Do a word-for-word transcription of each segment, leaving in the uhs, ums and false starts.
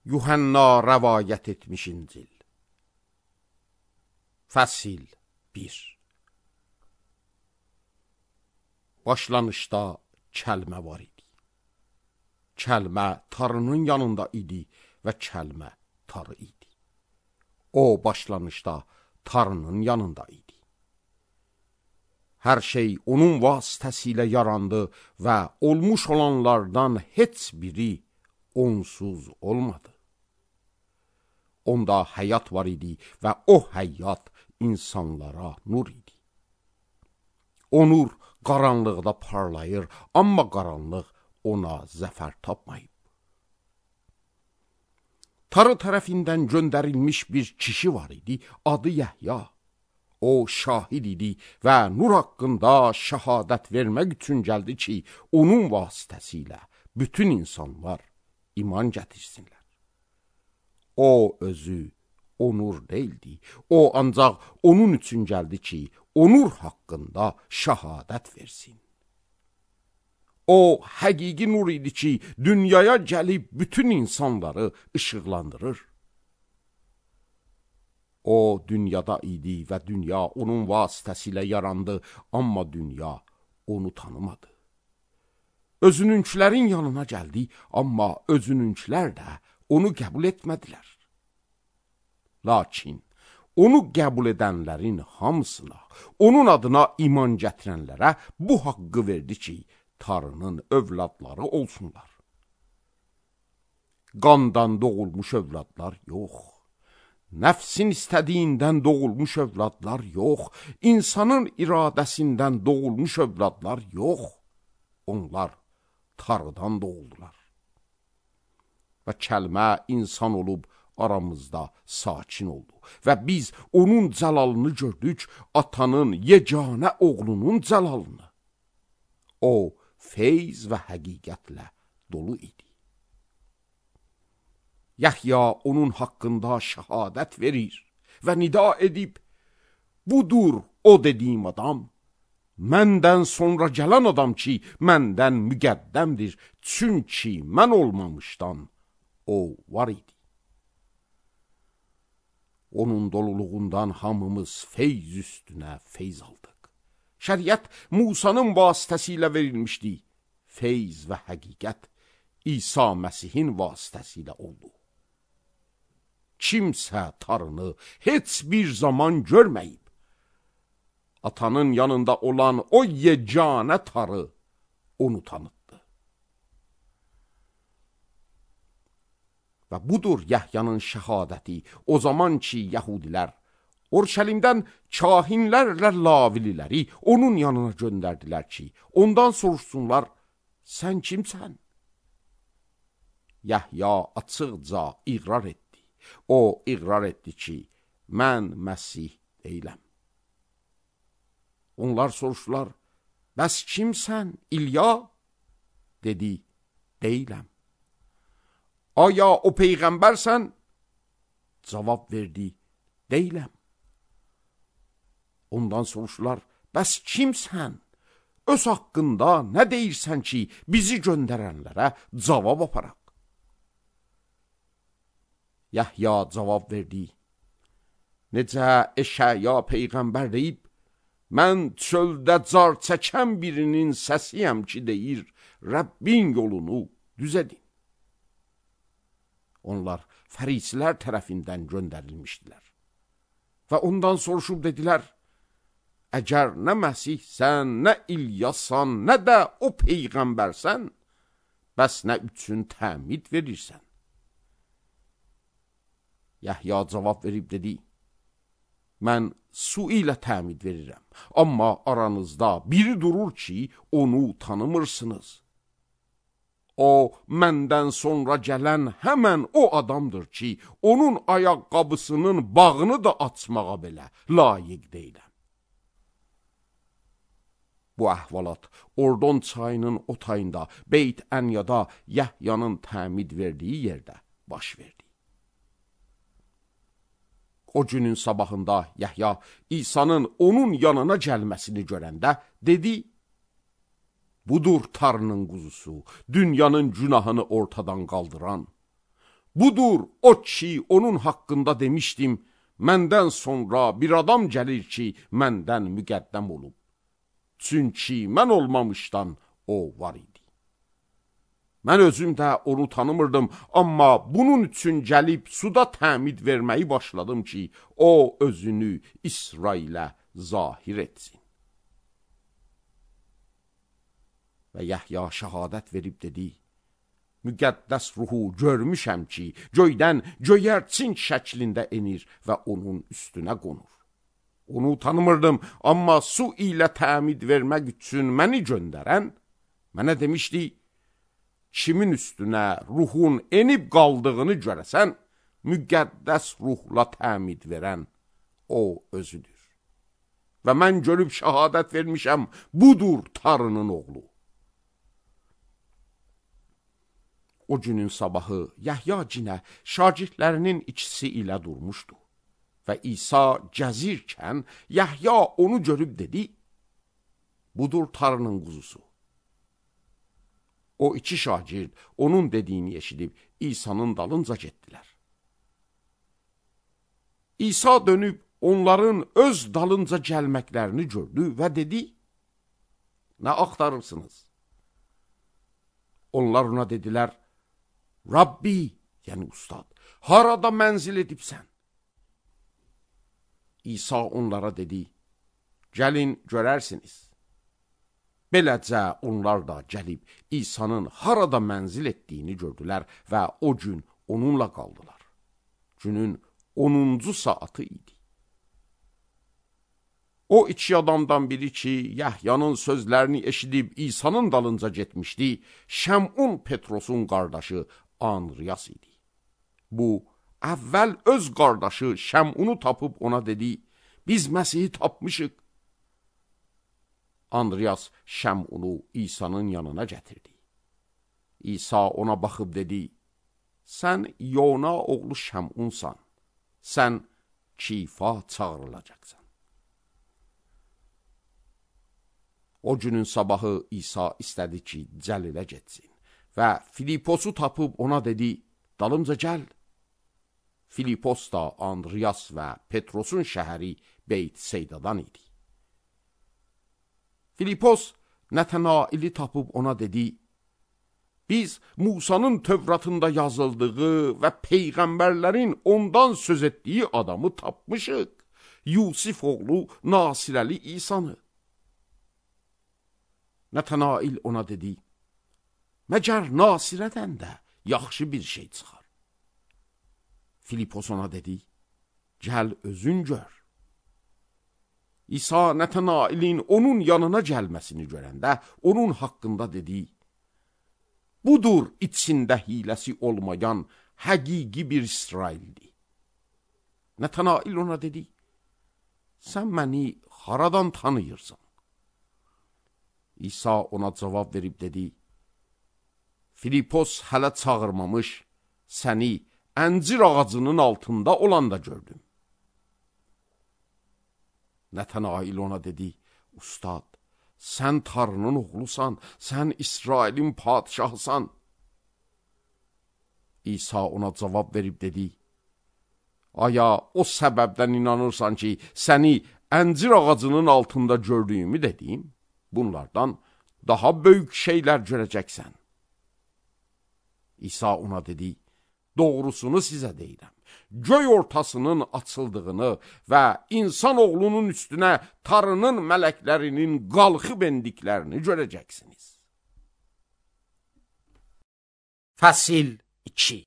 Yuhanna rəvayət etmiş İncil. Fəsil bir. Başlanışda kəlmə var idi. Kəlmə Tanrının yanında idi və kəlmə Tanrı idi. O başlanışda Tanrının yanında idi. Hər şey onun vasitəsilə yarandı və olmuş olanlardan heç biri onsuz olmadı. Onda həyat var idi və o həyat insanlara nur idi. O nur qaranlıqda parlayır, amma qaranlıq ona zəfər tapmayıb. Tanrı tərəfindən göndərilmiş bir kişi var idi, adı Yəhya. O şahid idi və nur haqqında şəhadət vermək üçün gəldi ki, onun vasitəsilə bütün insanlar iman gətirsinlər. O özü o nur deyildi. O ancaq onun üçün gəldi ki, o nur haqqında şəhadət versin. O həqiqi nur idi ki, dünyaya gəlib bütün insanları işıqlandırır. O dünyada idi və dünya onun vasitəsilə yarandı, amma dünya onu tanımadı. Özününkilərin yanına gəldi, amma özününkilər də onu qəbul etmədilər. Lakin onu qəbul edənlərin hamısına, onun adına iman gətirənlərə bu haqqı verdi ki, Tanrının övladları olsunlar. Qandan doğulmuş övladlar yox, nəfsin istədiyindən doğulmuş övladlar yox, insanın iradəsindən doğulmuş övladlar yox, onlar Tanrıdan doğuldular. Və kəlmə insan olub aramızda sakin oldu və biz onun cəlalını gördük, atanın yeganə oğlunun cəlalını. O, feyz və həqiqətlə dolu idi. Yəhya onun haqqında şəhadət verir və nida edib, budur o dediyim adam, məndən sonra gələn adam ki, məndən müqəddəmdir, çünki mən olmamışdan o var idi. Onun doluluğundan hamımız feyz üstünə feyz aldıq. Şəriət Musanın vasitəsilə verilmişdi. Feyz və həqiqət İsa Məsihin vasitəsilə oldu. Kimsə Tanrını heç bir zaman görməyib. Atanın yanında olan o yeganə Tanrı onu tanıtdı. Və budur Yəhyanın şəhadəti. O zaman ki, Yəhudilər Orşəlimdən kahinlərlə lavililəri onun yanına göndərdilər ki, ondan soruşsunlar, sən kimsən? Yəhya açıqca iqrar etdi. O iqrar etdi ki, mən Məsih deyiləm. Onlar soruşdular, bəs kimsən, İlya? Dedi, deyiləm. Aya o peyğəmbərsən? Cavab verdi, deyiləm. Ondan soruşdular, bəs kimsən? Öz haqqında nə deyirsən ki, bizi göndərənlərə cavab aparaq? Yəhya cavab verdi, necə Eşaya peyğəmbər deyib, mən çöldə car çəkən birinin səsiyəm ki, deyir, Rəbbin yolunu düz edin. Onlar fərisilər tərəfindən göndərilmişdilər. Və ondan soruşub dedilər, əgər nə Məsihsən, nə İlyasan, nə də o peyğəmbərsən, bəs nə üçün təmid verirsən? Yəhya cavab verib dedi, mən su ilə təmid verirəm, amma aranızda biri durur ki, onu tanımırsınız. O, məndən sonra gələn həmən o adamdır ki, onun ayaqqabısının bağını da açmağa belə layiq deyiləm. Bu əhvalat Ordon çayının o tayında, Beyt Ənyada Yəhyanın təmid verdiyi yerdə baş verdi. O günün sabahında Yəhya İsa'nın onun yanına gəlməsini görəndə dedi, budur Tanrının quzusu, dünyanın günahını ortadan qaldıran. Budur o ki, onun haqqında demişdim, məndən sonra bir adam gəlir ki, məndən müqəddəm olub. Çünki mən olmamışdan o var idi. Mən özüm də onu tanımırdım, amma bunun üçün gəlib suda təmid verməyi başladım ki, o özünü İsrailə zahir etsin. Və Yəhya şəhadət verib dedi, müqəddəs ruhu görmüşəm ki, göydən göyərçin şəklində enir və onun üstünə qonur. Onu tanımırdım, amma su ilə təmid vermək üçün məni göndərən mənə demişdi, kimin üstünə ruhun enib qaldığını görəsən, müqəddəs ruhla təmid verən o özüdür. Və mən görüb şəhadət vermişəm, budur Tarının oğlu. O günün sabahı Yəhya cinə şagirdlərinin ikisi ilə durmuşdu. Və İsa gəzirkən Yəhya onu görüb dedi, budur Tarının quzusu. O iki şagird onun dediyini eşidib İsa'nın dalınca getdilər. İsa dönüb onların öz dalınca gəlməklərini gördü və dedi, nə axtarırsınız? Onlar ona dedilər, Rabbi, yəni ustad, harada mənzil edibsən? İsa onlara dedi, gəlin görərsiniz. Beləcə onlar da gəlib İsa'nın harada mənzil etdiyini gördülər və o gün onunla qaldılar. Günün onuncu saatı idi. O iki adamdan biri ki, Yəhyanın sözlərini eşidib İsa'nın dalınca getmişdi, Şəmun Petrosun qardaşı Andriyas idi. Bu, əvvəl öz qardaşı Şəmunu tapıb ona dedi, biz Məsihi tapmışıq. Andriyas Şəmunu İsa'nın yanına gətirdi. İsa ona baxıb dedi, sən Yona oğlu Şəmunsan, sən Kifa çağırılacaqsan. O günün sabahı İsa istədi ki, Cəlilə getsin və Filiposu tapıb ona dedi, dalımca gəl. Filipos da Andriyas və Petrosun şəhəri Beyt Seydadan idi. Filipos Nətənaili tapıb ona dedi, biz Musanın Tövratında yazıldığı və Peyğəmbərlərin ondan söz etdiyi adamı tapmışıq, Yusif oğlu Nasirəli İsanı. Nətənail ona dedi, məgər Nasirədən də yaxşı bir şey çıxar. Filipos ona dedi, gəl özün gör. İsa Nətənailin onun yanına gəlməsini görəndə onun haqqında dedi, budur içində hiləsi olmayan həqiqi bir İsraildir. Nətənail ona dedi, sən məni haradan tanıyırsan? İsa ona cavab verib dedi, Filipos hələ çağırmamış, səni əncir ağacının altında olanda gördüm. Nətənail ona dedi, ustad, sən Tarının oğlusan, sən İsrailin padişahısan. İsa ona cavab verib dedi, aya o səbəbdən inanırsan ki, səni əncir ağacının altında gördüyümü dedim, bunlardan daha böyük şeylər görəcəksən. İsa ona dedi, doğrusunu sizə deyirəm. Göy ortasının açıldığını və insan oğlunun üstünə Tarının mələklərinin qalxıb endiklərini görəcəksiniz. Fəsil iki.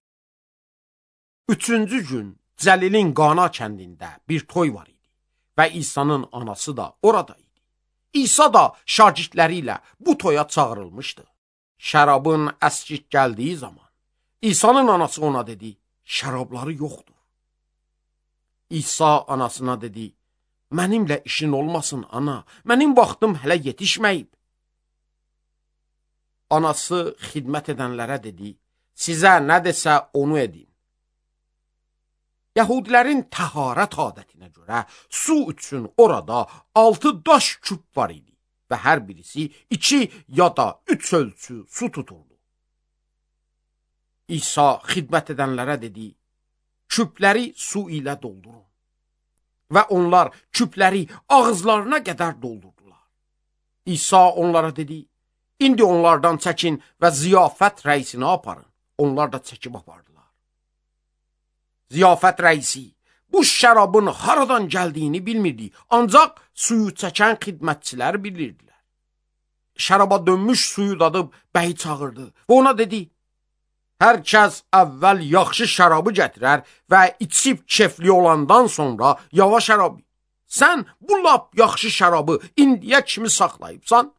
Üçüncü gün Cəlilin Qana kəndində bir toy var idi və İsa'nın anası da orada idi. İsa da şagirdləri ilə bu toya çağırılmışdı. Şərabın əskik gəldiyi zaman İsa'nın anası ona dedi, şərabları yoxdur. İsa anasına dedi, mənimlə işin olmasın ana, mənim vaxtım hələ yetişməyib. Anası xidmət edənlərə dedi, sizə nə desə onu edin. Yahudilərin təharət adətinə görə su üçün orada altı daş küp var idi və hər birisi iki ya da üç ölçü su tuturdu. İsa xidmət edənlərə dedi, küpləri su ilə doldurun. Və onlar küpləri ağızlarına qədər doldurdular. İsa onlara dedi, indi onlardan çəkin və ziyafət rəisini aparın. Onlar da çəkib apardılar. Ziyafət rəisi bu şərabın haradan gəldiyini bilmirdi, ancaq suyu çəkən xidmətçilər bilirdilər. Şəraba dönmüş suyu dadıb bəyi çağırdı və ona dedi, hər kəs əvvəl yaxşı şərabı gətirər və içib kefli olandan sonra yava şərabı. Sən bu lap yaxşı şərabı indiyə kimi saxlayıbsan?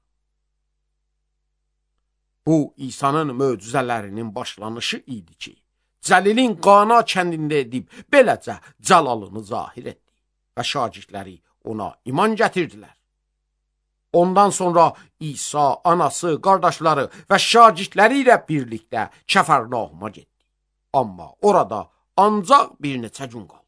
Bu, İsa'nın möcüzələrinin başlanışı idi ki, Cəlilin Qana kəndində edib, beləcə cəlalını zahir etdi və şagirdləri ona iman gətirdilər. Ondan sonra İsa, anası, qardaşları və şagirdləri ilə birlikdə Kəfərnauma getdi. Amma orada ancaq bir neçə gün qaldı.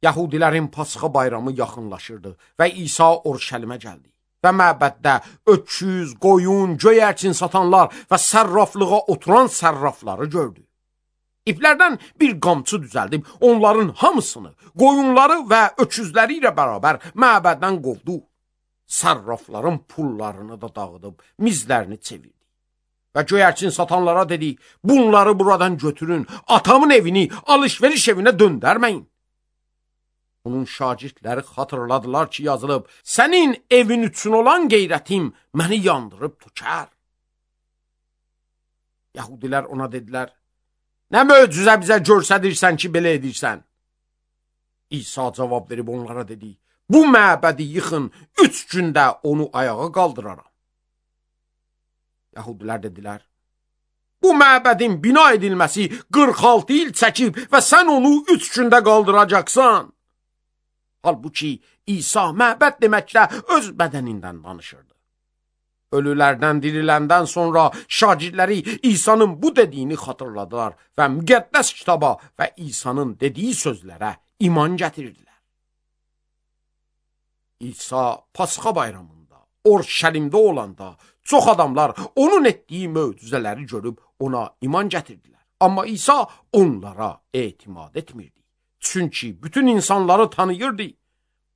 Yahudilərin Pasxa bayramı yaxınlaşırdı və İsa Urşəlimə gəldi. Və məbəddə öküz, qoyun, göyərçin satanlar və sərraflığa oturan sərrafları gördü. İplərdən bir qamçı düzəldib onların hamısını, qoyunları və öküzləri ilə bərabər məbəddən qovdu. Sərrafların pullarını da dağıdıb mizlərini çevirdi. Və göyərçin satanlara dedi, bunları buradan götürün, atamın evini alış-veriş evinə döndərməyin. Onun şagirdləri xatırladılar ki, yazılıb, sənin evin üçün olan qeyrətim məni yandırıb tükər. Yahudilər ona dedilər, nə möcüzə bizə görsədirsən ki, belə edirsən? İsa cavab verib onlara dedi, bu məbədi yıxın, üç gündə onu ayağa qaldıraram. Yahudilər dedilər, bu məbədin bina edilməsi qırx altı il çəkib və sən onu üç gündə qaldıracaqsan. Halbuki İsa məbəd deməklə öz bədənindən danışırdı. Ölülərdən diriləndən sonra şagirdləri İsa'nın bu dediyini xatırladılar və müqəddəs kitaba və İsa'nın dediyi sözlərə iman gətirdilər. İsa Pasxa bayramında, Urşəlimdə olanda çox adamlar onun etdiyi möcüzələri görüb ona iman gətirdilər. Amma İsa onlara etimad etmirdi. Çünki bütün insanları tanıyırdı.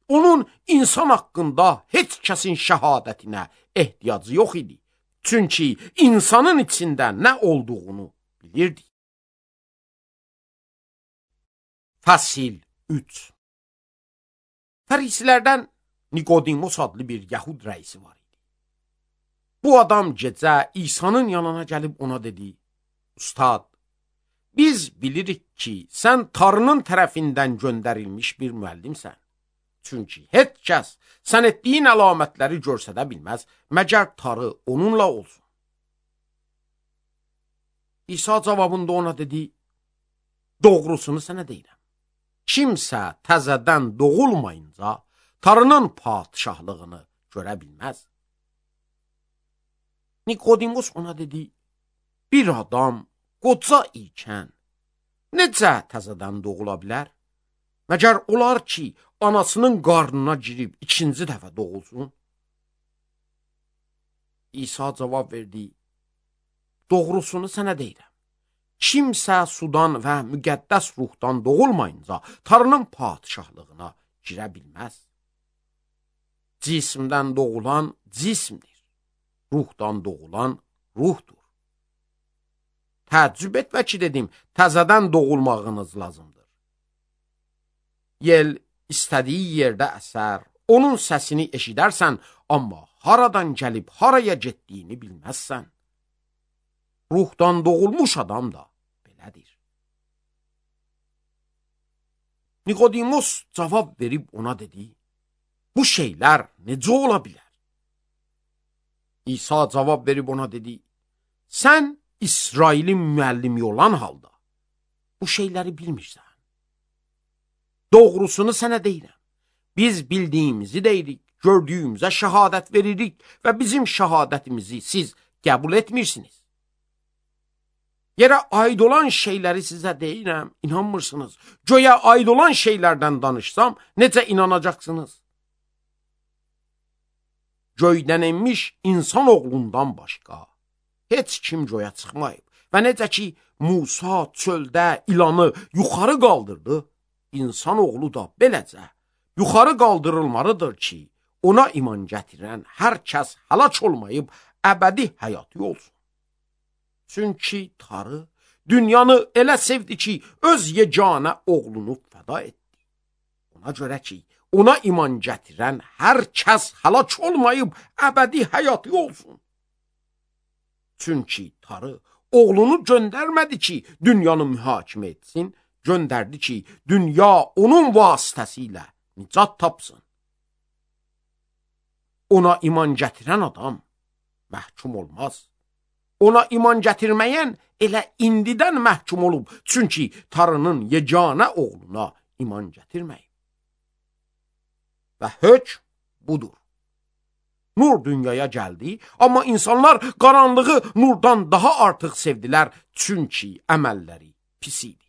Onun insan haqqında heç kəsin şəhadətinə ehtiyacı yox idi. Çünki insanın içində nə olduğunu bilirdi. Fəsil üç. Fərisilərdən Nikodimos adlı bir Yahud rəisi var idi. Bu adam gecə İsa'nın yanına gəlib ona dedi, Ustad, biz bilirik ki, sən Tanrının tərəfindən göndərilmiş bir müəllimsən. Çünki heç kəs sən etdiyin əlamətləri görsədə bilməz, məgər Tanrı onunla olsun. İsa cavabında ona dedi, doğrusunu sənə deyirəm. Kimsə təzədən doğulmayınca Tanrının padişahlığını görə bilməz. Nikodimos ona dedi, bir adam qoca ikən necə təzədən doğula bilər? Məgər olar ki, anasının qarnına girib ikinci dəfə doğulsun? İsa cavab verdi, doğrusunu sənə deyirəm. Kimsə sudan və müqəddəs ruhdan doğulmayınca Tanrının padişahlığına girə bilməz. Cismdən doğulan cismdir, ruhdan doğulan ruhdur. Təəccüb etmə ki, dedim, təzədən doğulmağınız lazımdır. Yel istədiyi yerdə əsər, onun səsini eşidərsən, amma haradan gəlib haraya getdiyini bilməzsən. Ruhdan doğulmuş adam da belədir. Nikodimos cavab verib ona dedi, bu şeylər necə ola bilər? İsa cavab verib ona dedi, sən İsrailin müəllimi olan halda bu şeyləri bilmirsən. Doğrusunu sənə deyirəm. Biz bildiyimizi deyirik, gördüyümüzə şəhadət veririk və bizim şəhadətimizi siz qəbul etmirsiniz. Yerə aid olan şeyləri sizə deyirəm, inanmırsınız. Göyə aid olan şeylərdən danışsam, necə inanacaqsınız? Göydən enmiş insan oğlundan başqa heç kim göyə çıxmayıb. Və necə ki, Musa çöldə ilanı yuxarı qaldırdı, insan oğlu da beləcə yuxarı qaldırılmalıdır ki, ona iman gətirən hər kəs həlak olmayıb əbədi həyatı olsun. Çünki Tanrı dünyanı elə sevdi ki, öz yeganə oğlunu fəda etdi. Ona görə ki, ona iman gətirən hər kəs həlak olmayıb əbədi həyatı olsun. Çünki Tanrı oğlunu göndərmədi ki, dünyanı mühakimə etsin, göndərdi ki, dünya onun vasitəsilə nicat tapsın. Ona iman gətirən adam məhkum olmaz. Ona iman gətirməyən elə indidən məhkum olub, çünki Tanrının yeganə oğluna iman gətirməyib. Və hökm budur. Nur dünyaya gəldi, amma insanlar qaranlığı nurdan daha artıq sevdilər, çünki əməlləri pis idi.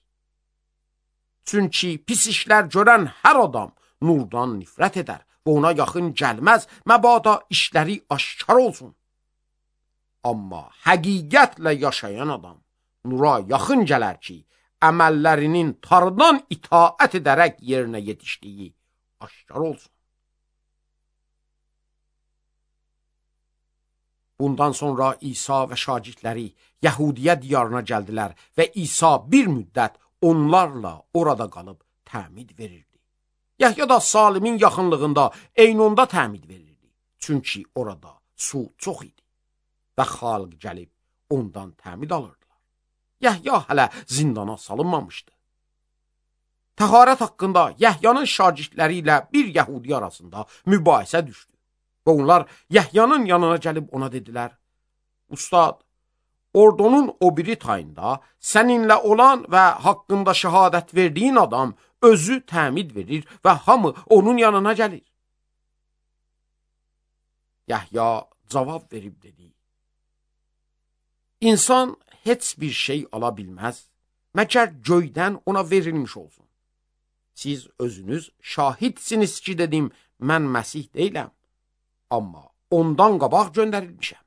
Çünki pis işlər görən hər adam nurdan nifrət edər və ona yaxın gəlməz, məbada işləri aşkar olsun. Amma həqiqətlə yaşayan adam nura yaxın gələr ki, əməllərinin Tanrıdan itaət edərək yerinə yetişdiyi aşkar olsun. Bundan sonra İsa və şagirdləri Yəhudiyə diyarına gəldilər və İsa bir müddət onlarla orada qalıb təmid verirdi. Yəhya da Salimin yaxınlığında Eynonda təmid verirdi. Çünki orada su çox idi və xalq gəlib ondan təmid alırdılar. Yəhya hələ zindana salınmamışdı. Təharət haqqında Yəhyanın şagirdləri ilə bir Yəhudi arasında mübahisə düşdü. Və onlar Yəhyanın yanına gəlib ona dedilər: Ustad, ordunun o biri tayında səninlə olan və haqqında şəhadət verdiyin adam özü təmid verir və hamı onun yanına gəlir. Yəhya cavab verib dedi: İnsan heç bir şey ala bilməz, məgər göydən ona verilmiş olsun. Siz özünüz şahidsiniz ki, dedim, mən Məsih deyiləm, amma ondan qabaq göndərilmişəm.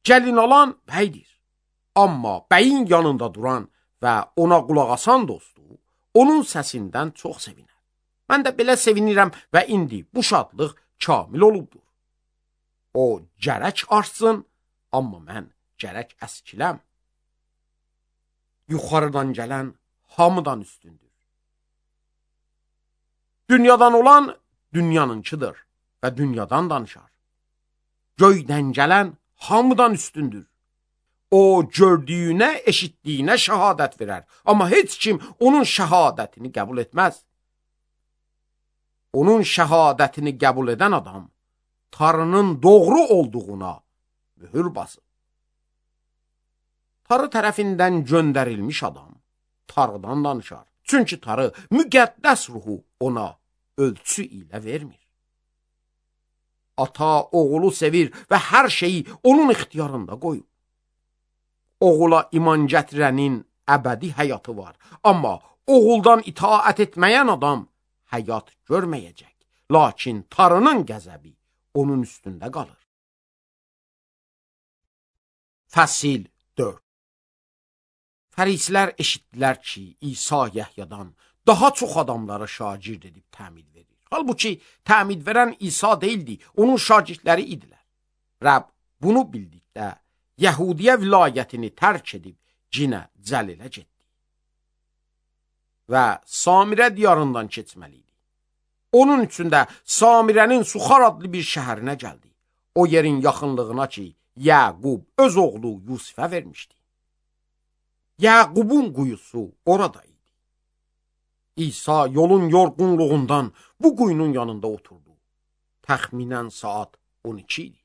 Gəlin alan bəydir, amma bəyin yanında duran və ona qulaq asan dostu onun səsindən çox sevinər. Mən də belə sevinirəm və indi bu şadlıq kamil olubdur. O gərək artsın, amma mən gərək əskiləm. Yuxarıdan gələn hamıdan üstündür. Dünyadan olan dünyanınkıdır və dünyadan danışar. Göydən gələn hamıdan üstündür. O gördüyünə, eşitdiyinə şəhadət verər, amma heç kim onun şəhadətini qəbul etməz. Onun şəhadətini qəbul edən adam Tanrının doğru olduğuna mühür basır. Tanrı tərəfindən göndərilmiş adam Tanrıdan danışar. Çünki Tanrı müqəddəs ruhu ona ölçü ilə vermir. Ata oğulu sevir və hər şeyi onun ixtiyarında qoyub. Oğula iman gətirənin əbədi həyatı var, amma oğuldan itaət etməyən adam həyat görməyəcək. Lakin Tanrının qəzəbi onun üstündə qalır. Fəsil dörd. Fərisilər eşitdilər ki, İsa Yəhyadan daha çox adamlara şagird edib təmid verir. Halbuki təmid verən İsa deyildi, onun şagirdləri idilər. Rəbb bunu bildikdə Yəhudiyə vilayətini tərk edib cinə Cəlilə getdi və Samirə diyarından keçməli idi. Onun üçün də Samirənin Suxar adlı bir şəhərinə gəldi. O yerin yaxınlığına ki, Yəqub öz oğlu Yusifə vermişdi. Yəqubun quyusu orada idi. İsa yolun yorğunluğundan bu quyunun yanında oturdu. Təxminən saat on iki idi.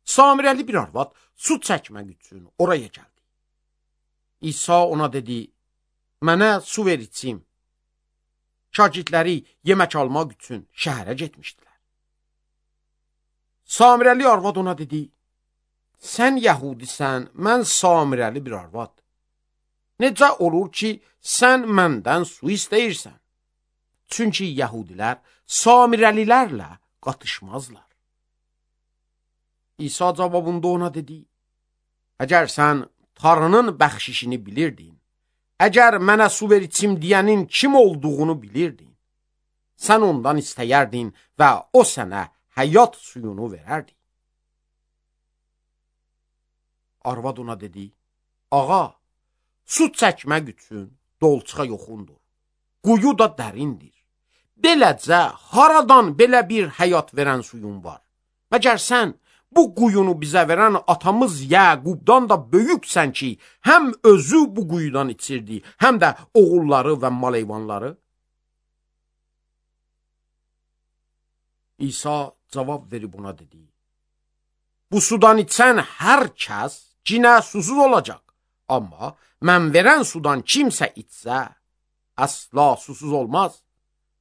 Samirəli bir arvad su çəkmək üçün oraya gəldi. İsa ona dedi: Mənə su ver içim. Şagirdləri yemək almaq üçün şəhərə getmişdilər. Samirəli arvad ona dedi: Sən Yəhudisən, mən Samirəli bir arvad. Necə olur ki, sən məndən su istəyirsən? Çünki Yəhudilər Samirəlilərlə qatışmazlar. İsa cavabında ona dedi, əgər sən Tanrının bəxşişini bilirdin, əgər mənə su ver içim deyənin kim olduğunu bilirdin, sən ondan istəyərdin və o sənə həyat suyunu verərdi. Arvad ona dedi, ağa, su çəkmək üçün dolçuğa yoxundur, quyu da dərindir. Beləcə, haradan belə bir həyat verən suyun var? Məgər sən bu quyunu bizə verən atamız Yəqubdan da böyüksən ki, həm özü bu quyudan içirdi, həm də oğulları və maleyvanları? İsa cavab verib ona dedi, bu sudan içən hər kəs cinə susuz olacaq, amma mən verən sudan kimsə içsə, əsla susuz olmaz.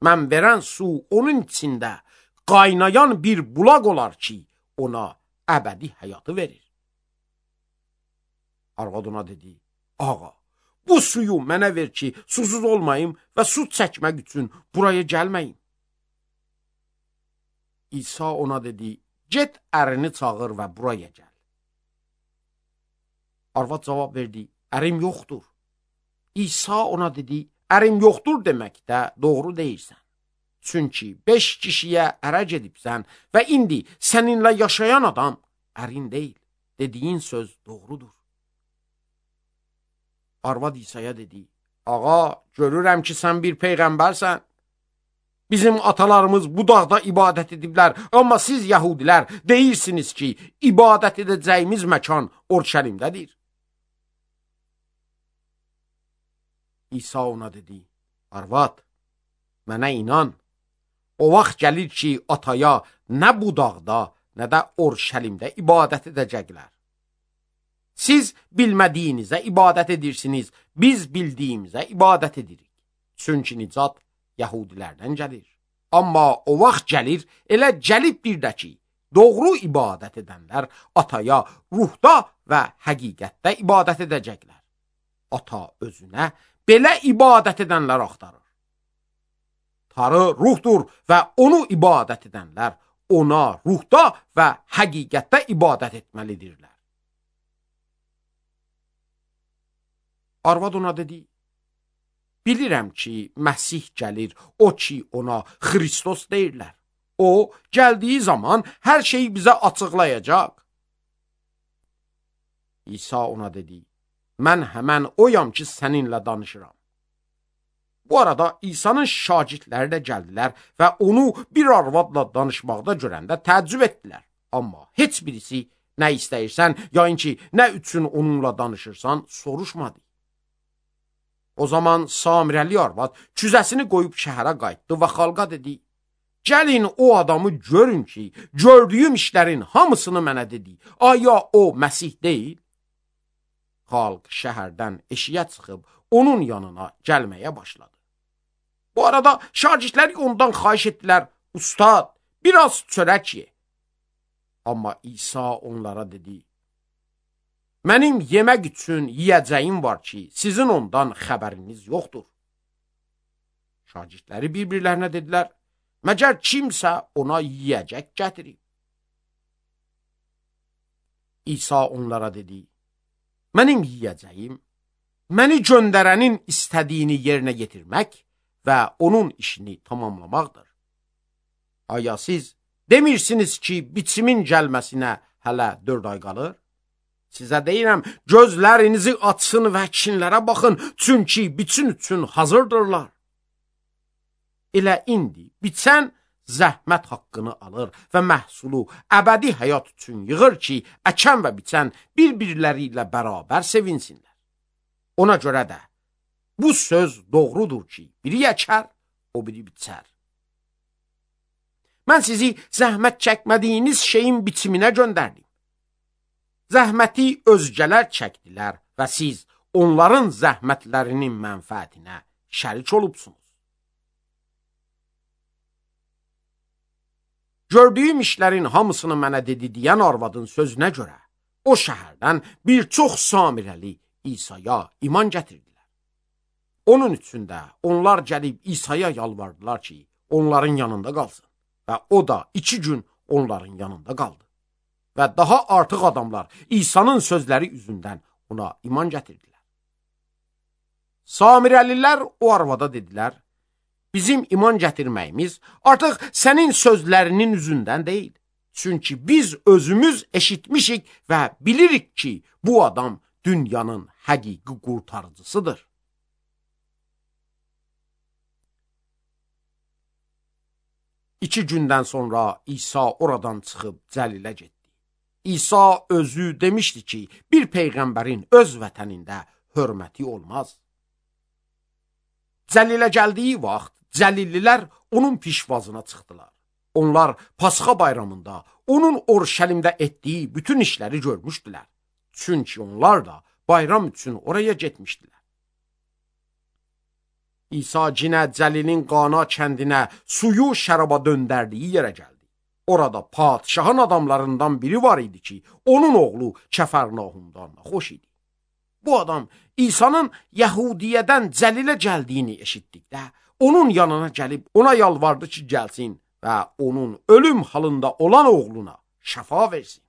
Mən verən su onun içində qaynayan bir bulaq olar ki, ona əbədi həyatı verir. Arvad ona dedi, ağa, bu suyu mənə ver ki, susuz olmayım və su çəkmək üçün buraya gəlməyim. İsa ona dedi, get ərini çağır və buraya gəl. Arvad cavab verdi, ərim yoxdur. İsa ona dedi, ərim yoxdur deməkdə doğru deyirsən. Çünki beş kişiyə ərə gedibsən və indi səninlə yaşayan adam ərin deyil. Dediyin söz doğrudur. Arvad İsa'ya dedi, ağa, görürəm ki, sən bir peyğəmbərsən. Bizim atalarımız bu dağda ibadət ediblər, amma siz yəhudilər deyirsiniz ki, ibadət edəcəyimiz məkan Orşəlimdədir. İsa ona dedi, arvad, mənə inan, o vaxt gəlir ki, ataya nə bu dağda, nə də Orşəlimdə ibadət edəcəklər. Siz bilmədiyinizə ibadət edirsiniz, biz bildiyimizə ibadət edirik. Çünki nicat Yəhudilərdən gəlir. Amma o vaxt gəlir, elə gəlib bir də ki, doğru ibadət edənlər ataya ruhda və həqiqətdə ibadət edəcəklər. Ata özünə belə ibadət edənlər axtarır. Tanrı ruhdur və onu ibadət edənlər ona ruhda və həqiqətdə ibadət etməlidirlər. Arvad ona dedi, bilirəm ki, Məsih gəlir, o ki, ona Xristos deyirlər. O, gəldiyi zaman hər şeyi bizə açıqlayacaq. İsa ona dedi, mən həmən oyam ki, səninlə danışıram. Bu arada İsa'nın şagirdləri də gəldilər və onu bir arvadla danışmaqda görəndə təəccüb etdilər. Amma heç birisi nə istəyirsən, yəni ki, nə üçün onunla danışırsan, soruşmadı. O zaman Samirəli arvad küzəsini qoyub şəhərə qayıtdı və xalqa dedi, gəlin o adamı görün ki, gördüyüm işlərin hamısını mənə dedi. Aya o Məsih deyil? Xalq şəhərdən eşiyə çıxıb onun yanına gəlməyə başladı. Bu arada şagirdləri ondan xahiş etdilər, ustad, biraz çörək ye. Amma İsa onlara dedi, mənim yemək üçün yiyəcəyim var ki, sizin ondan xəbəriniz yoxdur. Şagirdləri bir-birlərinə dedilər, məgər kimsə ona yiyəcək gətirib. İsa onlara dedi, mənim yiyəcəyim, məni göndərənin istədiyini yerinə yetirmək və onun işini tamamlamaqdır. Aya siz demirsiniz ki, biçimin gəlməsinə hələ dörd ay qalır? Sizə deyirəm, gözlərinizi açsın və əkinlərə baxın, çünki biçin üçün hazırdırlar. Elə indi biçən zəhmət haqqını alır və məhsulu əbədi həyat üçün yığır ki, əkən və biçən bir-birləri ilə bərabər sevinsinlər. Ona görə də bu söz doğrudur ki, biri əkər, o biri biçər. Mən sizi zəhmət çəkmədiyiniz şeyin biçiminə göndərdim. Zəhməti özgələr çəkdilər və siz onların zəhmətlərinin mənfəətinə şərik olubsunuz. Gördüyüm işlərin hamısını mənə dedi deyən arvadın sözünə görə o şəhərdən bir çox Samirəli İsa'ya iman gətirdilər. Onun üçün də onlar gəlib İsa'ya yalvardılar ki, onların yanında qalsın və o da iki gün onların yanında qaldı. və daha artıq adamlar İsa'nın sözləri üzündən ona iman gətirdilər. Samirəlilər o arvada dedilər, bizim iman gətirməyimiz artıq sənin sözlərinin üzündən deyil. Çünki biz özümüz eşitmişik və bilirik ki, bu adam dünyanın həqiqi qurtarıcısıdır. İki gündən sonra İsa oradan çıxıb Cəlilə getdi. İsa özü demişdi ki, bir peyğəmbərin öz vətənində hörməti olmaz. Cəlilə gəldiyi vaxt Cəlillilər onun pişvazına çıxdılar. Onlar Pasxa bayramında onun Orşəlimdə etdiyi bütün işləri görmüşdülər. Çünki onlar da bayram üçün oraya getmişdilər. İsa cinə Cəlilin Qana kəndinə suyu şəraba döndərdiyi yerə gəldi. Orada padişahın adamlarından biri var idi ki, onun oğlu Kəfərnahumdan xoş idi. Bu adam İsa'nın Yəhudiyədən Cəlilə gəldiyini eşitdikdə, onun yanına gəlib ona yalvardı ki, gəlsin və onun ölüm halında olan oğluna şəfa versin.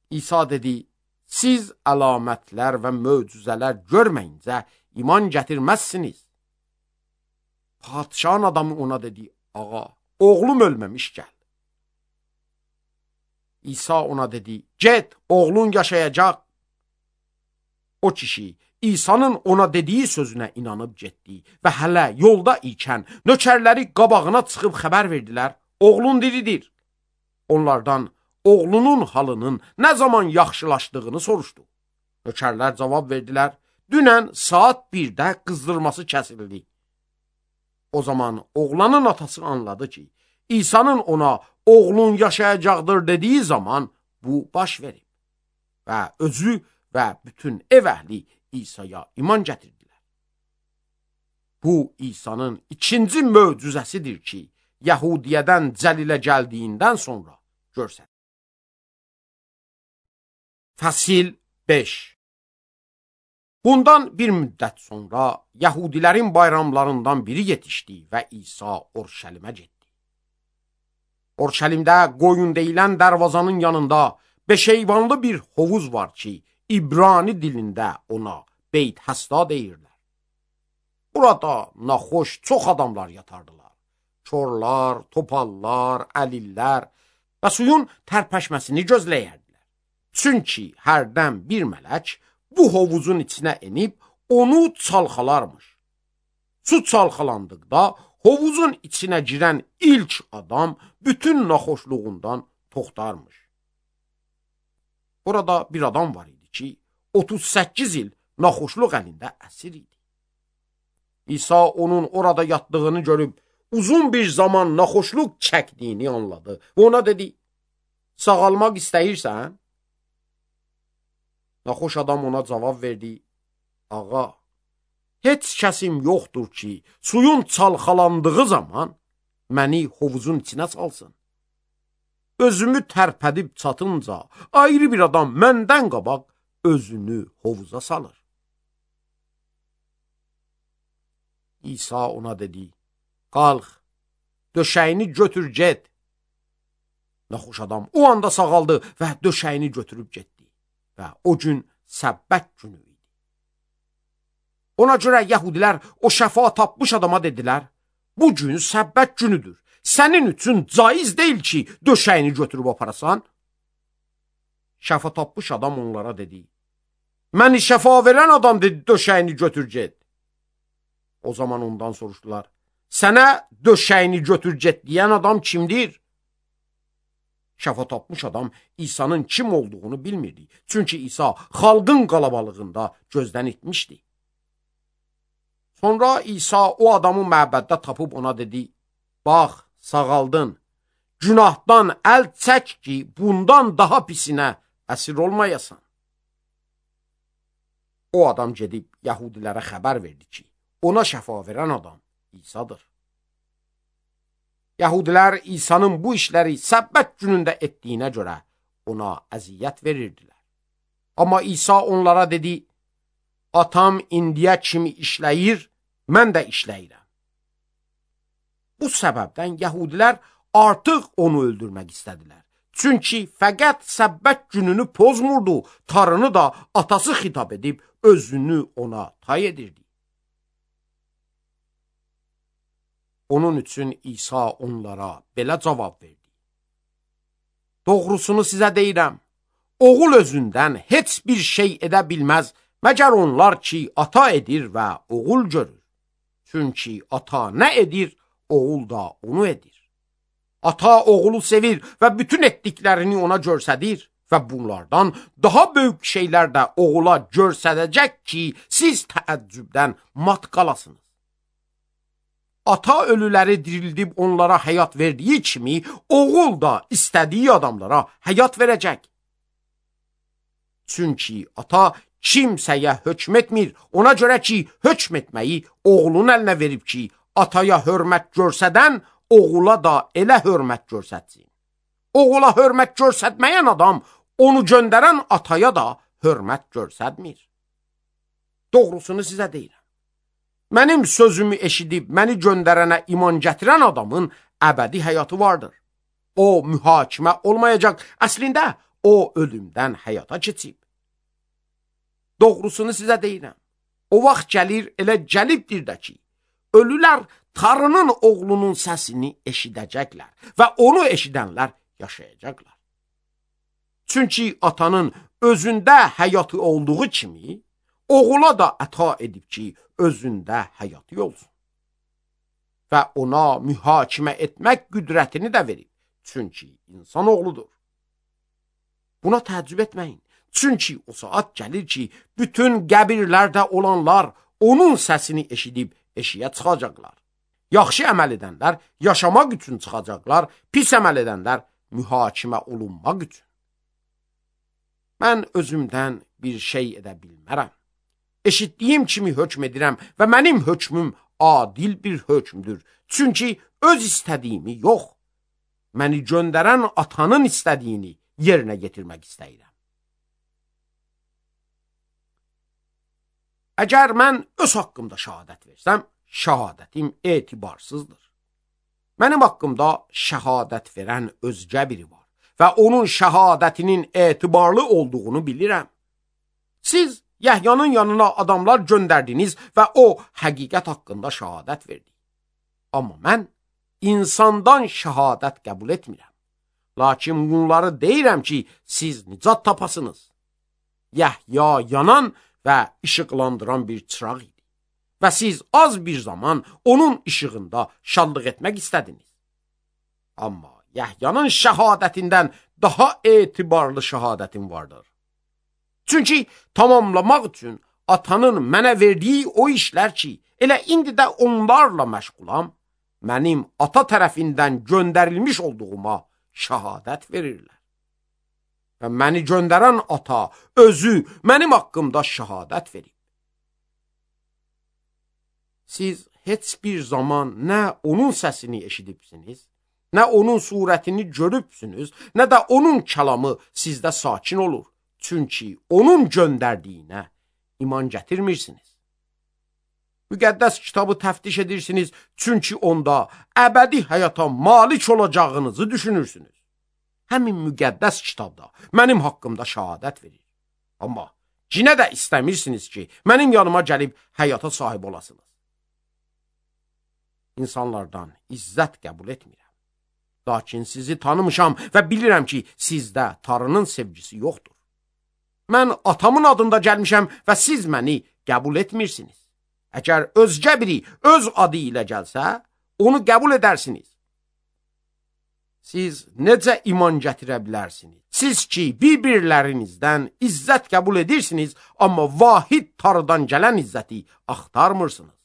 İsa dedi, siz əlamətlər və möcüzələr görməyincə iman gətirməzsiniz. Padişahın adamı ona dedi, ağa, oğlum ölməmiş gəl. İsa ona dedi, get, oğlun yaşayacaq. O kişi İsa'nın ona dediyi sözünə inanıb getdi və hələ yolda ikən nökərləri qabağına çıxıb xəbər verdilər, oğlun diridir. Onlardan oğlunun halının nə zaman yaxşılaşdığını soruşdu. Nökərlər cavab verdilər, dünən saat birdə qızdırması kəsildi. O zaman oğlanın atası anladı ki, İsa'nın ona oğlun yaşayacaqdır dediyi zaman bu baş verib və özü və bütün ev əhli İsa'ya iman gətirdilər. Bu İsa'nın ikinci möcüzəsidir ki, Yəhudiyədən Cəlilə gəldiyindən sonra görsədir. Fəsil beş. Bundan bir müddət sonra Yəhudilərin bayramlarından biri yetişdi və İsa Orşəlimə getdi. Orşəlimdə qoyun deyilən dərvazanın yanında beşeyvanlı bir hovuz var ki, İbrani dilində ona Beyt Həsda deyirlər. Burada naxoş çox adamlar yatardılar. Çorlar, topallar, əlillər və suyun tərpəşməsini gözləyərdilər. Çünki hərdən bir mələk bu hovuzun içinə enib onu çalxalarmış. Su çalxalandıqda hovuzun içinə girən ilk adam bütün naxoşluğundan toxtarmış. Orada bir adam var idi ki, otuz səkkiz il naxoşluq əlində əsir idi. İsa onun orada yatdığını görüb uzun bir zaman naxoşluq çəkdiyini anladı və ona dedi, sağalmaq istəyirsən? Naxoş adam ona cavab verdi, ağa, heç kəsim yoxdur ki, suyun çalxalandığı zaman məni hovuzun içinə salsın. Özümü tərpədib çatınca ayrı bir adam məndən qabaq özünü hovuza salır. İsa ona dedi, qalx, döşəyini götür get. Naxoş adam o anda sağaldı və döşəyini götürüb getdi və o gün səbbət günü idi. Ona görə Yəhudilər o şəfa tapmış adama dedilər, bu gün səbbət günüdür. Sənin üçün caiz deyil ki, döşəyini götürüb aparasan. Şəfa tapmış adam onlara dedi, məni şəfa verən adam dedi, döşəyini götür get. O zaman ondan soruşdular, sənə döşəyini götür get deyən adam kimdir? Şəfa tapmış adam İsa'nın kim olduğunu bilmirdi. Çünki İsa xalqın qalabalığında gözdən itmişdi. Sonra İsa o adamı məbəddə tapıb ona dedi, bax, sağaldın, günahdan əl çək ki, bundan daha pisinə əsir olmayasan. O adam gedib Yəhudilərə xəbər verdi ki, ona şəfa verən adam İsa'dır. Yəhudilər İsa'nın bu işləri səbbət günündə etdiyinə görə ona əziyyət verirdilər. Amma İsa onlara dedi, atam indiyə kimi işləyir, mən də işləyirəm. Bu səbəbdən Yəhudilər artıq onu öldürmək istədilər. Çünki fəqət səbbət gününü pozmurdu, tarını da atası xitab edib özünü ona tay edirdi. Onun üçün İsa onlara belə cavab verdi. Doğrusunu sizə deyirəm, oğul özündən heç bir şey edə bilməz, məgər onlar ki, ata edir və oğul görür. Çünki ata nə edir, oğul da onu edir. Ata oğulu sevir və bütün etdiklərini ona görsədir və bunlardan daha böyük şeylər də oğula görsədəcək ki, siz təəccübdən mat qalasınız. Ata ölüləri dirildib onlara həyat verdiyi kimi, oğul da istədiyi adamlara həyat verəcək. Çünki ata kimsəyə hökm etmir, ona görə ki, hökm etməyi oğlun əlinə verib ki, ataya hörmət görsədən, oğula da elə hörmət görsətsin. Oğula hörmət görsətməyən adam, onu göndərən ataya da hörmət görsətmir. Doğrusunu sizə deyirəm. Mənim sözümü eşidib, məni göndərənə iman gətirən adamın əbədi həyatı vardır. O, mühakimə olmayacaq. Əslində, o, ölümdən həyata keçib. Doğrusunu sizə deyirəm. O vaxt gəlir, elə gəlibdir də ki, ölülər tarının oğlunun səsini eşidəcəklər və onu eşidənlər yaşayacaqlar. Çünki atanın özündə həyatı olduğu kimi, oğula da əta edib ki, özündə həyatı olsun. Və ona mühakimə etmək qüdrətini də verib. Çünki insan oğludur. Buna təəccüb etməyin. Çünki o saat gəlir ki, bütün qəbirlərdə olanlar onun səsini eşidib eşiyə çıxacaqlar. Yaxşı əməl edənlər yaşamaq üçün çıxacaqlar, pis əməl edənlər mühakimə olunmaq üçün. Mən özümdən bir şey edə bilmərəm. Eşitdiyim kimi hökm edirəm və mənim hökmüm adil bir hökmdür. Çünki öz istədiyimi yox, məni göndərən atanın istədiyini yerinə getirmək istəyirəm. Əgər mən öz haqqımda şəhadət versəm, şəhadətim etibarsızdır. Mənim haqqımda şəhadət verən özgə biri var və onun şəhadətinin etibarlı olduğunu bilirəm. Siz Yəhyanın yanına adamlar göndərdiniz və o həqiqət haqqında şəhadət verdi. Amma mən insandan şəhadət qəbul etmirəm. Lakin bunları deyirəm ki, siz nicat tapasınız. Yəhya yanan və işıqlandıran bir çıraq idi. Və siz az bir zaman onun işığında şadlıq etmək istədiniz. Amma Yəhyanın şəhadətindən daha etibarlı şəhadətim vardır. Çünki tamamlamaq üçün atanın mənə verdiyi o işlər ki, elə indi də onlarla məşğulam, mənim ata tərəfindən göndərilmiş olduğuma şəhadət verirlər. Və məni göndərən ata özü mənim haqqımda şəhadət verib. Siz heç bir zaman nə onun səsini eşidibsiniz, nə onun surətini görübsünüz, nə də onun kəlamı sizdə sakin olur. Çünki onun göndərdiyinə iman gətirmirsiniz. Müqəddəs kitabı təftiş edirsiniz, çünki onda əbədi həyata malik olacağınızı düşünürsünüz. Həmin müqəddəs kitabda mənim haqqımda şəhadət verir. Amma cinə də istəmirsiniz ki, mənim yanıma gəlib həyata sahib olasınız. İnsanlardan izzət qəbul etmirəm. Lakin sizi tanımışam və bilirəm ki, sizdə Tanrının sevgisi yoxdur. Mən atamın adında gəlmişəm və siz məni qəbul etmirsiniz. Əgər özgə biri öz adı ilə gəlsə, onu qəbul edərsiniz. Siz necə iman gətirə bilərsiniz? Siz ki, bir-birlərinizdən izzət qəbul edirsiniz, amma vahid Tanrıdan gələn izzəti axtarmırsınız.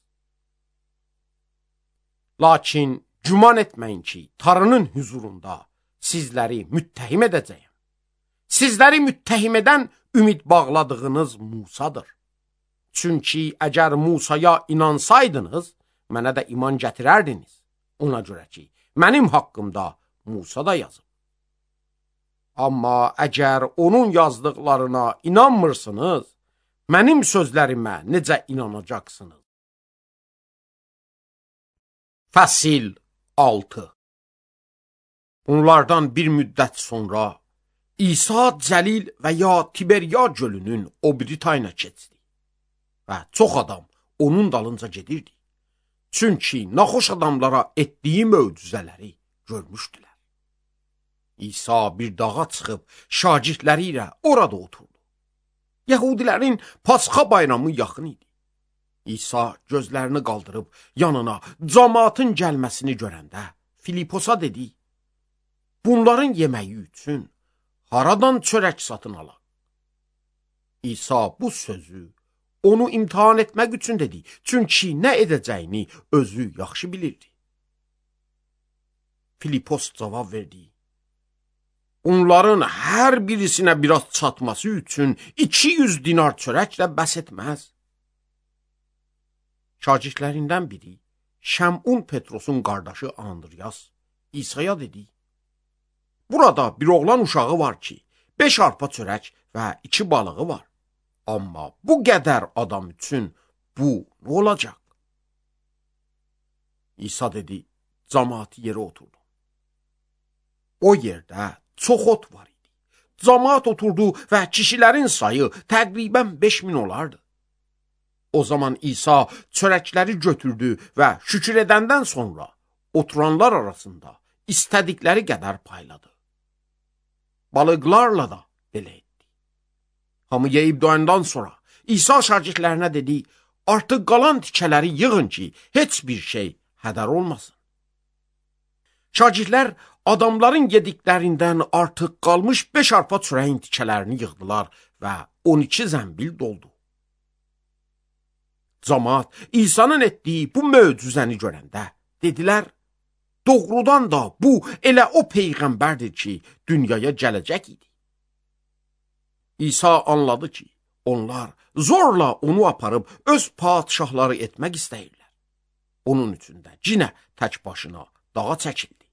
Lakin güman etməyin ki, Tanrının huzurunda sizləri müttəhim edəcəyəm. Sizləri müttəhim edən ümid bağladığınız Musadır. Çünki əgər Musaya inansaydınız, mənə də iman gətirərdiniz. Ona görə ki, mənim haqqımda Musa da yazıb. Amma əgər onun yazdıqlarına inanmırsınız, mənim sözlərimə necə inanacaqsınız? Fəsil altı. Onlardan bir müddət sonra İsa Cəlil və ya Tiberiya gölünün o biri tayına keçdi və çox adam onun dalınca gedirdi. Çünki naxoş adamlara etdiyi möcüzələri görmüşdülər. İsa bir dağa çıxıb şagirdləri ilə orada oturdu. Yəhudilərin Pasxa bayramı yaxın idi. İsa gözlərini qaldırıb yanına cəmaatın gəlməsini görəndə Filiposa dedi: "Bunların yeməyi üçün haradan çörək satın alaq?" İsa bu sözü onu imtihan etmək üçün dedi. Çünki nə edəcəyini özü yaxşı bilirdi. Filipos cavab verdi: "Onların hər birisinə biraz çatması üçün iki yüz dinar çörəklə bəs etməz." Şagirdlərindən biri, Şəmun Petrosun qardaşı Andriyas, İsa'ya dedi: "Burada bir oğlan uşağı var ki, beş arpa çörək və iki balığı var. Amma bu qədər adam üçün bu nə olacaq?" İsa dedi: "Cəmaatı yerə oturdu." O yerdə çox ot var idi. Cəmaat oturdu və kişilərin sayı təqribən beş min olardı. O zaman İsa çörəkləri götürdü və şükür edəndən sonra oturanlar arasında istədikləri qədər payladı. Balıqlarla da belə etdi. Hamı yeyib doyandan sonra İsa şagirdlərinə dedi: "Artıq qalan tikələri yığın ki, heç bir şey hədər olmasın." Şagirdlər adamların yediklərindən artıq qalmış beş arpa çörəyin tikələrini yığdılar və on iki zəmbil doldu. Cəmaat İsa'nın etdiyi bu möcüzəni görəndə dedilər: "Doğrudan da bu elə o peyğəmbərdir ki, dünyaya gələcək idi." İsa anladı ki, onlar zorla onu aparıb öz padişahları etmək istəyirlər. Onun üçün də yenə tək başına dağa çəkildi.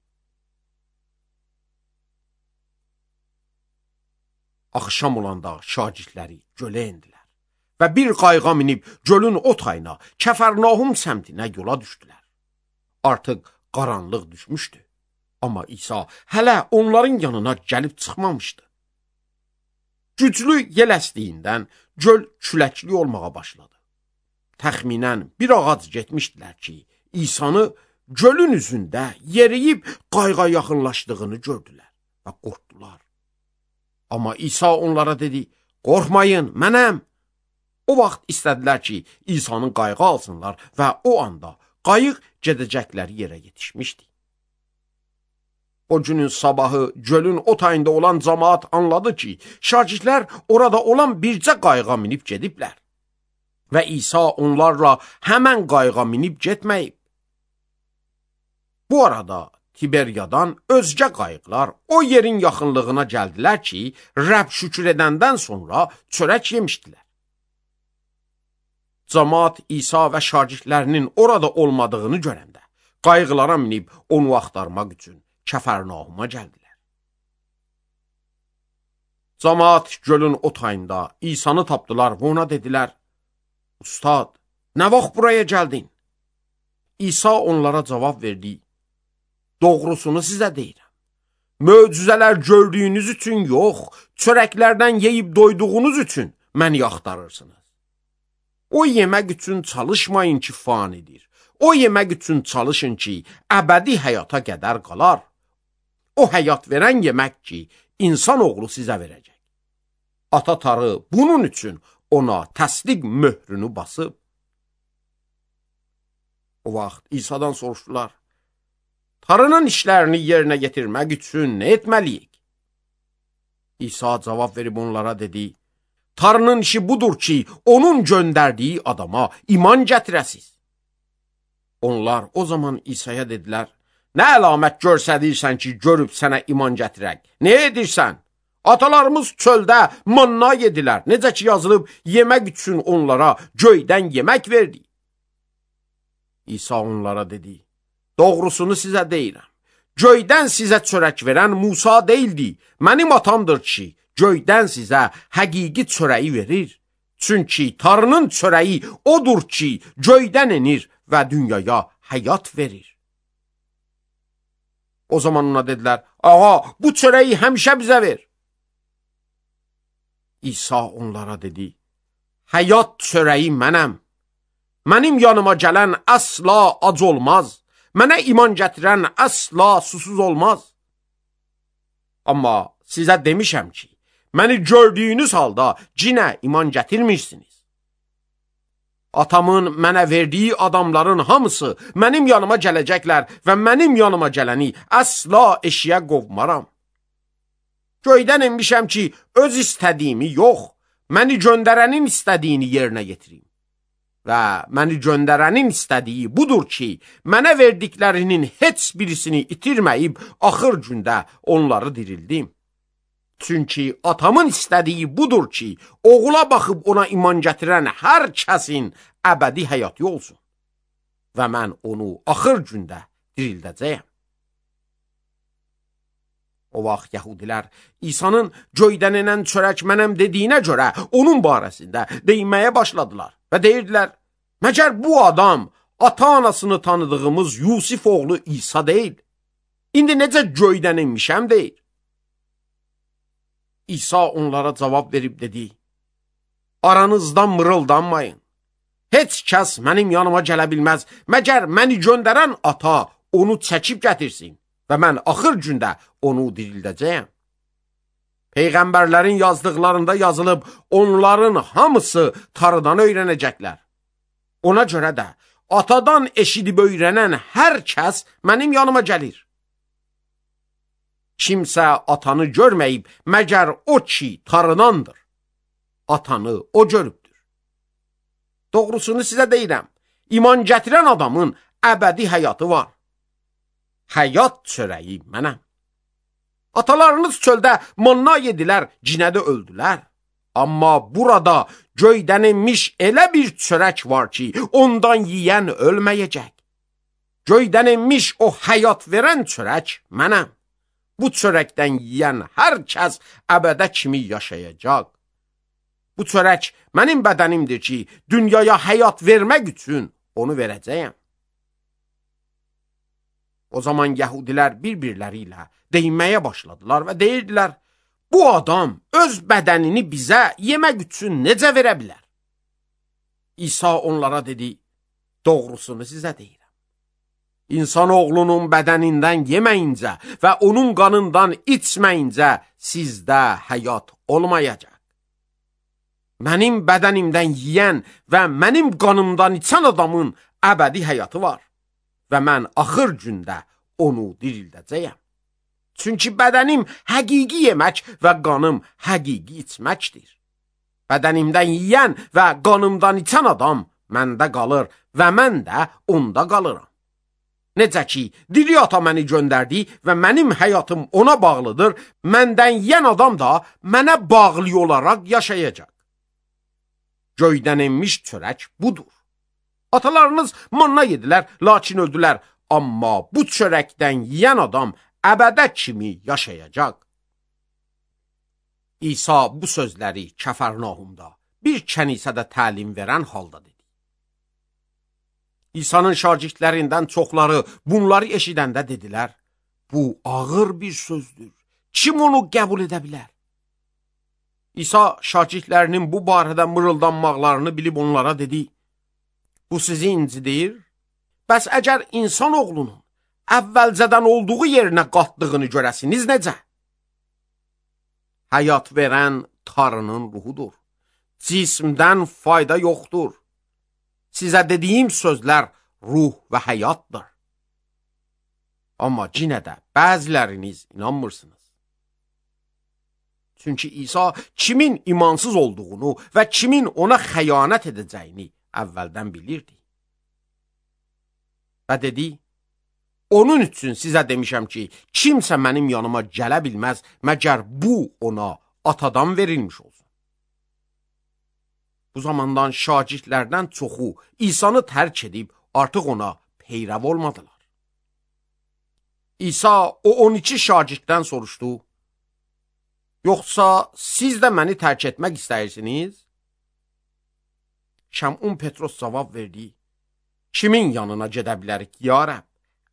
Axşam olanda şagirdləri gölə endilər və bir qayığa minib gölün o tayına, Kəfərnahum səmtinə yola düşdülər. Artıq qaranlıq düşmüşdü, amma İsa hələ onların yanına gəlib çıxmamışdı. Güclü yel əsdiyindən göl küləkli olmağa başladı. Təxminən bir ağac getmişdilər ki, İsa'nı gölün üzündə yeriyib qayığa yaxınlaşdığını gördülər və qorxdular. Amma İsa onlara dedi: "Qorxmayın, mənəm." O vaxt istədilər ki, İsa'nın qayığı alsınlar və o anda qayıq gedəcəkləri yerə yetişmişdi. O günün sabahı gölün o tayında olan cəmaat anladı ki, şagirdlər orada olan bircə qayığa minib gediblər və İsa onlarla həmən qayığa minib getməyib. Bu arada Tiberiyadan özgə qayıqlar o yerin yaxınlığına gəldilər ki, Rəbb şükür edəndən sonra çörək yemişdilər. Cəmaat İsa və şagirdlərinin orada olmadığını görəndə qayıqlara minib onu axtarmaq üçün Kəfərnahuma gəldilər. Cəmaat gölün o tayında İsa'nı tapdılar və ona dedilər: "Ustad, nə vaxt buraya gəldin?" İsa onlara cavab verdi: "Doğrusunu sizə deyirəm. Möcüzələr gördüyünüz üçün yox, çörəklərdən yeyib doyduğunuz üçün məni axtarırsınız. O yemək üçün çalışmayın ki, fanidir. O yemək üçün çalışın ki, əbədi həyata qədər qalar. O həyat verən yemək ki, insan oğlu sizə verəcək. Ata Tanrı bunun üçün ona təsdiq möhrünü basıb." O vaxt İsa'dan soruşdular: "Tanrının işlərini yerinə yetirmək üçün nə etməliyik?" İsa cavab verib onlara dedi: "Tanrının işi budur ki, onun göndərdiyi adama iman gətirəsiz." Onlar o zaman İsa'ya dedilər: "Nə əlamət görsədirsən ki, görüb sənə iman gətirək? Nə edirsən? Atalarımız çöldə manna yedilər. Necə ki yazılıb, yemək üçün onlara göydən yemək verdi." İsa onlara dedi: "Doğrusunu sizə deyirəm. Göydən sizə çörək verən Musa deyildi. Mənim atamdır ki, göydən sizə həqiqi çörəyi verir. Çünki Tanrının çörəyi odur ki, göydən enir və dünyaya həyat verir." O zaman ona dedilər, ağa, bu çörəyi həmişə bizə ver. İsa onlara dedi, həyat çörəyi mənəm. Mənim yanıma gələn əsla ac olmaz. Mənə iman gətirən əsla susuz olmaz. Amma sizə demişəm ki, məni gördüyünüz halda cinə iman gətirmirsiniz. Atamın mənə verdiyi adamların hamısı mənim yanıma gələcəklər və mənim yanıma gələni əsla eşiyə qovmaram. Göydən enmişəm ki, öz istədiyimi yox, məni göndərənin istədiyini yerinə yetirim. Və məni göndərənin istədiyi budur ki, mənə verdiklərinin heç birisini itirməyib, axır gündə onları dirildim. Çünki atamın istədiyi budur ki, oğula baxıb ona iman gətirən hər kəsin əbədi həyatı olsun. Və mən onu axır gündə dirildəcəyəm. O vaxt yəhudilər İsa'nın göydən enən çörək mənəm dediyinə görə onun barəsində deyinməyə başladılar və deyirdilər, məgər bu adam ata-anasını tanıdığımız Yusif oğlu İsa deyil? İndi necə göydən enmişəm deyir? İsa onlara cavab verib dedi, aranızdan mırıldanmayın. Heç kəs mənim yanıma gələ bilməz, məgər məni göndərən ata onu çəkib gətirsin və mən axır gündə onu dirildəcəyəm. Peyğəmbərlərin yazdıqlarında yazılıb, onların hamısı tarıdan öyrənəcəklər. Ona görə də atadan eşidib öyrənən hər kəs mənim yanıma gəlir. Kimsə atanı görməyib, məgər o ki tarınandır. Atanı o görübdür. Doğrusunu sizə deyirəm, iman gətirən adamın əbədi həyatı var. Həyat çörəyi mənəm. Atalarınız çöldə manna yedilər, cinədə öldülər. Amma burada göydən enmiş elə bir çörək var ki, ondan yiyən ölməyəcək. Göydən enmiş o həyat verən çörək mənəm. Bu çörəkdən yiyən hər kəs əbədə kimi yaşayacaq. Bu çörək mənim bədənimdir ki, dünyaya həyat vermək üçün onu verəcəyəm. O zaman yəhudilər bir-birləri ilə deyinməyə başladılar və deyirdilər, bu adam öz bədənini bizə yemək üçün necə verə bilər? İsa onlara dedi, doğrusunu sizə deyirəm. İnsanoğlunun bədənindən yeməyincə və onun qanından içməyincə sizdə həyat olmayacaq. Mənim bədənimdən yiyən və mənim qanımdan içən adamın əbədi həyatı var və mən axır gündə onu dirildəcəyəm. Çünki bədənim həqiqi yemək və qanım həqiqi içməkdir. Bədənimdən yiyən və qanımdan içən adam məndə qalır və mən də onda qalıram. Necə ki, diri ata məni göndərdi və mənim həyatım ona bağlıdır, məndən yiyən adam da mənə bağlı olaraq yaşayacaq. Göydən enmiş çörək budur. Atalarınız manna yedilər, lakin öldülər. Amma bu çörəkdən yiyən adam əbədə kimi yaşayacaq. İsa bu sözləri Kəfərnaumda bir kənisədə təlim verən halda dedi. İsa'nın şagirdlərindən çoxları bunları eşidəndə dedilər, bu ağır bir sözdür. Kim onu qəbul edə bilər? İsa şagirdlərinin bu barədə mırıldanmaqlarını bilib onlara dedi, bu sizi incidir? Bəs əgər insan oğlunun əvvəlcədən olduğu yerinə qatdığını görəsiniz necə? Həyat verən tarının ruhudur. Cismdən fayda yoxdur. Sizə dediyim sözlər ruh və həyatdır. Amma yenə də bəziləriniz inanmırsınız. Çünki İsa kimin imansız olduğunu və kimin ona xəyanət edəcəyini əvvəldən bilirdi. Və dedi, onun üçün sizə demişəm ki, kimsə mənim yanıma gələ bilməz, məgər bu ona atadan verilmiş olsun. Bu zamandan şagirdlərdən çoxu İsa'nı tərk edib artıq ona peyrəv olmadılar. İsa o on iki şagirddən soruşdu, yoxsa siz də məni tərk etmək istəyirsiniz? Şəmun Petros cavab verdi, kimin yanına gedə bilərik, ya Rəbb?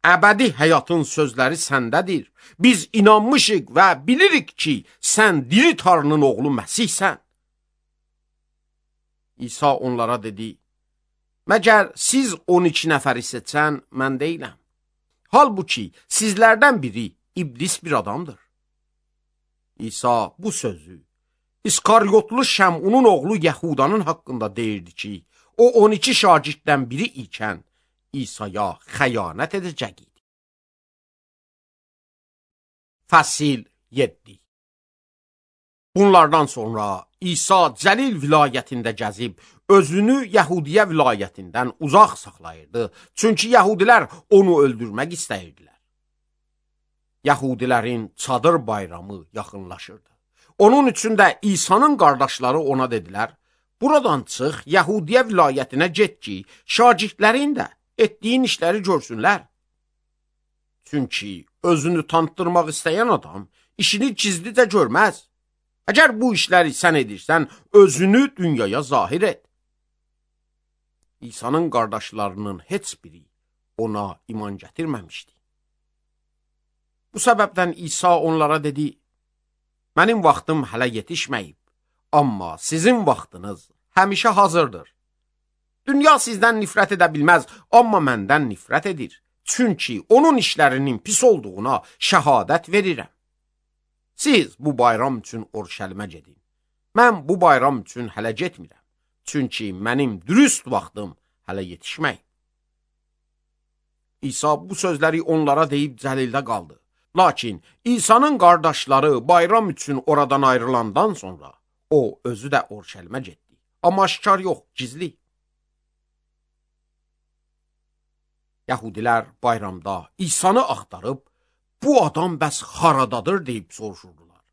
əbədi həyatın sözləri səndədir. Biz inanmışıq və bilirik ki, sən diri Tanrının oğlu Məsihsən. İsa onlara dedi, məgər siz on iki nəfəri seçən mən deyiləm. Halbuki sizlərdən biri iblis bir adamdır. İsa bu sözü İskaryotlu Şəmunun oğlu Yəhudanın haqqında deyirdi ki, o on iki şagirddən biri ikən İsa'ya xəyanət edəcək idi. Fəsil yeddi. Bunlardan sonra İsa Cəlil vilayətində gəzib, özünü Yəhudiyyə vilayətindən uzaq saxlayırdı. Çünki Yəhudilər onu öldürmək istəyirdilər. Yəhudilərin çadır bayramı yaxınlaşırdı. Onun üçün də İsa'nın qardaşları ona dedilər, buradan çıx, Yəhudiyyə vilayətinə get ki, şagirdlərin də etdiyin işləri görsünlər. Çünki özünü tanıtdırmaq istəyən adam işini gizlicə görməz. Əgər bu işləri sən edirsən, özünü dünyaya zahir et. İsa'nın qardaşlarının heç biri ona iman gətirməmişdi. Bu səbəbdən İsa onlara dedi, mənim vaxtım hələ yetişməyib, amma sizin vaxtınız həmişə hazırdır. Dünya sizdən nifrət edə bilməz, amma məndən nifrət edir. Çünki onun işlərinin pis olduğuna şəhadət verirəm. Siz bu bayram üçün Urşəlimə gedin. Mən bu bayram üçün hələ getmirəm. Çünki mənim dürüst vaxtım hələ yetişməyib. İsa bu sözləri onlara deyib Cəlildə qaldı. Lakin İsa'nın qardaşları bayram üçün oradan ayrılandan sonra o özü də Urşəlimə getdi. Amma aşkar yox, gizli. Yəhudilər bayramda İsa'nı axtarıb, bu adam bəs haradadır deyib soruşurdular.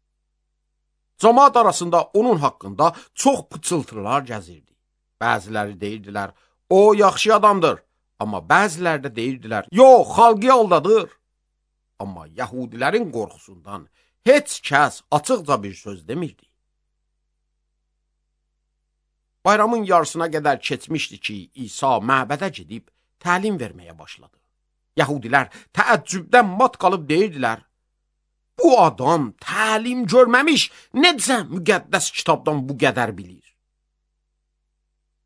Cəmaət arasında onun haqqında çox pıçıltılar gəzirdi. Bəziləri deyirdilər, o yaxşı adamdır. Amma bəziləri də deyirdilər, yox, xalqı aldadır. Amma Yəhudilərin qorxusundan heç kəs açıqca bir söz demirdi. Bayramın yarısına qədər keçmişdi ki, İsa məbədə gedib təlim verməyə başladı. Yəhudilər təəccübdən mat qalıb deyirdilər, bu adam təlim görməmiş, necə müqəddəs kitabdan bu qədər bilir?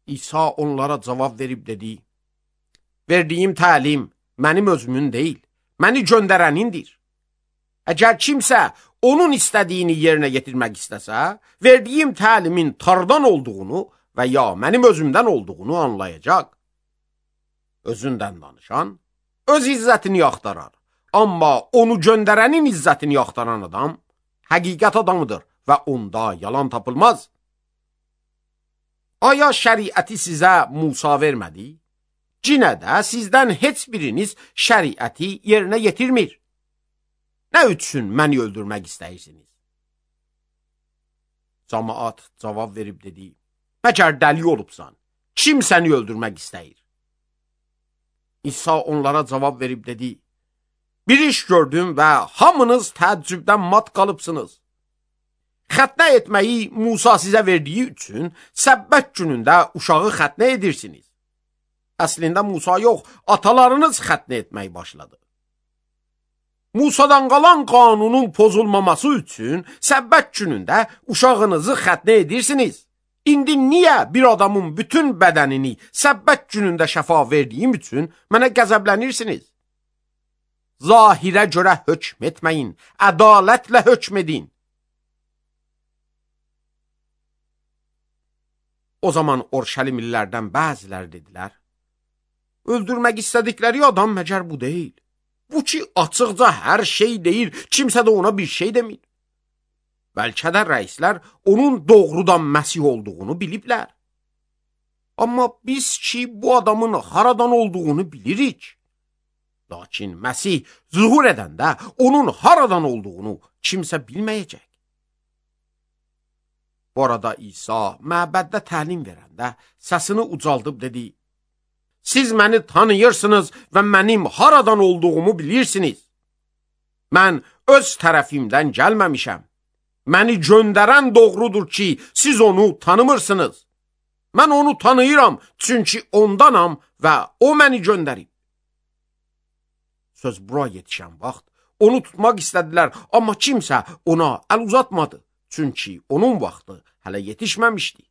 İsa onlara cavab verib dedi, verdiyim təlim mənim özümün deyil, məni göndərənindir. Əgər kimsə onun istədiyini yerinə yetirmək istəsə, verdiyim təlimin Tanrıdan olduğunu və ya mənim özümdən olduğunu anlayacaq. Özündən danışan öz izzətini axtarar. Amma onu göndərənin izzətini axtaran adam həqiqət adamıdır və onda yalan tapılmaz. Aya şəriəti sizə Musa vermədi? Cinə də sizdən heç biriniz şəriəti yerinə yetirmir. Nə üçün məni öldürmək istəyirsiniz? Cəmaət cavab verib dedi, məcər dəli olubsan, kim səni öldürmək istəyir? İsa onlara cavab verib dedi, bir iş gördüm və hamınız təəccübdən mat qalıbsınız. Xətnə etməyi Musa sizə verdiyi üçün səbbət günündə uşağı xətnə edirsiniz. Əslində Musa yox, atalarınız xətnə etməyi başladı. Musadan qalan qanunun pozulmaması üçün səbbət günündə uşağınızı xətnə edirsiniz. İndi niyə bir adamın bütün bədənini səbbət günündə şəfa verdiyim üçün mənə qəzəblənirsiniz? Zahirə görə hökm etməyin, ədalətlə hökm edin. O zaman Urşəlimlilərdən bəziləri dedilər, öldürmək istədikləri adam məcər bu deyil. Bu ki, açıqca hər şey deyir, kimsə də ona bir şey demir. Bəlkə də rəislər onun doğrudan Məsih olduğunu biliblər. Amma biz ki, bu adamın haradan olduğunu bilirik. Lakin Məsih zuhur edəndə onun haradan olduğunu kimsə bilməyəcək. Bu arada İsa məbəddə təlim verəndə səsini ucaldıb dedi, siz məni tanıyırsınız və mənim haradan olduğumu bilirsiniz. Mən öz tərəfimdən gəlməmişəm. Məni göndərən doğrudur ki, siz onu tanımırsınız. Mən onu tanıyıram, çünki ondanam və o məni göndərib. Söz bura yetişən vaxt onu tutmaq istədilər, amma kimsə ona əl uzatmadı. Çünki onun vaxtı hələ yetişməmişdi.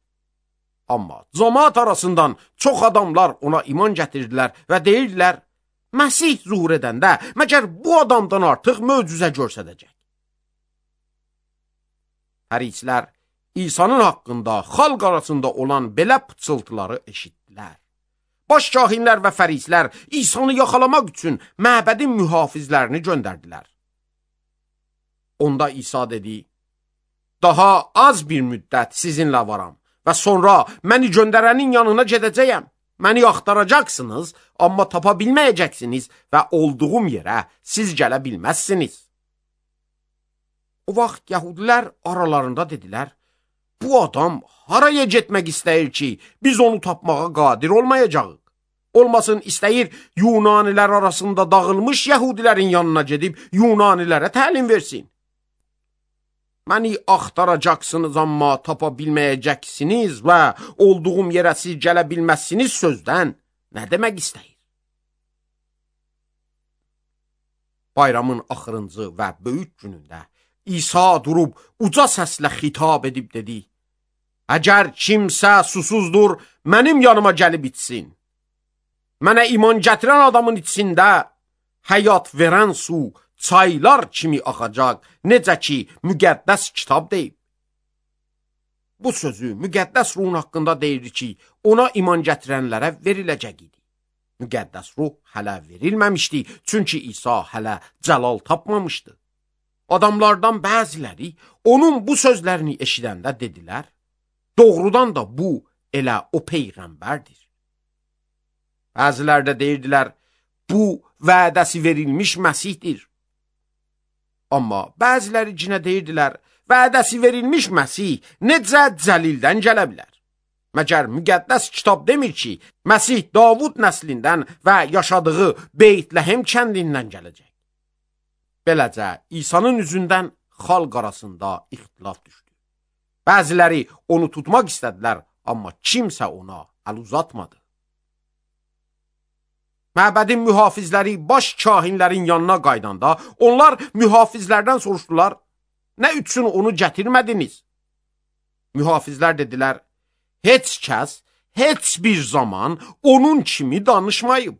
Amma cəmaət arasından çox adamlar ona iman gətirdilər və deyirdilər, Məsih zuhur edəndə məgər bu adamdan artıq möcüzə göstərəcək. Fərisilər İsa'nın haqqında xalq arasında olan belə pıçıltıları eşitdilər. Baş kahinlər və fərisilər İsa'nı yaxalamaq üçün məbədin mühafizlərini göndərdilər. Onda İsa dedi, daha az bir müddət sizinlə varam və sonra məni göndərənin yanına gedəcəyəm. Məni axtaracaqsınız, amma tapa bilməyəcəksiniz və olduğum yerə siz gələ bilməzsiniz. O vaxt yəhudilər aralarında dedilər, bu adam haraya getmək istəyir ki, biz onu tapmağa qadir olmayacağıq. Olmasın istəyir Yunanilər arasında dağılmış yəhudilərin yanına gedib Yunanilərə təlim versin. Məni axtaracaqsınız, amma tapa bilməyəcəksiniz və olduğum yerə siz gələ bilməzsiniz sözdən nə demək istəyir? Bayramın axırıncı və böyük günündə İsa durub uca səslə xitab edib dedi, əgər kimsə susuzdur, mənim yanıma gəlib içsin. Mənə iman gətirən adamın içində həyat verən su çaylar kimi axacaq, necə ki, müqəddəs kitab deyib. Bu sözü müqəddəs ruhun haqqında deyir ki, ona iman gətirənlərə veriləcək idi. Müqəddəs ruh hələ verilməmişdi, çünki İsa hələ cəlal tapmamışdı. Adamlardan bəziləri onun bu sözlərini eşidəndə dedilər, doğrudan da bu elə o peyğəmbərdir. Bəzilər də deyirdilər, bu vədəsi verilmiş Məsihdir. Amma bəziləri cinə deyirdilər, vədəsi verilmiş Məsih necə cəlildən gələ bilər? Məgər müqəddəs kitab demir ki, Məsih Davud nəslindən və yaşadığı Beytləhem kəndindən gələcək. Beləcə, İsa'nın üzündən xalq arasında ixtilaf düşdü. Bəziləri onu tutmaq istədilər, amma kimsə ona əl uzatmadı. Məbədin mühafizləri baş kahinlərin yanına qaydanda, onlar mühafizlərdən soruşdular, nə üçün onu gətirmədiniz? Mühafizlər dedilər, heç kəs, heç bir zaman onun kimi danışmayıb.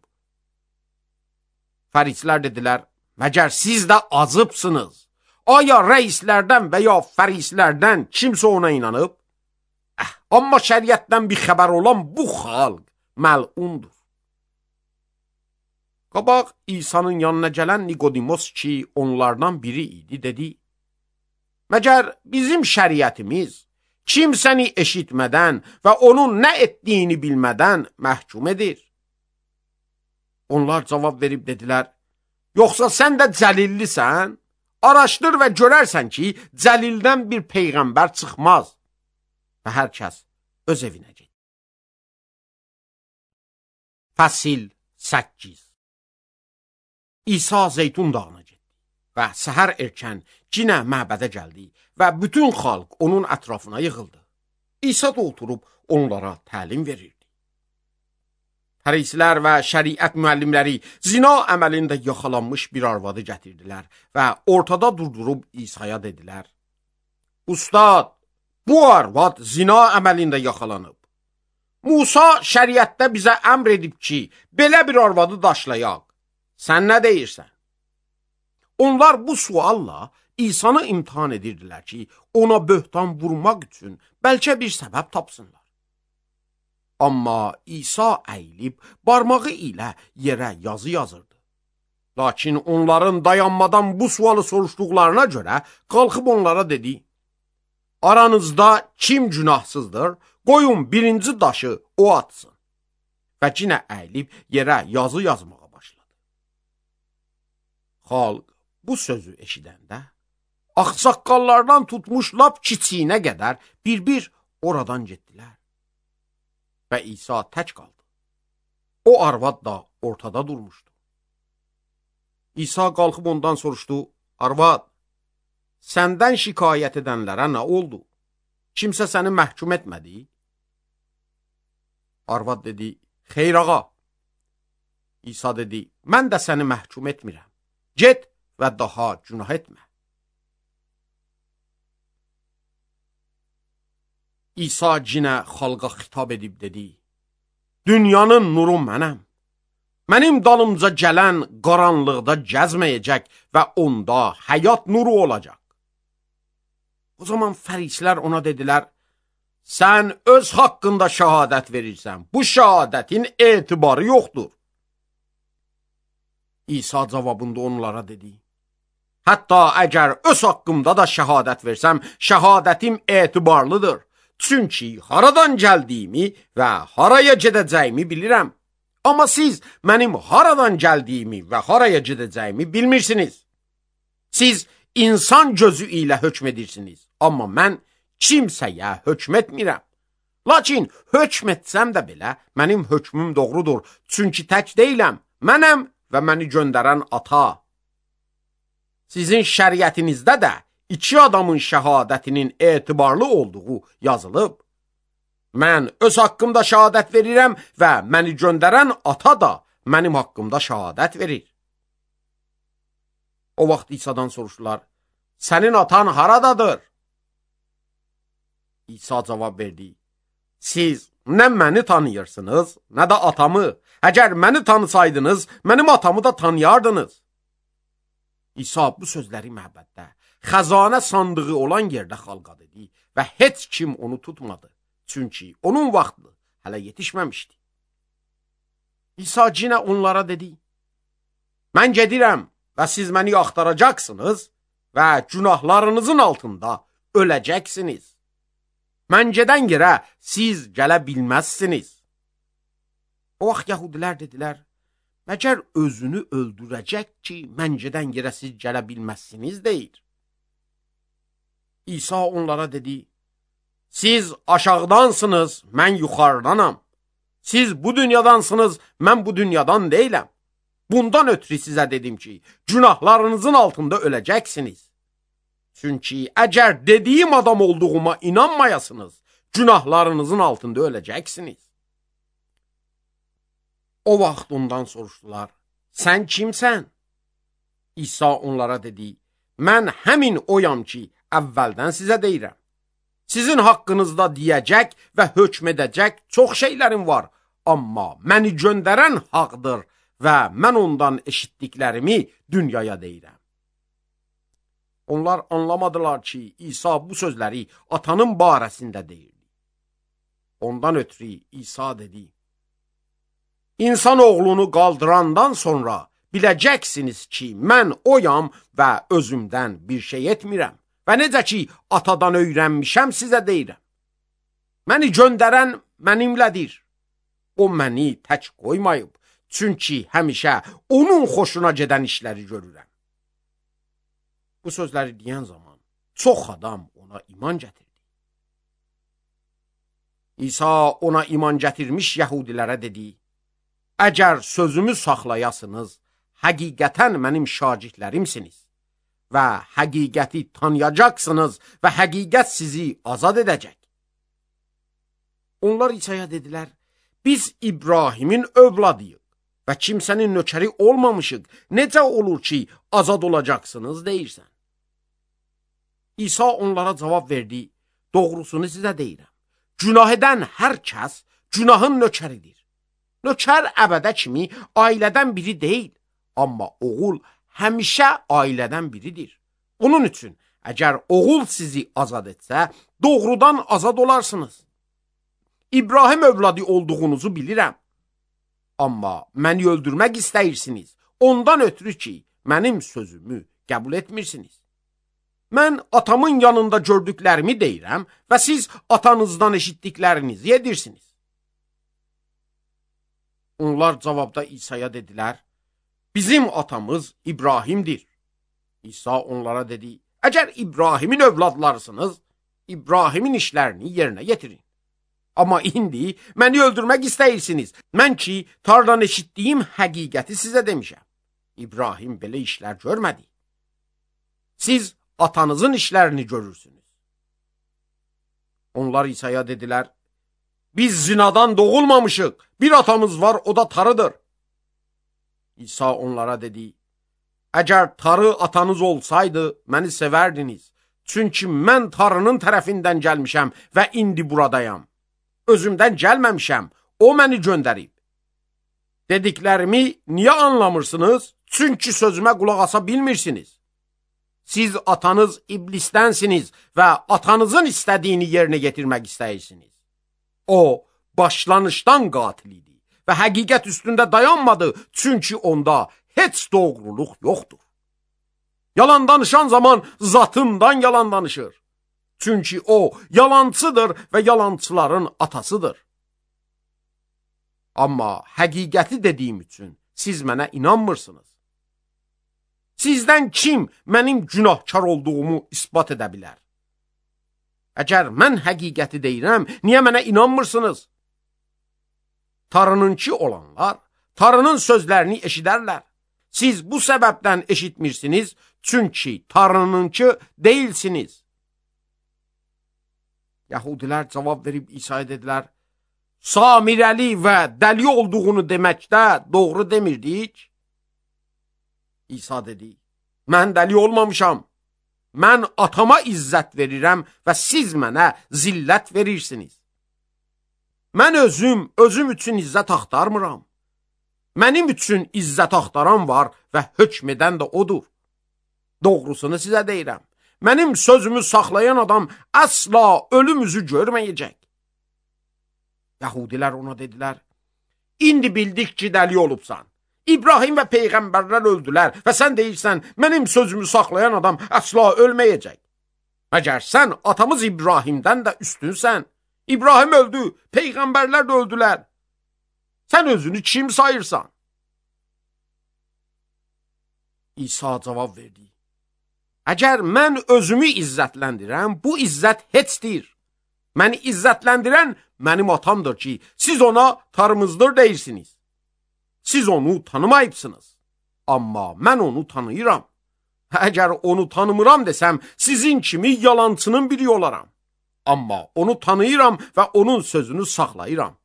Fərisilər dedilər, məgər siz də azıbsınız? Aya rəislərdən və ya fərislərdən kimsə ona inanıb? Əh, amma şəriətdən bir xəbər olan bu xalq məlundur. Qabaq İsa'nın yanına gələn Nikodimos ki, onlardan biri idi, dedi, məgər bizim şəriətimiz kimsəni eşitmədən və onun nə etdiyini bilmədən məhkum edir? Onlar cavab verib dedilər, yoxsa sən də cəlillisən? Araşdır və görərsən ki, cəlildən bir peyğəmbər çıxmaz. Və hər kəs öz evinə get. Fəsil səkkiz. İsa Zeytun dağına getdi və səhər erkən cinə məbədə gəldi və bütün xalq onun ətrafına yığıldı. İsa da oturub onlara təlim verirdi. Fərisilər və şəriət müəllimləri zina əməlində yaxalanmış bir arvadı gətirdilər və ortada durdurub İsa'ya dedilər, Ustad, bu arvad zina əməlində yaxalanıb. Musa şəriətdə bizə əmr edib ki, belə bir arvadı daşlayaq. Sən nə deyirsən? Onlar bu sualla İsa'nı imtihan edirdilər ki, ona böhtan vurmaq üçün bəlkə bir səbəb tapsınlar. Amma İsa əyilib barmağı ilə yerə yazı yazırdı. Lakin onların dayanmadan bu sualı soruşduqlarına görə qalxıb onlara dedi, aranızda kim günahsızdır, qoyun birinci daşı o atsın. Və yenə əyilib yerə yazı yazmağa xalq bu sözü eşidəndə, ağsaqqallardan tutmuş lap kiçiyinə qədər bir-bir oradan getdilər. Və İsa tək qaldı. O arvad da ortada durmuşdu. İsa qalxıb ondan soruşdu, arvad, səndən şikayət edənlərə nə oldu? Kimsə səni məhkum etmədi? Arvad dedi, xeyr ağa. İsa dedi, mən də səni məhkum etmirəm. Get və daha günah etmə. İsa cinə xalqa xitab edib dedi, dünyanın nuru mənəm. Mənim dalımca gələn qaranlıqda gəzməyəcək və onda həyat nuru olacaq. O zaman fərisilər ona dedilər, sən öz haqqında şəhadət verirsən, bu şəhadətin etibarı yoxdur. İsa cavabında onlara dedi, hətta əgər öz haqqımda da şəhadət versəm, şəhadətim etibarlıdır. Çünki haradan gəldiyimi və haraya gedəcəyimi bilirəm. Amma siz mənim haradan gəldiyimi və haraya gedəcəyimi bilmirsiniz. Siz insan gözü ilə hökm edirsiniz, amma mən kimsəyə hökm etmirəm. Lakin hökm etsəm də belə, mənim hökmüm doğrudur. Çünki tək deyiləm, mənəm və məni göndərən ata. Sizin şəriətinizdə də iki adamın şəhadətinin etibarlı olduğu yazılıb. Mən öz haqqımda şəhadət verirəm və məni göndərən ata da mənim haqqımda şəhadət verir. O vaxt İsa'dan soruşdular, sənin atan haradadır? İsa cavab verdi, siz nə məni tanıyırsınız, nə də atamı. Əgər məni tanısaydınız, mənim atamı da tanıyardınız. İsa bu sözləri məbəddə, xəzanə sandığı olan yerdə xalqa dedi və heç kim onu tutmadı. Çünki onun vaxtı hələ yetişməmişdi. İsa cinə onlara dedi, mən gedirəm və siz məni axtaracaqsınız və günahlarınızın altında öləcəksiniz. Mən gedən yerə siz gələ bilməzsiniz. O vaxt yəhudilər dedilər, məgər özünü öldürəcək ki, mən gedən yerə siz gələ bilməzsiniz deyir. İsa onlara dedi, siz aşağıdansınız, mən yuxarıdanam. Siz bu dünyadansınız, mən bu dünyadan deyiləm. Bundan ötürü sizə dedim ki, günahlarınızın altında öləcəksiniz. Çünki əgər dediyim adam olduğuma inanmayasınız, günahlarınızın altında öləcəksiniz. O vaxt ondan soruşdular, sən kimsən? İsa onlara dedi, mən həmin oyam ki, əvvəldən sizə deyirəm. Sizin haqqınızda deyəcək və hökm edəcək çox şeylərim var, amma məni göndərən haqdır və mən ondan eşitdiklərimi dünyaya deyirəm. Onlar anlamadılar ki, İsa bu sözləri atanın barəsində deyirdi. Ondan ötürü İsa dedi, İnsan oğlunu qaldırandan sonra biləcəksiniz ki, mən oyam və özümdən bir şey etmirəm. Və necə ki, atadan öyrənmişəm, sizə deyirəm. Məni göndərən mənimlədir. O məni tək qoymayıb, çünki həmişə onun xoşuna gedən işləri görürəm. Bu sözləri deyən zaman çox adam ona iman gətirdi. İsa ona iman gətirmiş yəhudilərə dedi, əgər sözümü saxlayasınız, həqiqətən mənim şagirdlərimsiniz və həqiqəti tanıyacaqsınız və həqiqət sizi azad edəcək. Onlar İsa'ya dedilər, biz İbrahimin övladıyıq və kimsənin nökəri olmamışıq. Necə olur ki, azad olacaqsınız deyirsən? İsa onlara cavab verdi, doğrusunu sizə deyirəm. Günah edən hər kəs günahın nökəridir. Nökər əbədə kimi ailədən biri deyil, amma oğul həmişə ailədən biridir. Onun üçün, əgər oğul sizi azad etsə, doğrudan azad olarsınız. İbrahim övladı olduğunuzu bilirəm. Amma məni öldürmək istəyirsiniz, ondan ötürü ki, mənim sözümü qəbul etmirsiniz. Mən atamın yanında gördüklərimi deyirəm və siz atanızdan eşitdiklərinizi edirsiniz. Onlar cavabda İsa'ya dedilər, bizim atamız İbrahimdir. İsa onlara dedi, əgər İbrahimin övladlarısınız, İbrahimin işlərini yerinə yetirin. Amma indi məni öldürmək istəyirsiniz. Mən ki, tardan eşitdiyim həqiqəti sizə demişəm. İbrahim belə işlər görmədi. Siz atanızın işlərini görürsünüz. Onlar İsa'ya dedilər, biz zinadan doğulmamışıq, bir atamız var, o da tarıdır. İsa onlara dedi: Əgər tarı atanız olsaydı, məni sevərdiniz. Çünki mən tarının tərəfindən gəlmişəm və indi buradayam. Özümdən gəlməmişəm, o məni göndərib. Dediklərimi niyə anlamırsınız? Çünki sözümə qulaq asa bilmirsiniz. Siz atanız iblisdənsiniz və atanızın istədiyini yerinə yetirmək istəyirsiniz. O, başlanışdan qatil idi və həqiqət üstündə dayanmadı, çünki onda heç doğruluq yoxdur. Yalan danışan zaman zatından yalan danışır. Çünki o yalancıdır və yalancıların atasıdır. Amma həqiqəti dediyim üçün siz mənə inanmırsınız. Sizdən kim mənim günahkar olduğumu isbat edə bilər? Əgər mən həqiqəti deyirəm, niyə mənə inanmırsınız? Tarınınki olanlar, tarının sözlərini eşidərlər. Siz bu səbəbdən eşitmirsiniz, çünki tarınınki deyilsiniz. Yahudilər cavab verib İsa'ya dedilər: Samirəli və dəli olduğunu deməkdə doğru demirdik. İsa dedi: Mən dəli olmamışam. Mən atama izzət verirəm və siz mənə zillət verirsiniz. Mən özüm, özüm üçün izzət axtarmıram. Mənim üçün izzət axtaran var və hökm edən də odur. Doğrusunu sizə deyirəm. Mənim sözümü saxlayan adam əsla ölüm üzü görməyəcək. Yahudilər ona dedilər: İndi bildik ki, dəli olubsan. İbrahim və peyğəmbərlər öldülər və sən deyirsən, mənim sözümü saxlayan adam əsla ölməyəcək. Məgər sən atamız İbrahimdən də üstünsən. İbrahim öldü, peyğəmbərlər də öldülər. Sən özünü kim sayırsan? İsa cavab verdi: Əgər mən özümü izzətləndirəm, bu izzət heçdir. Məni izzətləndirən mənim atamdır ki, siz ona tarımızdır deyirsiniz. Siz onu tanımayıbsınız, amma mən onu tanıyıram. Əgər onu tanımıram desəm, sizin kimi yalancının biri olaram. Amma onu tanıyıram və onun sözünü saxlayıram.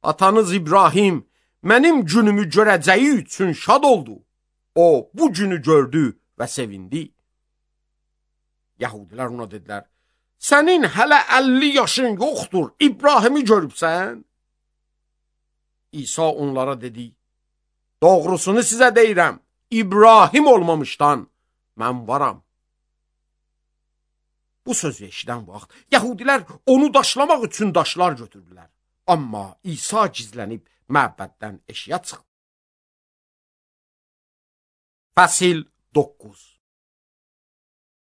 Atanız İbrahim mənim günümü görəcəyi üçün şad oldu. O, bu günü gördü və sevindi. Yahudilər ona dedilər: Sənin hələ əlli yaşın yoxdur, İbrahimi görübsən? İsa onlara dedi: Doğrusunu sizə deyirəm, İbrahim olmamışdan mən varam. Bu sözü eşidən vaxt Yahudilər onu daşlamaq üçün daşlar götürdülər. Amma İsa gizlənib məbəddən eşiyə çıxdı. Fəsil doqquz.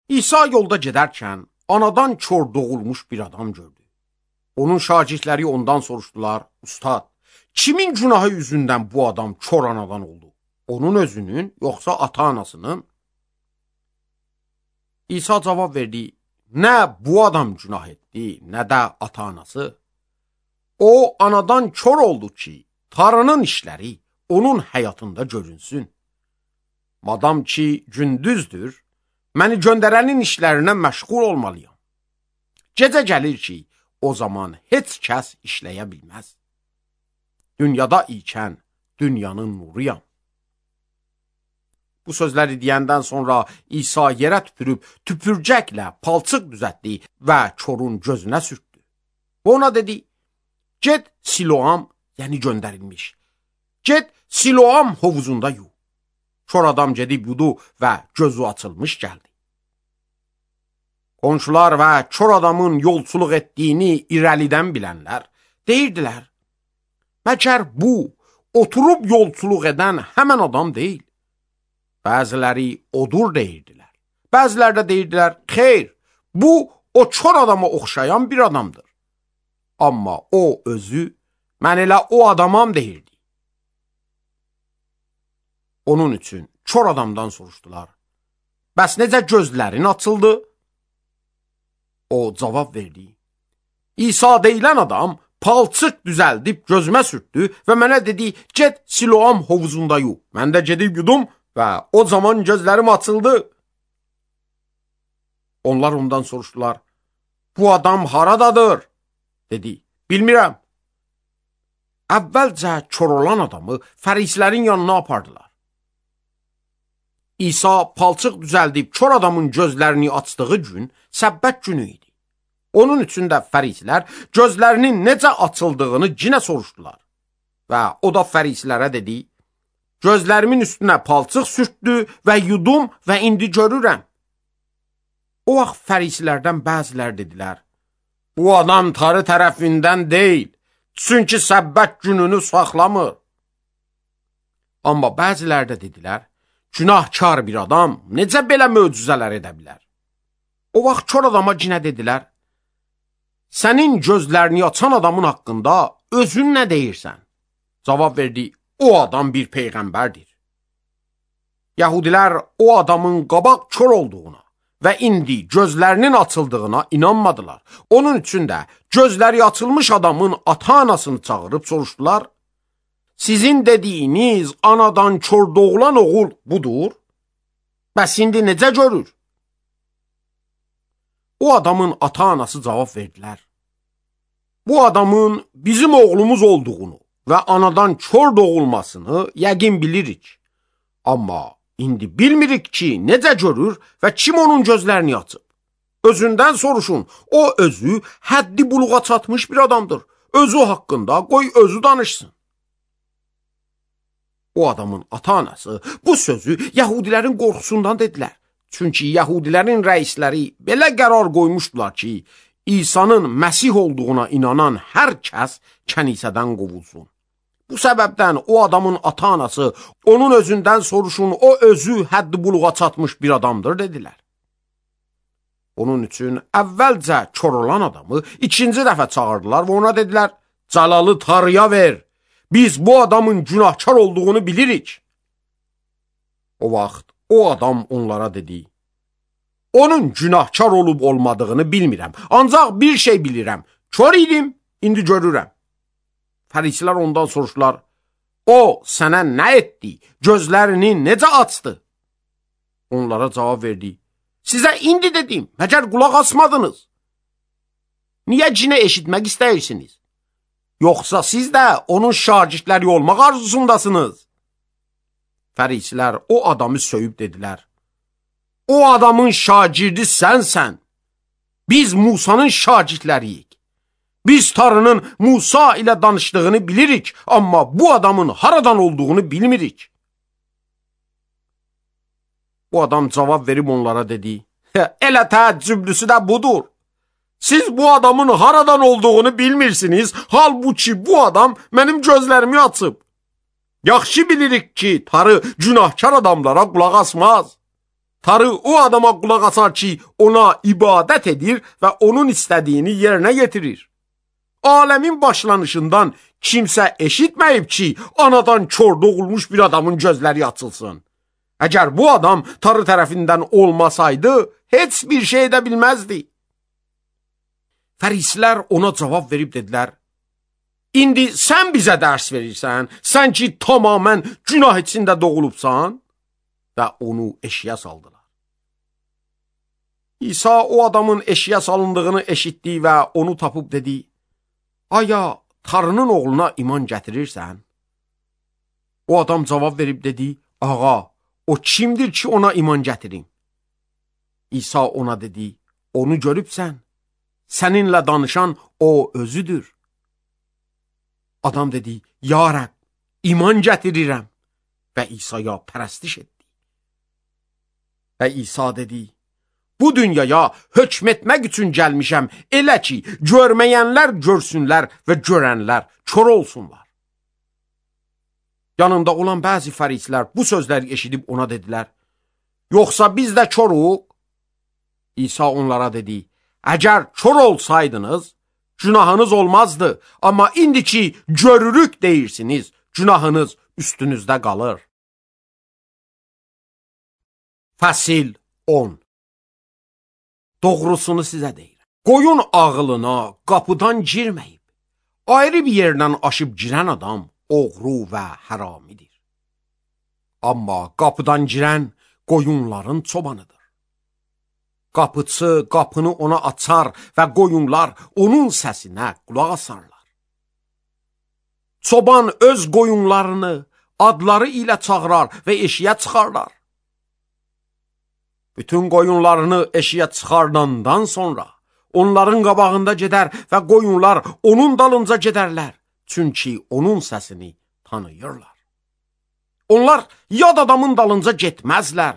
İsa yolda gedərkən anadan kör doğulmuş bir adam gördü. Onun şagirdləri ondan soruşdular: Ustad, kimin günahı yüzündən bu adam kör anadan oldu? Onun özünün, yoxsa ata-anasının? İsa cavab verdi: Nə bu adam günah etdi, nə də ata-anası. O, anadan kör oldu ki, Tanrının işləri onun həyatında görünsün. Madam ki, gündüzdür, məni göndərənin işlərinə məşğul olmalıyam. Gecə gəlir ki, o zaman heç kəs işləyə bilməz. Dünyada ikən dünyanın nuruyam. Bu sözləri deyəndən sonra İsa yerə tüpürüb, tüpürcəklə palçıq düzətdi və körün gözünə sürtdü. Ona dedi: Get Siloam, yəni göndərilmiş. Get Siloam hovuzunda yu. Kör adam gedib yudu və gözü açılmış gəldi. Qonşular və kör adamın yolçuluq etdiyini irəlidən bilənlər deyirdilər: Məkər bu, oturub yolçuluq edən həmən adam deyil. Bəziləri odur deyirdilər. Bəziləri də deyirdilər: Xeyr, bu o kör adama oxşayan bir adamdır. Amma o özü, mən elə o adamam deyirdi. Onun üçün kör adamdan soruşdular: Bəs necə gözlərin açıldı? O cavab verdi: İsa deyilən adam palçıq düzəldib gözümə sürtdü və mənə dedi: Get Siloam hovuzunda yu. Mən də gedib yudum və o zaman gözlərim açıldı. Onlar ondan soruşdular: Bu adam haradadır? Dedi: Bilmirəm. əvvəlcə kör olan adamı fərislərin yanına apardılar. İsa palçıq düzəldib kör adamın gözlərini açdığı gün səbbət günü idi. Onun üçün də fərislər gözlərinin necə açıldığını cinə soruşdular. Və o da fərislərə dedi, gözlərimin üstünə palçıq sürtdü və yudum və indi görürəm. O vaxt fərislərdən bəzilər dedilər, bu adam tarı tərəfindən deyil, çünki səbbət gününü saxlamır. Amma bəzilər də dedilər, günahkar bir adam necə belə möcüzələr edə bilər? O vaxt kör adama cinə dedilər, sənin gözlərini açan adamın haqqında özün nə deyirsən? Cavab verdi, o adam bir peyğəmbərdir. Yahudilər o adamın qabaq kör olduğuna və indi gözlərinin açıldığına inanmadılar. Onun üçün də gözləri açılmış adamın ata-anasını çağırıb soruşdular, sizin dediyiniz anadan kör doğulan oğul budur? Bəs indi necə görür? O adamın ata-anası cavab verdilər, bu adamın bizim oğlumuz olduğunu və anadan kör doğulmasını yəqin bilirik. Amma indi bilmirik ki, necə görür və kim onun gözlərini açıb. Özündən soruşun, o özü həddi buluğa çatmış bir adamdır. Özü haqqında qoy özü danışsın. O adamın ata-anası bu sözü Yahudilərin qorxusundan dedilər. Çünki Yahudilərin rəisləri belə qərar qoymuşdular ki, İsa'nın Məsih olduğuna inanan hər kəs kənisədən qovulsun. Bu səbəbdən o adamın ata-anası onun özündən soruşun, o özü həddi buluğa çatmış bir adamdır dedilər. Onun üçün əvvəlcə kör olan adamı ikinci dəfə çağırdılar və ona dedilər, cəlalı tarıya ver, biz bu adamın günahkar olduğunu bilirik. O vaxt o adam onlara dedi, onun günahkar olub olmadığını bilmirəm, ancaq bir şey bilirəm, kör idim, indi görürəm. Fərisilər ondan soruşdular, o sənə nə etdi, gözlərini necə açdı? Onlara cavab verdi, sizə indi dedim, məgər qulaq asmadınız. Niyə cinə eşitmək istəyirsiniz? Yoxsa siz də onun şagirdləri olmaq arzusundasınız? Fərisilər o adamı söyüb dedilər, o adamın şagirdi sənsən, biz Musanın şagirdləriyik. Biz Tanrının Musa ilə danışdığını bilirik, amma bu adamın haradan olduğunu bilmirik. Bu adam cavab verib onlara dedi, elə təəccüblüsü də budur. Siz bu adamın haradan olduğunu bilmirsiniz, halbuki bu adam mənim gözlərimi açıb. Yaxşı bilirik ki, Tanrı günahkar adamlara qulaq asmaz. Tanrı o adama qulaq asar ki, ona ibadət edir və onun istədiyini yerinə yetirir. Aləmin başlanışından kimsə eşitməyib ki, anadan kör doğulmuş bir adamın gözləri açılsın. Əgər bu adam Tanrı tərəfindən olmasaydı, heç bir şey edə bilməzdi. Fərisilər ona cavab verib dedilər, indi sən bizə dərs verirsən, sən ki tamamən günah içində doğulubsan, və onu eşiyə saldılar. İsa o adamın eşiyə salındığını eşitdi və onu tapıb dedi, aya Tanrının oğluna iman gətirirsən? O adam cavab verib dedi, ağa, o kimdir ki ona iman gətirim? İsa ona dedi, onu görübsən, səninlə danışan o özüdür. Adam dedi, ya Rəbb, iman gətirirəm və İsa'ya pərəstiş etdi. Və İsa dedi, bu dünyaya hökm etmək üçün gəlmişəm, elə ki, görməyənlər görsünlər və görənlər kör olsunlar. Yanında olan bəzi fərislər bu sözləri eşidib ona dedilər, yoxsa biz də körük? İsa onlara dedi, əgər kör olsaydınız, günahınız olmazdı, amma indi ki, görürük deyirsiniz, günahınız üstünüzdə qalır. Fəsil on. Doğrusunu sizə deyirəm. Qoyun ağılına qapıdan girməyib, ayrı bir yerdən aşıb girən adam oğru və haramidir. Amma qapıdan girən qoyunların çobanıdır. Qapıçı qapını ona açar və qoyunlar onun səsinə qulaq asarlar. Çoban öz qoyunlarını adları ilə çağırar və eşiyə çıxarlar. Bütün qoyunlarını eşiyə çıxardandan sonra onların qabağında gedər və qoyunlar onun dalınca gedərlər. Çünki onun səsini tanıyırlar. Onlar yad adamın dalınca getməzlər.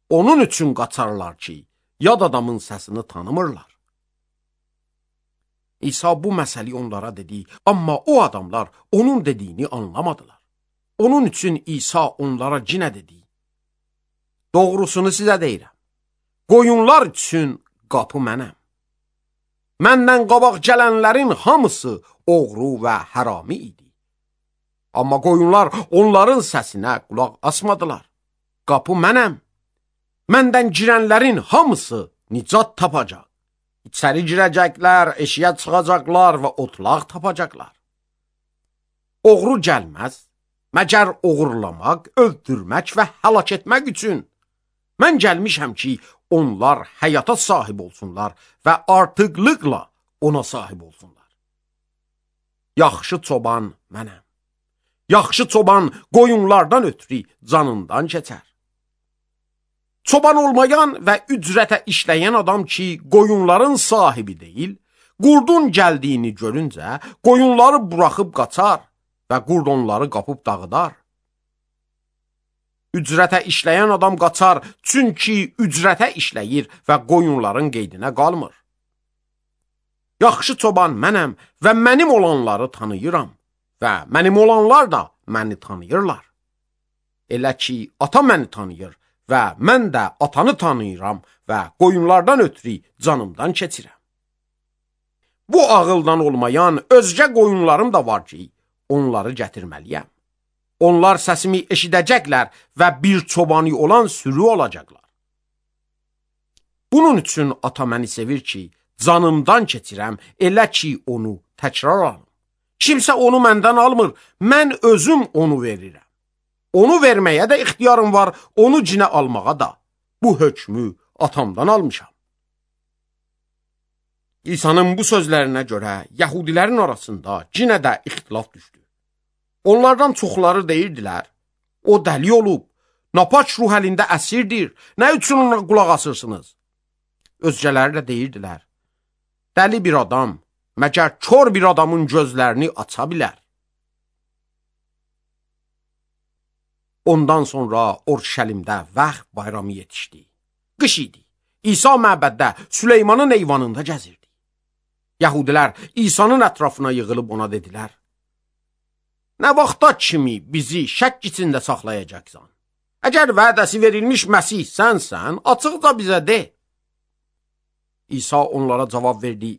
Onun üçün qaçarlar ki, yad adamın səsini tanımırlar. İsa bu məsəli onlara dedi, amma o adamlar onun dediyini anlamadılar. Onun üçün İsa onlara cinə dedi: Doğrusunu sizə deyirəm, qoyunlar üçün qapı mənəm. Məndən qabaq gələnlərin hamısı oğru və hərami idi. Amma qoyunlar onların səsinə qulaq asmadılar. Qapı mənəm. Məndən girənlərin hamısı nicat tapacaq. İçəri girəcəklər, eşiyə çıxacaqlar və otlaq tapacaqlar. Oğru gəlməz, məgər oğurlamaq, öldürmək və həlak etmək üçün. Mən gəlmişəm ki, onlar həyata sahib olsunlar və artıqlıqla ona sahib olsunlar. Yaxşı çoban mənəm. Yaxşı çoban qoyunlardan ötürü canından keçər. Çoban olmayan və ücrətə işləyən adam ki, qoyunların sahibi deyil, qurdun gəldiyini görüncə qoyunları buraxıb qaçar və qurd onları qapıb dağıdar. Ücrətə işləyən adam qaçar, çünki ücrətə işləyir və qoyunların qeydinə qalmır. Yaxşı çoban mənəm və mənim olanları tanıyıram və mənim olanlar da məni tanıyırlar. Elə ki, ata məni tanıyır və mən də atanı tanıyıram və qoyunlardan ötürü canımdan keçirəm. Bu ağıldan olmayan özgə qoyunlarım da var ki, onları gətirməliyəm. Onlar səsimi eşidəcəklər və bir çobanı olan sürü olacaqlar. Bunun üçün ata məni sevir ki, canımdan keçirəm, elə ki, onu təkrar alım. Kimsə onu məndən almır, mən özüm onu verirəm. Onu verməyə də ixtiyarım var, onu cinə almağa da. Bu hökmü atamdan almışam. İsa'nın bu sözlərinə görə Yahudilərin arasında cinə də ixtilaf düşdü. Onlardan çoxları deyirdilər, o dəli olub, napaç ruh əlində əsirdir, nə üçün ona qulaq asırsınız? Özgələri də deyirdilər, dəli bir adam, məgər kör bir adamın gözlərini aça bilər. Ondan sonra Orşəlimdə Vəx bayramı yetişdi. Qış idi. İsa məbəddə Süleymanın eyvanında gəzirdi. Yahudilər İsa'nın ətrafına yığılıb ona dedilər, nə vaxta kimi bizi şək içində saxlayacaqsan? Əgər vədəsi verilmiş Məsih sənsən, açıqca bizə de. İsa onlara cavab verdi,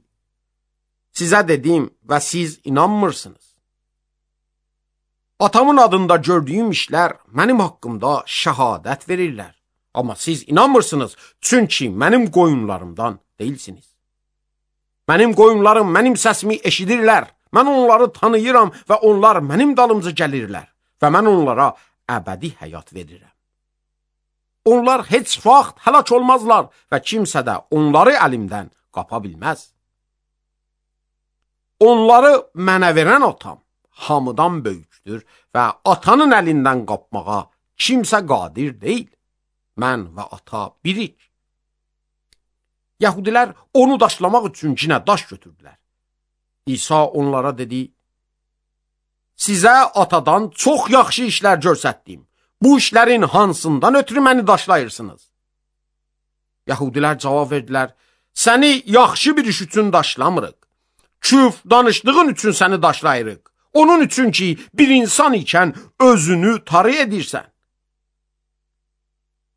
sizə dedim və siz inanmırsınız. Atamın adında gördüyüm işlər mənim haqqımda şəhadət verirlər. Amma siz inanmırsınız, çünki mənim qoyunlarımdan deyilsiniz. Mənim qoyunlarım mənim səsimi eşidirlər. Mən onları tanıyıram və onlar mənim dalımca gəlirlər və mən onlara əbədi həyat verirəm. Onlar heç vaxt həlak olmazlar və kimsə də onları əlimdən qapa bilməz. Onları mənə verən atam hamıdan böyükdür və atanın əlindən qapmağa kimsə qadir deyil. Mən və ata birik. Yahudilər onu daşlamaq üçün cinə daş götürdülər. İsa onlara dedi, sizə atadan çox yaxşı işlər görsətdim. Bu işlərin hansından ötürü məni daşlayırsınız? Yahudilər cavab verdilər, səni yaxşı bir iş üçün daşlamırıq. Küf danışdığın üçün səni daşlayırıq. Onun üçün ki, bir insan ikən özünü tarı edirsən.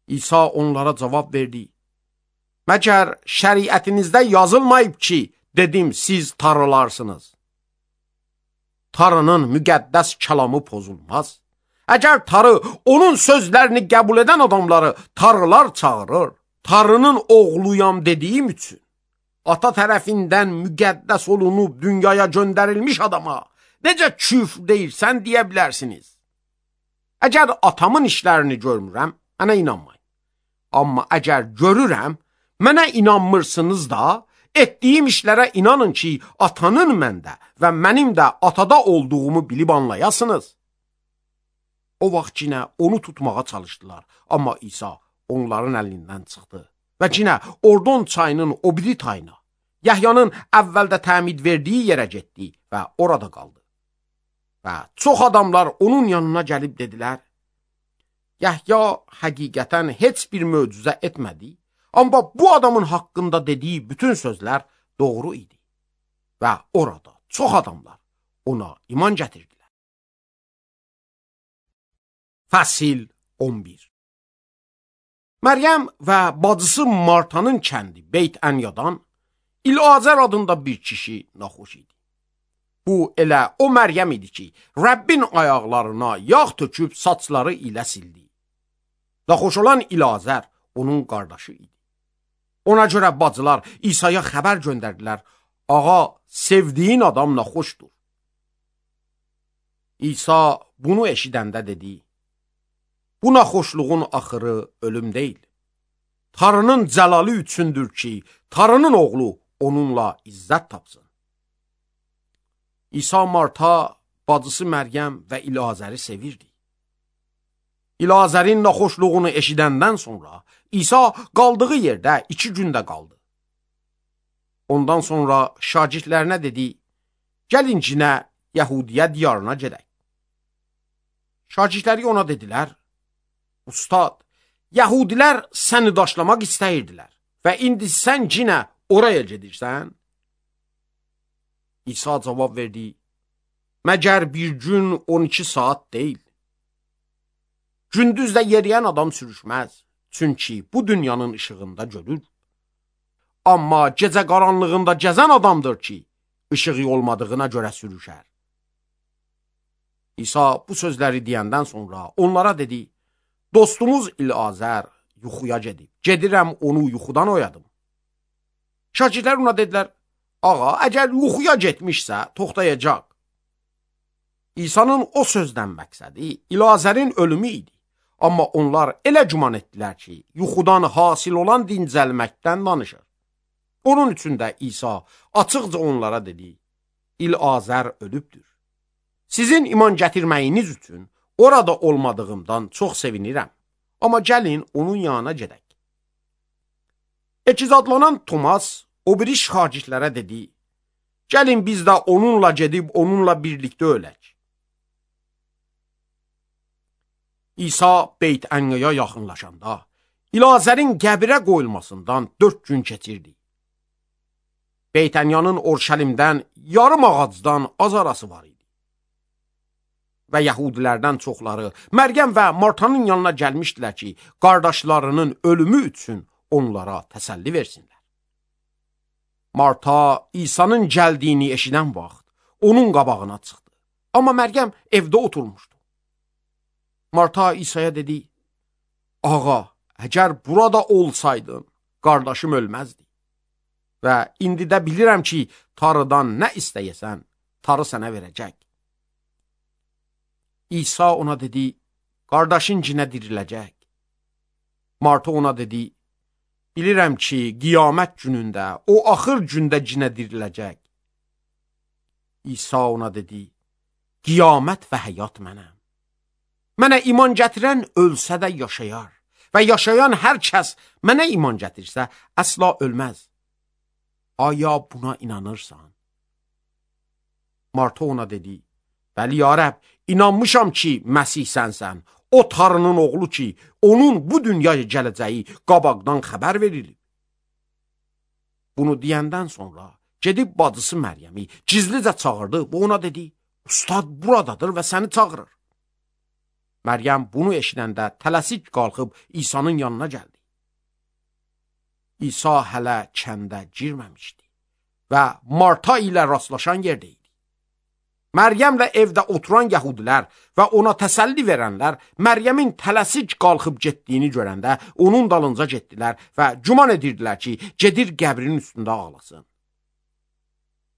İsa onlara cavab verdi, məgər şəriətinizdə yazılmayıb ki, dedim, siz tarılarsınız. Tarının müqəddəs kəlamı pozulmaz. Əgər tarı onun sözlərini qəbul edən adamları tarılar çağırır, tarının oğluyam dediyim üçün, ata tərəfindən müqəddəs olunub dünyaya göndərilmiş adama necə küfr deyirsən deyə bilərsiniz. Əgər atamın işlərini görmürəm, mənə inanmayın. Amma əgər görürəm, mənə inanmırsınız da, etdiyim işlərə inanın ki, atanın məndə və mənim də atada olduğumu bilib anlayasınız. O vaxt yenə onu tutmağa çalışdılar, amma İsa onların əlindən çıxdı və yenə Ordon çayının o biri tayına, Yəhyanın əvvəldə təmid verdiyi yerə getdi və orada qaldı. Və çox adamlar onun yanına gəlib dedilər, Yəhya həqiqətən heç bir möcüzə etmədi, amma bu adamın haqqında dediyi bütün sözlər doğru idi. Və orada çox adamlar ona iman gətirdilər. Fəsil on bir. Məryəm və bacısı Martanın kəndi Beyt Ənyadan İlazər adında bir kişi naxoş idi. Bu elə o Məryəm idi ki, Rəbbin ayaqlarına yağ töküb saçları ilə sildi. Naxoş olan İlazər onun qardaşı idi. Ona görə bacılar İsa'ya xəbər göndərdilər, ağa, sevdiyin adam naxoşdur. İsa bunu eşidəndə dedi, bu naxoşluğun axırı ölüm deyil. Tanrının cəlalı üçündür ki, Tanrının oğlu onunla izzət tapsın. İsa Marta, bacısı Məryəm və İlazəri sevirdi. İlazərin naxoşluğunu eşidəndən sonra İsa qaldığı yerdə iki gündə qaldı. Ondan sonra şagirdlərinə dedi, gəlin cinə Yəhudiyə diyarına gedək. Şagirdləri ona dedilər, Ustad, Yəhudilər səni daşlamaq istəyirdilər və indi sən cinə oraya gedirsən? İsa cavab verdi, məgər bir gün on iki saat deyil. Gündüzdə yeriyən adam sürüşməz, çünki bu dünyanın işığında görür. Amma gecə qaranlığında gəzən adamdır ki, işığı olmadığına görə sürüşər. İsa bu sözləri deyəndən sonra onlara dedi, dostumuz İlazər yuxuya gedib, gedirəm onu yuxudan oyadım. Şagirdlər ona dedilər, ağa, əgər yuxuya getmişsə, toxtayacaq. İsa'nın o sözdən məqsədi İlazərin ölümü idi. Amma onlar elə güman etdilər ki, yuxudan hasil olan dincəlməkdən danışır. Onun üçün də İsa açıqca onlara dedi, İlazər ölübdür. Sizin iman gətirməyiniz üçün orada olmadığımdan çox sevinirəm. Amma gəlin onun yanına gedək. Ekizadlanan Tomas o biri şagirdlərə dedi, gəlin biz də onunla gedib onunla birlikdə ölək. İsa Beyt Ənyaya yaxınlaşanda İlazərin qəbirə qoyulmasından dörd gün keçirdi. Beyt Ənyanın Orşəlimdən yarım ağacdan az arası var idi. Və Yəhudilərdən çoxları Məryəm və Martanın yanına gəlmişdilər ki, qardaşlarının ölümü üçün onlara təsəlli versinlər. Marta İsa'nın gəldiyini eşidən vaxt onun qabağına çıxdı. Amma Məryəm evdə oturmuşdu. Marta İsa'ya dedi, ağa, əgər burada olsaydın, qardaşım ölməzdi. Və indi də bilirəm ki, Tanrıdan nə istəyəsən, Tanrı sənə verəcək. İsa ona dedi, qardaşın cinə diriləcək. Marta ona dedi, bilirəm ki, qiyamət günündə, o axır gündə cinə diriləcək. İsa ona dedi, qiyamət və həyat mənəm. Mənə iman gətirən ölsə də yaşayar və yaşayan hər kəs mənə iman gətirsə əsla ölməz. Aya buna inanırsan? Marta ona dedi, bəli ya Rəbb, inanmışam ki, Məsih sənsən, o Tanrının oğlu ki, onun bu dünyaya gələcəyi qabaqdan xəbər verilib. Bunu deyəndən sonra gedib bacısı Məryəmi gizlicə çağırdı və ona dedi, Ustad buradadır və səni çağırır. Məryəm bunu eşidəndə tələsik qalxıb İsa'nın yanına gəldi. İsa hələ kəndə girməmişdi və Marta ilə rastlaşan yerdə idi. Məryəmlə evdə oturan yəhudilər və ona təsəlli verənlər Məryəmin tələsik qalxıb getdiyini görəndə onun dalınca getdilər və güman edirdilər ki, gedir qəbrin üstündə ağlasın.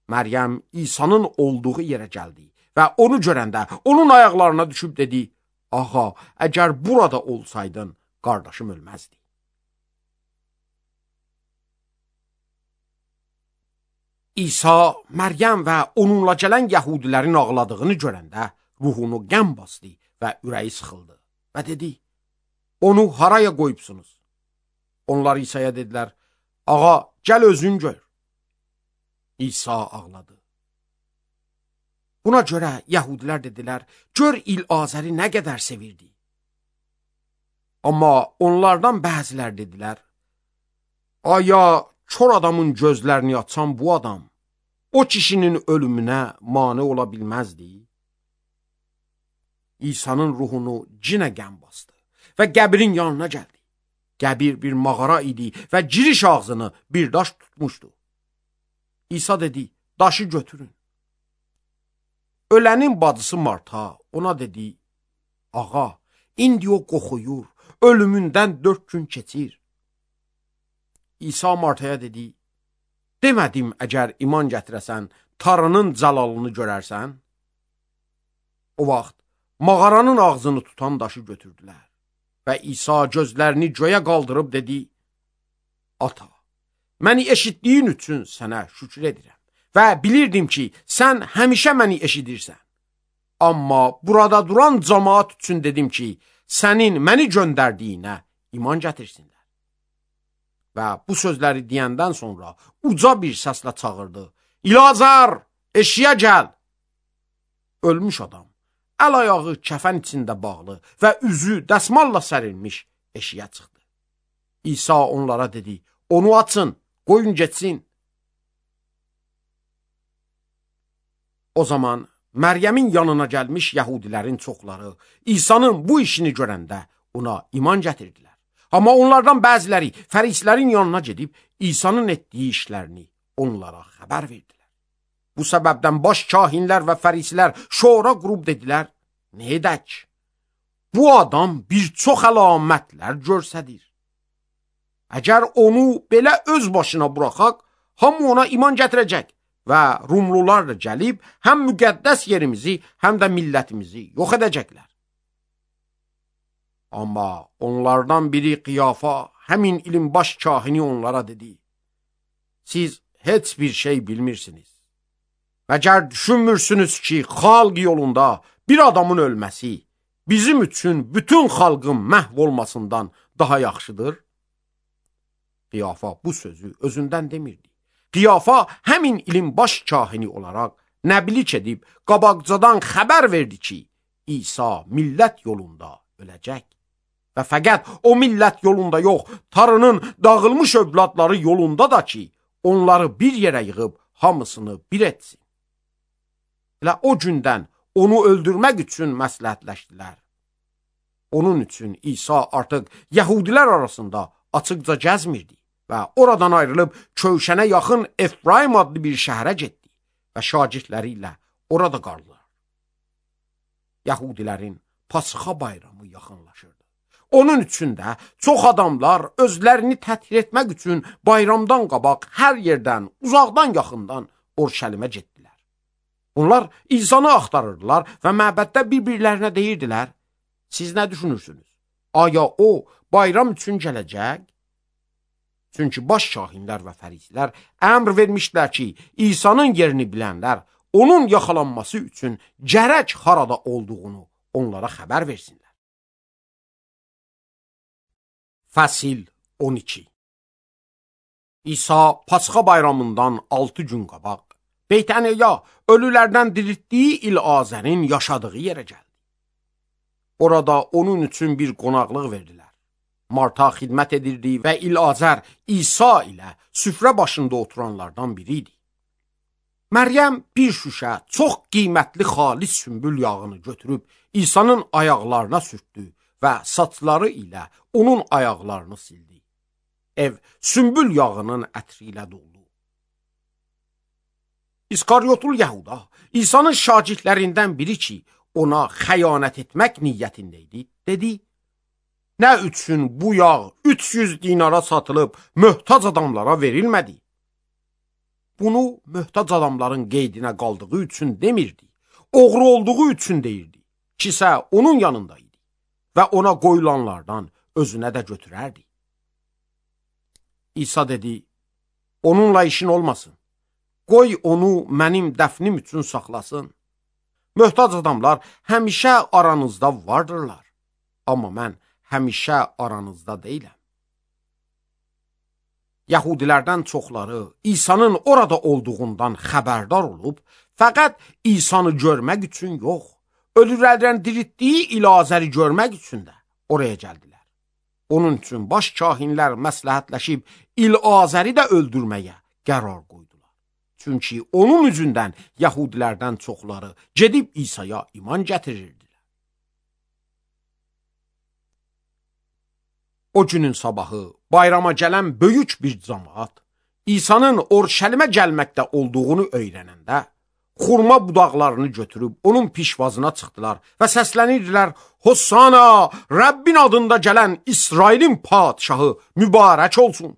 Məryəm İsa'nın olduğu yerə gəldi və onu görəndə onun ayaqlarına düşüb dedi, ağa, əgər burada olsaydın, qardaşım ölməzdi. İsa Məryəm və onunla gələn yəhudilərin ağladığını görəndə ruhunu qəm bastı və ürəyi sıxıldı və dedi, onu haraya qoyubsunuz? Onlar İsa'ya dedilər, ağa, gəl özün gör. İsa ağladı. Buna görə yəhudilər dedilər, gör İlazəri nə qədər sevirdi. Amma onlardan bəzilər dedilər, aya kör adamın gözlərini açan bu adam, o kişinin ölümünə mane ola bilməzdi. İsa'nın ruhunu cinə qəm bastı və qəbrin yanına gəldi. Qəbir bir mağara idi və giriş ağzını bir daş tutmuşdu. İsa dedi, daşı götürün. Ölənin bacısı Marta ona dedi, ağa, indi o qoxuyur, ölümündən dörd gün keçir. İsa Martaya dedi, demədim əgər iman gətirəsən, Tanrının cəlalını görərsən? O vaxt mağaranın ağzını tutan daşı götürdülər. Və İsa gözlərini göyə qaldırıb dedi, ata, məni eşitdiyin üçün sənə şükür edirəm və bilirdim ki, sən həmişə məni eşidirsən. Amma burada duran cəmaat üçün dedim ki, sənin məni göndərdiyinə iman gətirsinlər. Və bu sözləri deyəndən sonra uca bir səslə çağırdı, İlazar, eşiyə gəl! Ölmüş adam, əl-ayağı kəfən içində bağlı və üzü dəsmalla sərilmiş eşiyə çıxdı. İsa onlara dedi, onu açın, qoyun getsin. O zaman Məryəmin yanına gəlmiş yəhudilərin çoxları İsa'nın bu işini görəndə ona iman gətirdilər. Amma onlardan bəziləri fərislərin yanına gedib İsa'nın etdiyi işlərini onlara xəbər verdilər. Bu səbəbdən baş kahinlər və fərislər şora qurub dedilər, nə edək? Bu adam bir çox əlamətlər görsədir. Əgər onu belə öz başına buraxaq, hamı ona iman gətirəcək və Rumlular da gəlib həm müqəddəs yerimizi, həm də millətimizi yox edəcəklər. Amma onlardan biri Qiyafa, həmin ilin baş kahini onlara dedi, siz heç bir şey bilmirsiniz. Məgər düşünmürsünüz ki, xalq yolunda bir adamın ölməsi bizim üçün bütün xalqın məhv olmasından daha yaxşıdır? Qiyafa bu sözü özündən demirdi. Qiyafa həmin ilin baş kahini olaraq nəbilik edib qabaqcadan xəbər verdi ki, İsa millət yolunda öləcək. Və fəqət o millət yolunda yox, Tanrının dağılmış övladları yolunda da ki, onları bir yerə yığıb hamısını bir etsin. Elə o gündən onu öldürmək üçün məsləhətləşdilər. Onun üçün İsa artıq yəhudilər arasında açıqca gəzmirdi və oradan ayrılıb Kövşənə yaxın Efraim adlı bir şəhərə getdi və şagirdləri ilə orada qaldılar. Yəhudilərin Pasxa bayramı yaxınlaşırdı. Onun üçün də çox adamlar özlərini təthir etmək üçün bayramdan qabaq hər yerdən, uzaqdan yaxından Orşəlimə getdilər. Onlar İsa'nı axtarırdılar və məbəddə bir-birlərinə deyirdilər, siz nə düşünürsünüz? Aya o bayram üçün gələcək? Çünki baş kahinlər və fərislər əmr vermişlər ki, İsa'nın yerini bilənlər onun yaxalanması üçün gərək harada olduğunu onlara xəbər versinlər. Fəsil on iki. İsa Pasxa bayramından altı gün qabaq Beytəniya, ölülərdən diriltdiyi İlazərin yaşadığı yerə gəldi. Orada onun üçün bir qonaqlıq verdilər. Marta xidmət edirdi və İlazər İsa ilə süfrə başında oturanlardan biri idi. Məryəm bir şüşə çox qiymətli xalis sümbül yağını götürüb İsa'nın ayaqlarına sürtdü və saçları ilə onun ayaqlarını sildi. Ev sümbül yağının ətri ilə doldu. İskaryotul Yəhuda, İsa'nın şagirdlərindən biri ki, ona xəyanət etmək niyyətində idi, dedi, nə üçün bu yağ üç yüz dinara satılıb möhtac adamlara verilmədi? Bunu möhtac adamların qeydinə qaldığı üçün demirdi, oğru olduğu üçün deyirdi, kisə onun yanındaydı və ona qoyulanlardan özünə də götürərdi. İsa dedi, onunla işin olmasın. qoy onu mənim dəfnim üçün saxlasın. Möhtac adamlar həmişə aranızda vardırlar, amma mən həmişə aranızda deyiləm. Yahudilərdən çoxları İsa'nın orada olduğundan xəbərdar olub, fəqət İsa'nı görmək üçün yox, ölülərdən diriltdiyi İlazəri görmək üçün də oraya gəldilər. Onun üçün baş kahinlər məsləhətləşib İlazəri də öldürməyə qərar qoydular. Çünki onun üzündən Yahudilərdən çoxları gedib İsa'ya iman gətirirdilər. O günün sabahı bayrama gələn böyük bir cəmaət İsa'nın Orşəlimə gəlməkdə olduğunu öyrənəndə xurma budaqlarını götürüb onun pişvazına çıxdılar və səslənirdilər: Hossana, Rəbbin adında gələn İsrailin padşahı mübarək olsun.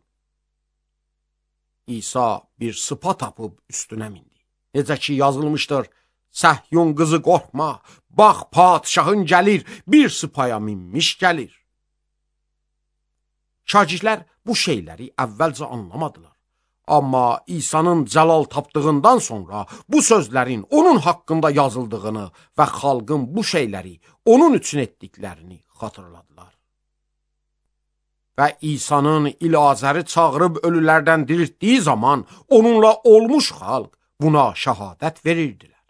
İsa bir sıpa tapıb üstünə mindi. Necə ki yazılmışdır: Səhyun qızı qorxma, bax padşahın gəlir, bir sıpaya minmiş gəlir. Şagirdlər bu şeyləri əvvəlcə anlamadılar. Amma İsa'nın cəlal tapdığından sonra bu sözlərin onun haqqında yazıldığını və xalqın bu şeyləri onun üçün etdiklərini xatırladılar. Və İsa'nın İlazəri çağırıb ölülərdən diriltdiyi zaman onunla olmuş xalq buna şəhadət verirdilər.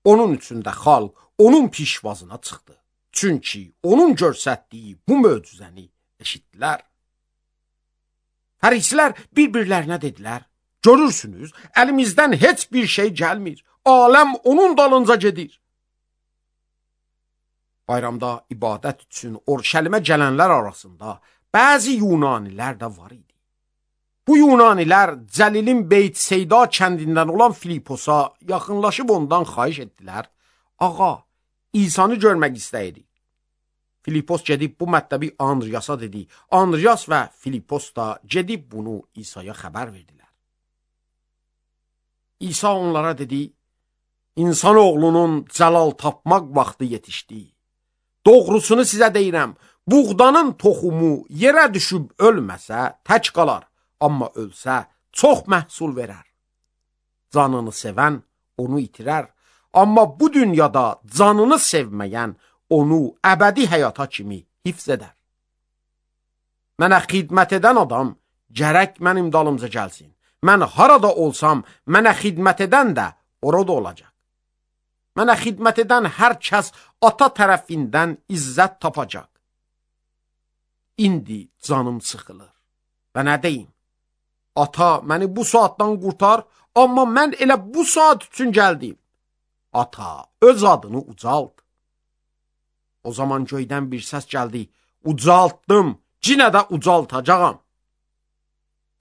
Onun üçün də xalq onun pişvazına çıxdı. Çünki onun göstərdiyi bu möcüzəni eşitdilər. Fərisilər bir-birlərinə dedilər: Görürsünüz, əlimizdən heç bir şey gəlmir. Aləm onun dalınca gedir. Bayramda ibadət üçün Orşəlimə gələnlər arasında bəzi Yunanilər də var idi. Bu Yunanilər Cəlilin Beyt Seyda kəndindən olan Filiposa yaxınlaşıb ondan xahiş etdilər: Ağa, İsa'nı görmək istəyirik. Filipos gedib bu mətləbi Andriyasa dedi. Andriyas və Filipos da gedib bunu İsa'ya xəbər verdilər. İsa onlara dedi: İnsanoğlunun cəlal tapmaq vaxtı yetişdi. Doğrusunu sizə deyirəm, buğdanın toxumu yerə düşüb ölməsə tək qalar, amma ölsə çox məhsul verər. Canını sevən onu itirər, amma bu dünyada canını sevməyən onu əbədi həyata kimi hifz edər. Mənə xidmət edən adam gərək mənim dalımca gəlsin. Mən harada olsam, mənə xidmət edən də orada olacaq. Mənə xidmət edən hər kəs ata tərəfindən izzət tapacaq. İndi canım sıxılır. Və nə deyim? Ata, məni bu saatdan qurtar, amma mən elə bu saat üçün gəldim. Ata, öz adını ucalt. O zaman göydən bir səs gəldi: Ucaltdım, cinə də ucaltacağam.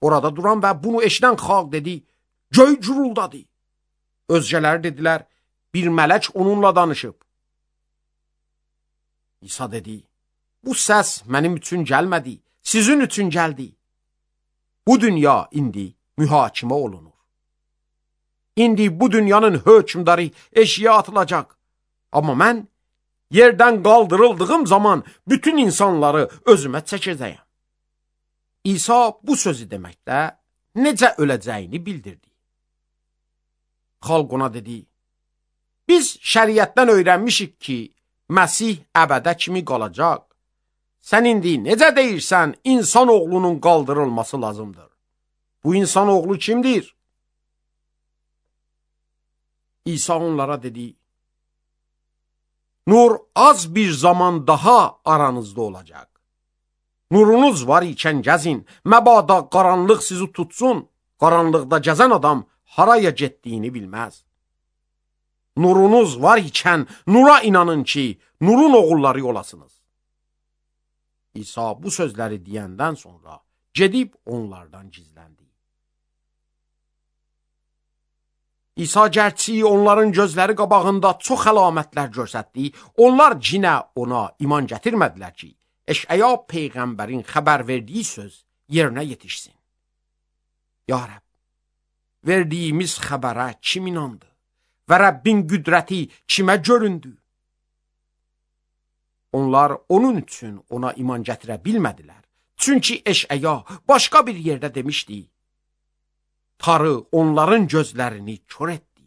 Orada duran və bunu eşidən xalq dedi: Göy guruldadı. Özgələri dedilər: Bir mələk onunla danışıb. İsa dedi: Bu səs mənim üçün gəlmədi, sizin üçün gəldi. Bu dünya indi mühakimə olunur. İndi bu dünyanın hökmdarı eşiyə atılacaq. Amma mən yerdən qaldırıldığım zaman bütün insanları özümə çəkəcəyəm. İsa bu sözü deməkdə necə öləcəyini bildirdi. Xalq ona dedi: Biz şəriətdən öyrənmişik ki, Məsih əbədə kimi qalacaq. Sən indi necə deyirsən, insan oğlunun qaldırılması lazımdır. Bu insan oğlu kimdir? İsa onlara dedi: Nur az bir zaman daha aranızda olacaq. Nurunuz var ikən gəzin, məbada qaranlıq sizi tutsun. Qaranlıqda gəzən adam haraya getdiyini bilməz. Nurunuz var ikən nura inanın ki, nurun oğulları olasınız. İsa bu sözləri deyəndən sonra gedib onlardan gizləndi. İsa gərçi onların gözləri qabağında çox əlamətlər göstərdi. Onlar cinə ona iman gətirmədilər ki, Eşaya peyğəmbərin xəbər verdiyi söz yerinə yetişsin. Ya Rəbb, verdiyimiz xəbərə kim inandı və Rəbbin qüdrəti kimə göründü? Onlar onun üçün ona iman gətirə bilmədilər. Çünki Eşaya başqa bir yerdə demişdi: Tarı onların gözlərini kör etdi,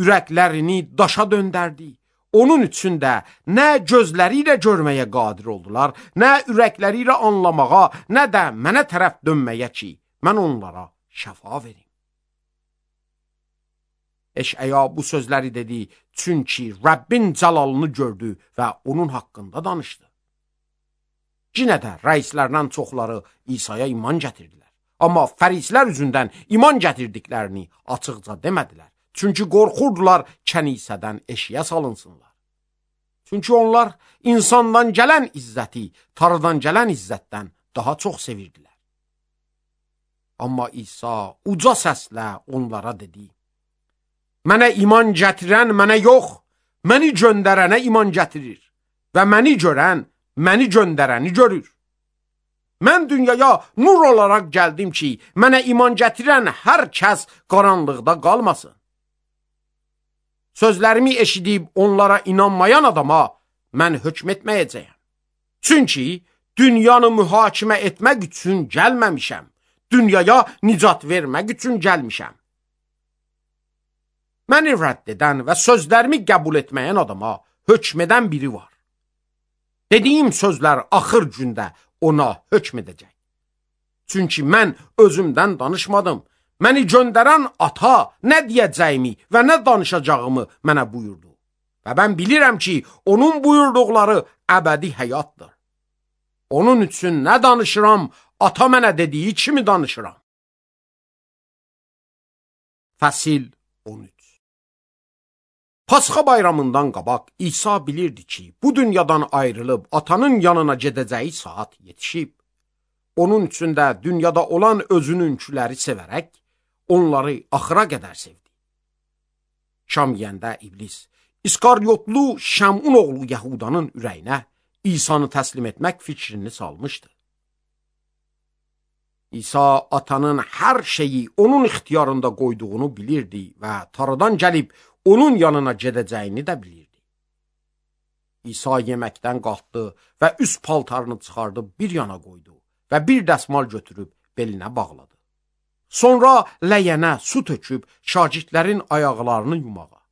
ürəklərini daşa döndərdi. Onun üçün də nə gözləri ilə görməyə qadir oldular, nə ürəkləri ilə anlamağa, nə də mənə tərəf dönməyə ki, mən onlara şəfa verim. Eşəya bu sözləri dedi, çünki Rəbbin cəlalını gördü və onun haqqında danışdı. Yenə də rəislərdən çoxları İsa'ya iman gətirdilər. Amma fərislər üzündən iman gətirdiklərini açıqca demədilər. Çünki qorxurdular kənisədən eşiyə salınsınlar. Çünki onlar insandan gələn izzəti, Tanrıdan gələn izzətdən daha çox sevirdilər. Amma İsa uca səslə onlara dedi, mənə iman gətirən mənə yox, məni göndərənə iman gətirir və məni görən məni göndərəni görür. Mən dünyaya nur olaraq gəldim ki, mənə iman gətirən hər kəs qaranlıqda qalmasın. Sözlərimi eşidib onlara inanmayan adama mən hökm etməyəcəyəm. Çünki dünyanı mühakimə etmək üçün gəlməmişəm. Dünyaya nicat vermək üçün gəlmişəm. Məni rədd edən və sözlərimi qəbul etməyən adama hökm edən biri var. Dediyim sözlər axır gündə ona hökm edəcək. Çünki mən özümdən danışmadım. Məni göndərən ata nə deyəcəyimi və nə danışacağımı mənə buyurdu. Və mən bilirəm ki, onun buyurduqları əbədi həyatdır. Onun üçün nə danışıram, ata mənə dediyi kimi danışıram. Fəsil on üç. Pasxa bayramından qabaq İsa bilirdi ki, bu dünyadan ayrılıb atanın yanına gedəcəyi saat yetişib. Onun üçün də dünyada olan özününkiləri sevərək, onları axıra qədər sevdi. Şam yiyəndə iblis, İskaryotlu Şəmun oğlu Yahudanın ürəyinə İsa'nı təslim etmək fikrini salmışdı. İsa atanın hər şeyi onun ixtiyarında qoyduğunu bilirdi və Tanrıdan gəlib onun yanına gedəcəyini də bilirdi. İsa yeməkdən qalxdı və üst paltarını çıxardıb bir yana qoydu və bir dəsmal götürüb belinə bağladı. Sonra ləyənə su töküb şagirdlərin ayaqlarını yumağa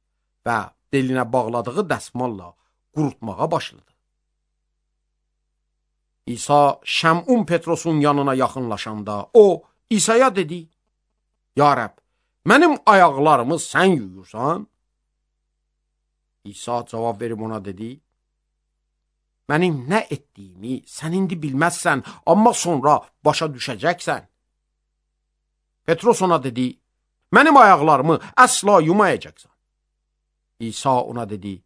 və belinə bağladığı dəsmalla qurutmağa başladı. İsa Şəmun Petrosun yanına yaxınlaşanda o İsa'ya dedi, Ya Rəbb, mənim ayaqlarımı sən yuyursan? İsa cavab verib ona dedi, mənim nə etdiyimi sən indi bilməzsən, amma sonra başa düşəcəksən. Petros ona dedi, mənim ayaqlarımı əsla yumayacaqsan. İsa ona dedi,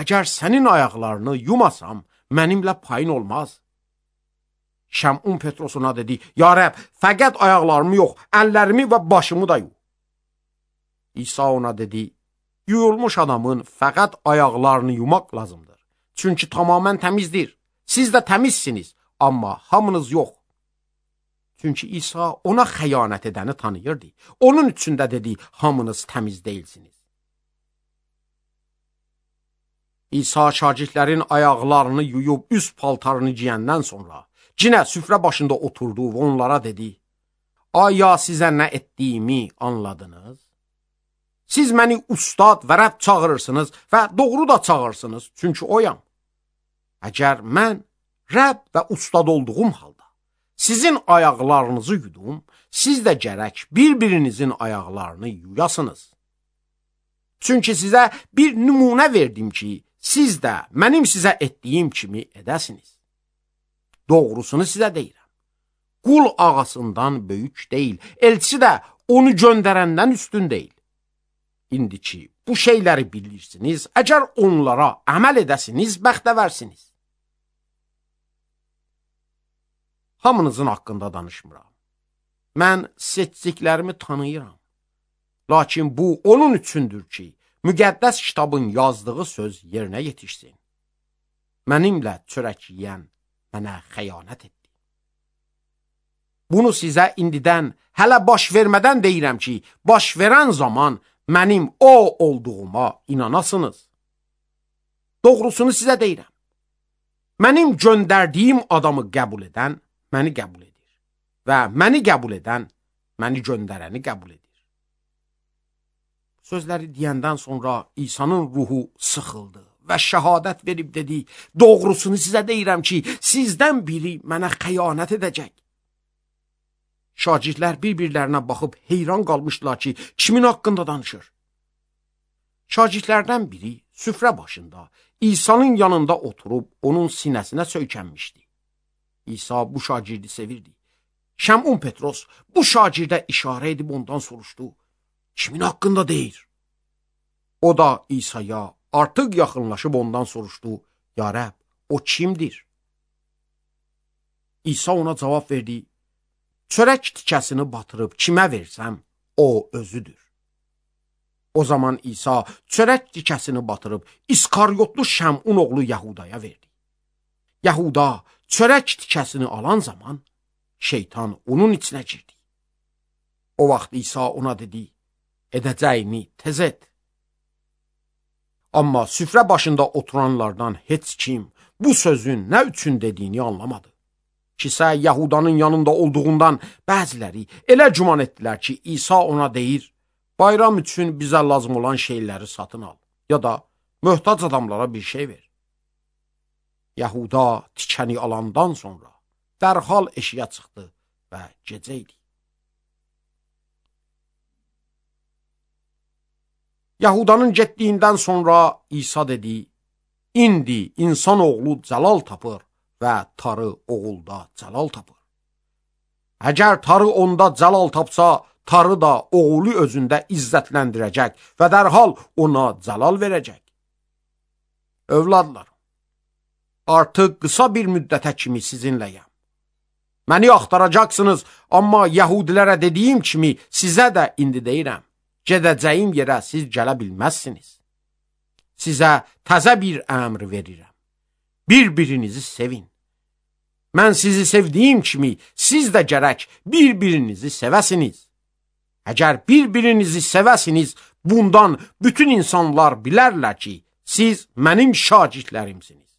əgər sənin ayaqlarını yumasam, mənimlə payın olmaz. Şəmun Petros ona dedi, Ya Rəbb, fəqət ayaqlarımı yox, əllərimi və başımı da yu. İsa ona dedi, yuyulmuş adamın fəqət ayaqlarını yumaq lazımdır. Çünki tamamən təmizdir. Siz də təmizsiniz, amma hamınız yox. Çünki İsa ona xəyanət edəni tanıyırdı. Onun üçün də dedi, hamınız təmiz deyilsiniz. İsa şagirdlərin ayaqlarını yuyub üst paltarını giyəndən sonra cinə süfrə başında oturdu və onlara dedi, Aya sizə nə etdiyimi anladınız? Siz məni ustad və Rəbb çağırırsınız və doğru da çağırsınız, çünki oyam. Əgər mən Rəbb və ustad olduğum halda sizin ayaqlarınızı yudum, siz də gərək bir-birinizin ayaqlarını yuyasınız. Çünki sizə bir nümunə verdim ki, siz də mənim sizə etdiyim kimi edəsiniz. Doğrusunu sizə deyirəm. Qul ağasından böyük deyil, elçi də onu göndərəndən üstün deyil. İndi ki, bu şeyləri bilirsiniz, əgər onlara əməl edəsiniz, bəxtəvərsiniz. Hamınızın haqqında danışmıram. Mən seçdiklərimi tanıyıram. Lakin bu onun üçündür ki, müqəddəs kitabın yazdığı söz yerinə yetişsin. Mənimlə çörək yeyən mənə xəyanət etdi. Bunu sizə indidən, hələ baş vermədən deyirəm ki, baş verən zaman mənim o olduğuma inanasınız. Doğrusunu sizə deyirəm. Mənim göndərdiyim adamı qəbul edən məni qəbul edir və məni qəbul edən məni göndərəni qəbul edir. Sözləri deyəndən sonra İsa'nın ruhu sıxıldı və şəhadət verib dedi, doğrusunu sizə deyirəm ki, sizdən biri mənə xəyanət edəcək. Şagirdlər bir-birlərinə baxıb heyran qalmışdılar ki, kimin haqqında danışır? Şagirdlərdən biri süfrə başında İsa'nın yanında oturub onun sinəsinə söykənmişdi. İsa bu şagirdi sevirdi. Şəmun Petros bu şagirdə işarə edib ondan soruşdu, kimin haqqında deyir? O da İsa'ya artıq yaxınlaşıb ondan soruşdu, ya Rəbb, o kimdir? İsa ona cavab verdi, çörək tikəsini batırıb kimə versəm, o özüdür. O zaman İsa çörək tikəsini batırıb İskaryotlu Şəmun oğlu Yahudaya verdi. Yahuda çörək tikəsini alan zaman şeytan onun içinə girdi. O vaxt İsa ona dedi, edəcəyini tez et. Amma süfrə başında oturanlardan heç kim bu sözün nə üçün dediyini anlamadı. Kisə Yahudanın yanında olduğundan bəziləri elə güman etdilər ki, İsa ona deyir, bayram üçün bizə lazım olan şeyləri satın al, ya da möhtac adamlara bir şey ver. Yahuda tikəni alandan sonra dərhal eşiyə çıxdı və gecə idi. Yahudanın getdiyindən sonra İsa dedi, indi insan oğlu cəlal tapır və tarı oğulda cəlal tapır. Əgər tarı onda cəlal tapsa, tarı da oğulu özündə izzətləndirəcək və dərhal ona cəlal verəcək. Övladlar, artıq qısa bir müddətə kimi sizinləyəm. Məni axtaracaqsınız, amma Yahudilərə dediyim kimi sizə də indi deyirəm. Gedəcəyim yerə siz gələ bilməzsiniz. Sizə təzə bir əmr verirəm. Bir-birinizi sevin. Mən sizi sevdiyim kimi siz də gərək bir-birinizi sevəsiniz. Əgər bir-birinizi sevəsiniz, bundan bütün insanlar bilərlər ki, siz mənim şagirdlərimsiniz.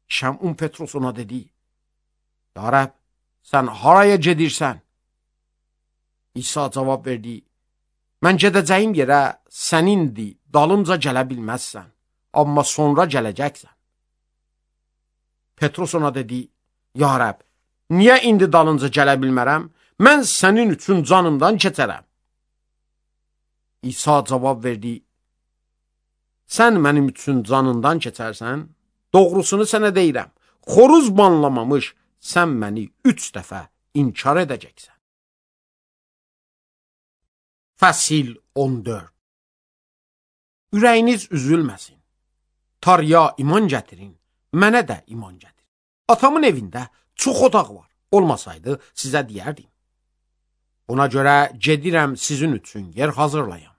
Şəmun Petros ona dedi, ya Rəbb, sən haraya gedirsən? İsa cavab verdi, mən gedəcəyim yerə sənindir, dalımca gələ bilməzsən, amma sonra gələcəksən. Petros ona dedi, ya Rəbb, niyə indi dalınca gələ bilmərəm? Mən sənin üçün canımdan keçərəm. İsa cavab verdi, sən mənim üçün canından keçərsən, doğrusunu sənə deyirəm, xoruz banlamamış sən məni üç dəfə inkar edəcəksən. Fəsil on dörd. Ürəyiniz üzülməsin. Tarıya iman gətirin, mənə də iman gətirin. Atamın evində çox otaq var, olmasaydı sizə deyərdim. Ona görə gedirəm sizin üçün yer hazırlayam.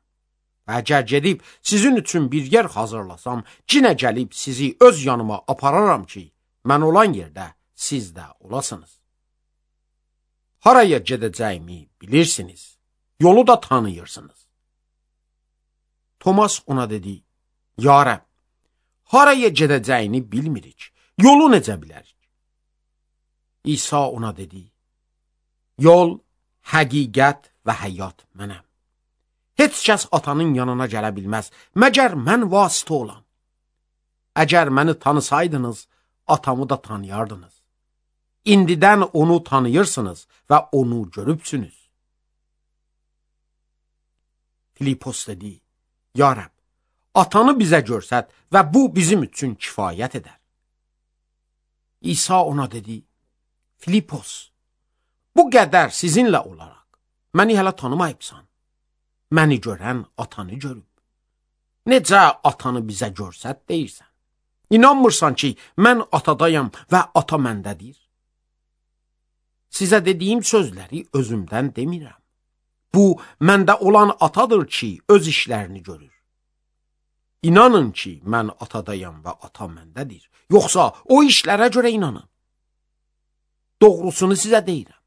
Və əgər gedib sizin üçün bir yer hazırlasam, cinə gəlib sizi öz yanıma apararam ki, mən olan yerdə siz də olasınız. Haraya gedəcəyimi bilirsiniz, yolu da tanıyırsınız. Tomas ona dedi, ya Rəbb, haraya gedəcəyini bilmirik, yolu necə bilərik? İsa ona dedi, yol, həqiqət və həyat mənəm. Heç kəs atanın yanına gələ bilməz, məgər mən vasitə olam. Əgər məni tanısaydınız, atamı da tanıyardınız. İndidən onu tanıyırsınız və onu görübsünüz. Filipos dedi, ya Rəbb, atanı bizə görsət və bu bizim üçün kifayət edər. İsa ona dedi, Filipos, bu qədər sizinlə olaraq, məni hələ tanımayıbsan. Məni görən atanı görüb. Necə atanı bizə görsət deyirsən? İnanmırsan ki, mən atadayam və ata məndədir. Sizə dediyim sözləri özümdən demirəm. Bu, məndə olan atadır ki, öz işlərini görür. İnanın ki, mən atadayam və ata məndədir. Yoxsa o işlərə görə inanın. Doğrusunu sizə deyirəm.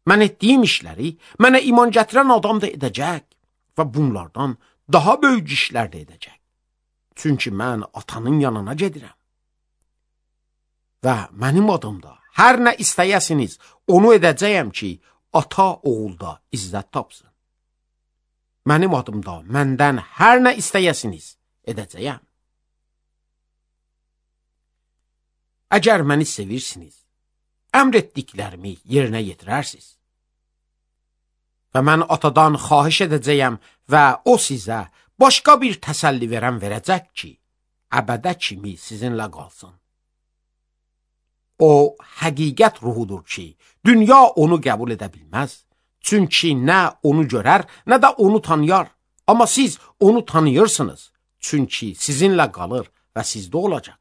Mən etdiyim işləri mənə iman gətirən adam da edəcək və bunlardan daha böyük işlər də edəcək. Çünki mən atanın yanına gedirəm. Və mənim adımda hər nə istəyəsiniz, onu edəcəyəm ki, ata oğulda izzət tapsın. mənim adımda məndən hər nə istəyəsiniz edəcəyəm. Əgər məni sevirsiniz, əmr etdiklərimi yerinə yetirərsiniz. Və mən atadan xahiş edəcəyəm və o sizə başqa bir təsəlli verən verəcək ki, əbədə kimi sizinlə qalsın. O, həqiqət ruhudur ki, dünya onu qəbul edə bilməz. Çünki nə onu görər, nə də onu tanıyar. Amma siz onu tanıyırsınız. Çünki sizinlə qalır və sizdə olacaq.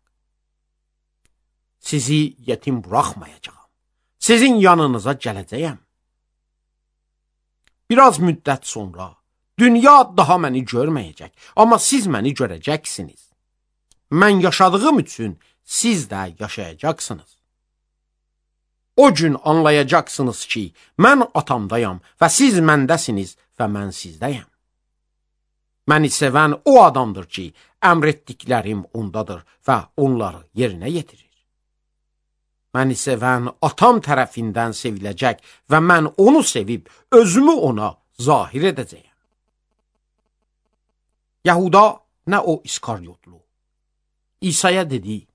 Sizi yetim buraxmayacağam. Sizin yanınıza gələcəyəm. Biraz müddət sonra dünya daha məni görməyəcək, amma siz məni görəcəksiniz. Mən yaşadığım üçün siz də yaşayacaqsınız. O gün anlayacaqsınız ki, mən atamdayam və siz məndəsiniz və mən sizdəyəm. Məni sevən o adamdır ki, əmr etdiklərim ondadır və onları yerinə yetirir. Məni sevən atam tərəfindən seviləcək və mən onu sevib özümü ona zahir edəcəyəm. Yahuda, nə o İskaryotlu, İsa'ya dedi,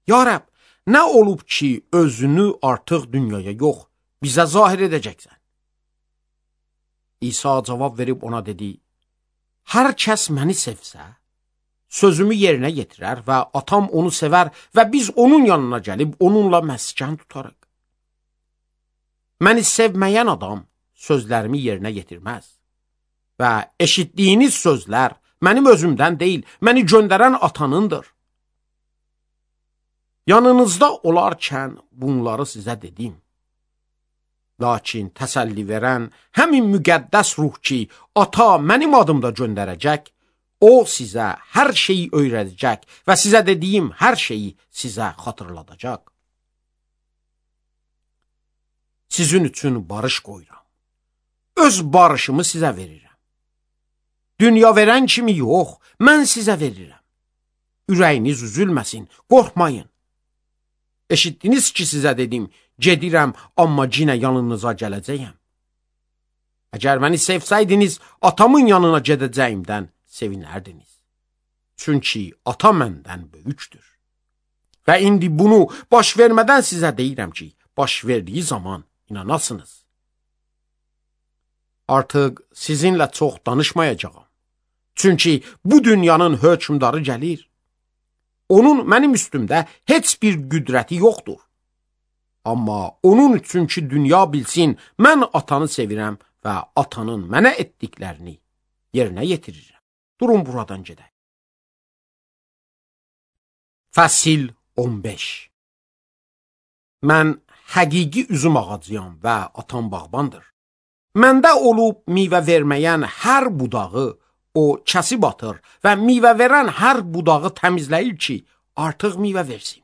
Ya Rəbb, nə olub ki, özünü artıq dünyaya yox, bizə zahir edəcəksən? İsa cavab verib ona dedi, hər kəs məni sevsə, sözümü yerinə yetirər və atam onu sevər və biz onun yanına gəlib onunla məskən tutarıq. Məni sevməyən adam sözlərimi yerinə yetirməz və eşitdiyiniz sözlər mənim özümdən deyil, məni göndərən atanındır. Yanınızda olarkən bunları sizə dedim. Lakin təsəlli verən həmin müqəddəs ruh ki, ata mənim adımda göndərəcək, o sizə hər şeyi öyrədəcək və sizə dediyim hər şeyi sizə xatırladacaq. Sizin üçün barış qoyuram. Öz barışımı sizə verirəm. Dünya verən kimi yox, mən sizə verirəm. Ürəyiniz üzülməsin, qorxmayın. Eşitdiniz ki, sizə dedim, gedirəm, amma yenə yanınıza gələcəyəm. Əgər məni sevsəydiniz, atamın yanına gedəcəyimdən sevinərdiniz. Çünki ata məndən böyükdür. Və indi bunu baş vermədən sizə deyirəm ki, baş verdiyi zaman inanasınız. Artıq sizinlə çox danışmayacağam. Çünki bu dünyanın hökmdarı gəlir. Onun mənim üstümdə heç bir qüdrəti yoxdur. Amma onun üçün ki, dünya bilsin, mən atanı sevirəm və atanın mənə etdiklərini yerinə yetirirəm. Durun buradan gedək. Fəsil on beş. Mən həqiqi üzüm ağacıyam və atam bağbandır. Məndə olub meyvə verməyən hər budağı o kəsib atır və meyvə verən hər budağı təmizləyir ki, artıq meyvə versin.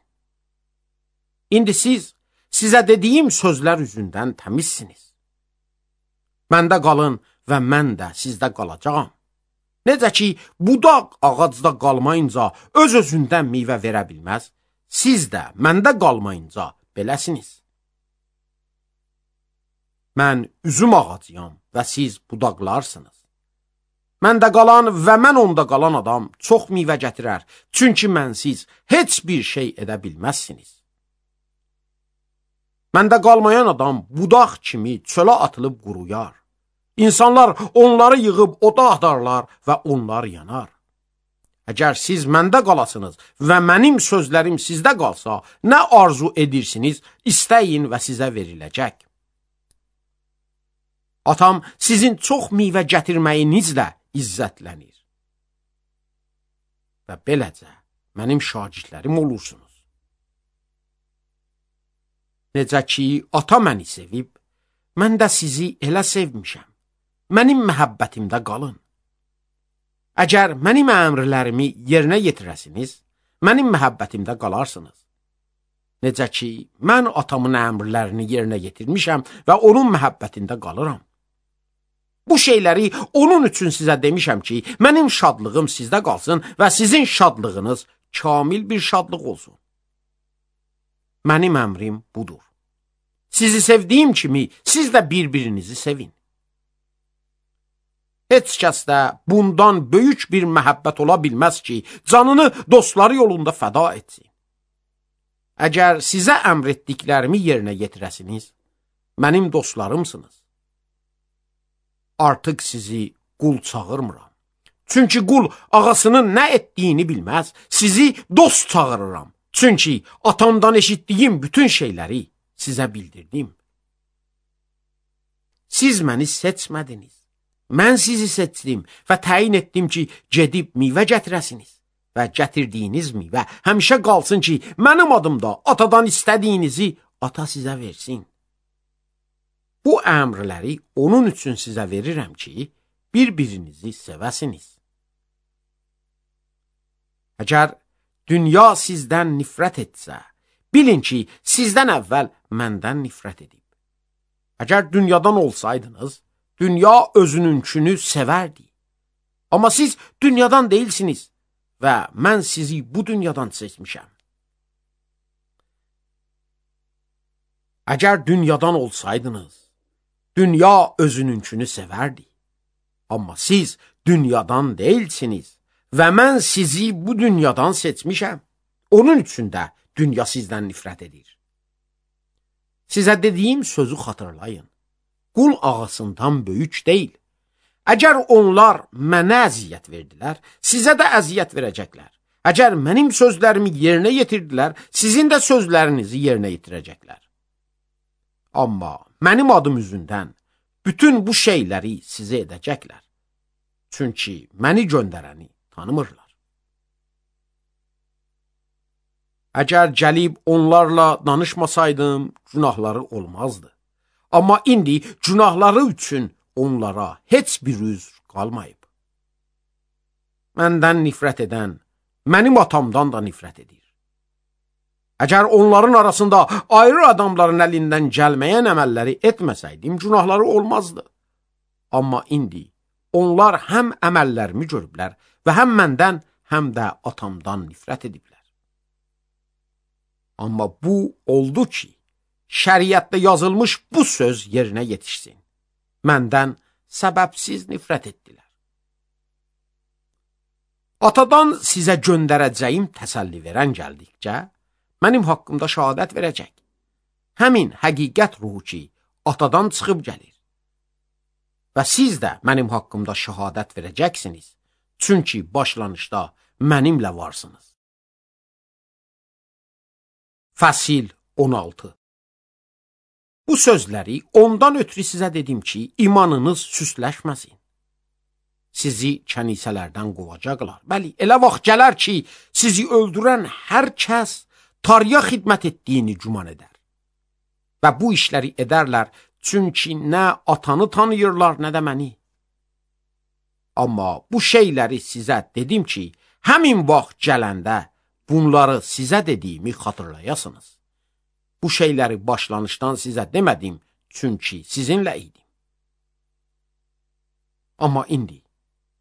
İndi siz, sizə dediyim sözlər üzündən təmizsiniz. Məndə qalın və mən də sizdə qalacağam. Necə ki, budaq ağacda qalmayınca öz-özündən meyvə verə bilməz, siz də məndə qalmayınca beləsiniz. Mən üzüm ağacıyam və siz budaqlarsınız. Məndə qalan və mən onda qalan adam çox meyvə gətirər, çünki mənsiz heç bir şey edə bilməzsiniz. Məndə qalmayan adam budaq kimi çölə atılıb quruyar. İnsanlar onları yığıb oda atarlar və onlar yanar. Əgər siz məndə qalasınız və mənim sözlərim sizdə qalsa, nə arzu edirsiniz, istəyin və sizə veriləcək. Atam sizin çox meyvə gətirməyinizlə izzətlənir. Və beləcə mənim şagirdlərim olursunuz. Necə ki, ata məni sevib, mən də sizi elə sevmişəm. Mənim məhəbbətimdə qalın. Əgər mənim əmrlərimi yerinə yetirəsiniz, mənim məhəbbətimdə qalarsınız. Necə ki, mən atamın əmrlərini yerinə yetirmişəm və onun məhəbbətində qalıram. Bu şeyləri onun üçün sizə demişəm ki, mənim şadlığım sizdə qalsın və sizin şadlığınız kamil bir şadlıq olsun. Mənim əmrim budur. Sizi sevdiyim kimi siz də bir-birinizi sevin. Heç kəsdə bundan böyük bir məhəbbət ola bilməz ki, canını dostları yolunda fəda etsin. Əgər sizə əmr etdiklərimi yerinə yetirəsiniz, mənim dostlarımsınız. Artıq sizi qul çağırmıram. Çünki qul ağasının nə etdiyini bilməz, sizi dost çağırıram. Çünki atamdan eşitdiyim bütün şeyləri sizə bildirdim. Siz məni seçmədiniz. Mən sizi seçdim və təyin etdim ki, gedib meyvə gətirəsiniz və gətirdiyiniz meyvə həmişə qalsın ki, mənim adımda atadan istədiyinizi ata sizə versin. Bu əmrləri onun üçün sizə verirəm ki, bir-birinizi sevəsiniz. Əgər dünya sizdən nifrət etsə, bilin ki, sizdən əvvəl məndən nifrət edib. Əgər dünyadan olsaydınız, dünya özününkünü sevərdi. Amma siz dünyadan deyilsiniz və mən sizi bu dünyadan seçmişəm. Əgər dünyadan olsaydınız, dünya özününkünü sevərdi. Amma siz dünyadan deyilsiniz və mən sizi bu dünyadan seçmişəm. Onun üçün də dünya sizdən nifrət edir. Sizə dediyim sözü xatırlayın. Qul ağasından böyük deyil. Əgər onlar mənə əziyyət verdilər, sizə də əziyyət verəcəklər. Əgər mənim sözlərimi yerinə yetirdilər, sizin də sözlərinizi yerinə yetirəcəklər. Amma mənim adım üzündən bütün bu şeyləri sizə edəcəklər. Çünki məni göndərəni tanımırlar. Əgər gəlib onlarla danışmasaydım, günahları olmazdı. Amma indi günahları üçün onlara heç bir üzr qalmayıb. Məndən nifrət edən, mənim atamdan da nifrət edir. Əgər onların arasında ayrı adamların əlindən gəlməyən əməlləri etməsəydim, günahları olmazdı. Amma indi onlar həm əməllərimi görüblər və həm məndən, həm də atamdan nifrət ediblər. Amma bu oldu ki, şəriətdə yazılmış bu söz yerinə yetişsin. Məndən səbəbsiz nifrət etdilər. Atadan sizə göndərəcəyim təsəlli verən gəldikcə, mənim haqqımda şəhadət verəcək. Həmin həqiqət ruhu ki, atadan çıxıb gəlir. Və siz də mənim haqqımda şəhadət verəcəksiniz, çünki başlanışda mənimlə varsınız. Fəsil on altı. Bu sözləri ondan ötürü sizə dedim ki, imanınız süsləşməsin. Sizi kənisələrdən qovacaqlar. Bəli, elə vaxt gələr ki, sizi öldürən hər kəs Tanrıya xidmət etdiyini güman edər. Və bu işləri edərlər, çünki nə atanı tanıyırlar, nə də məni. Amma bu şeyləri sizə dedim ki, həmin vaxt gələndə bunları sizə dediyimi xatırlayasınız. Bu şeyləri başlanışdan sizə demədim, çünki sizinlə idim. Amma indi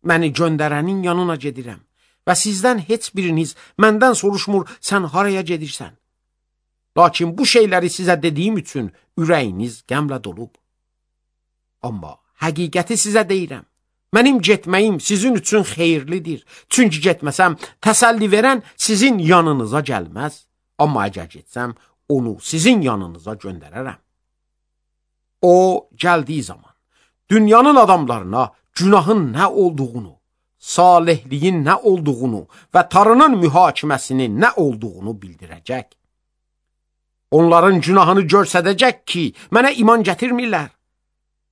məni göndərənin yanına gedirəm və sizdən heç biriniz məndən soruşmur, sən haraya gedirsən? Lakin bu şeyləri sizə dediyim üçün ürəyiniz qəmlə dolub. Amma həqiqəti sizə deyirəm. Mənim getməyim sizin üçün xeyirlidir. Çünki getməsəm, təsəlli verən sizin yanınıza gəlməz. Amma əgər getsəm, onu sizin yanınıza göndərərəm. O, gəldiyi zaman, dünyanın adamlarına günahın nə olduğunu, salihliyin nə olduğunu və Tanrının mühakiməsinin nə olduğunu bildirəcək. Onların günahını görsədəcək ki, mənə iman gətirmirlər.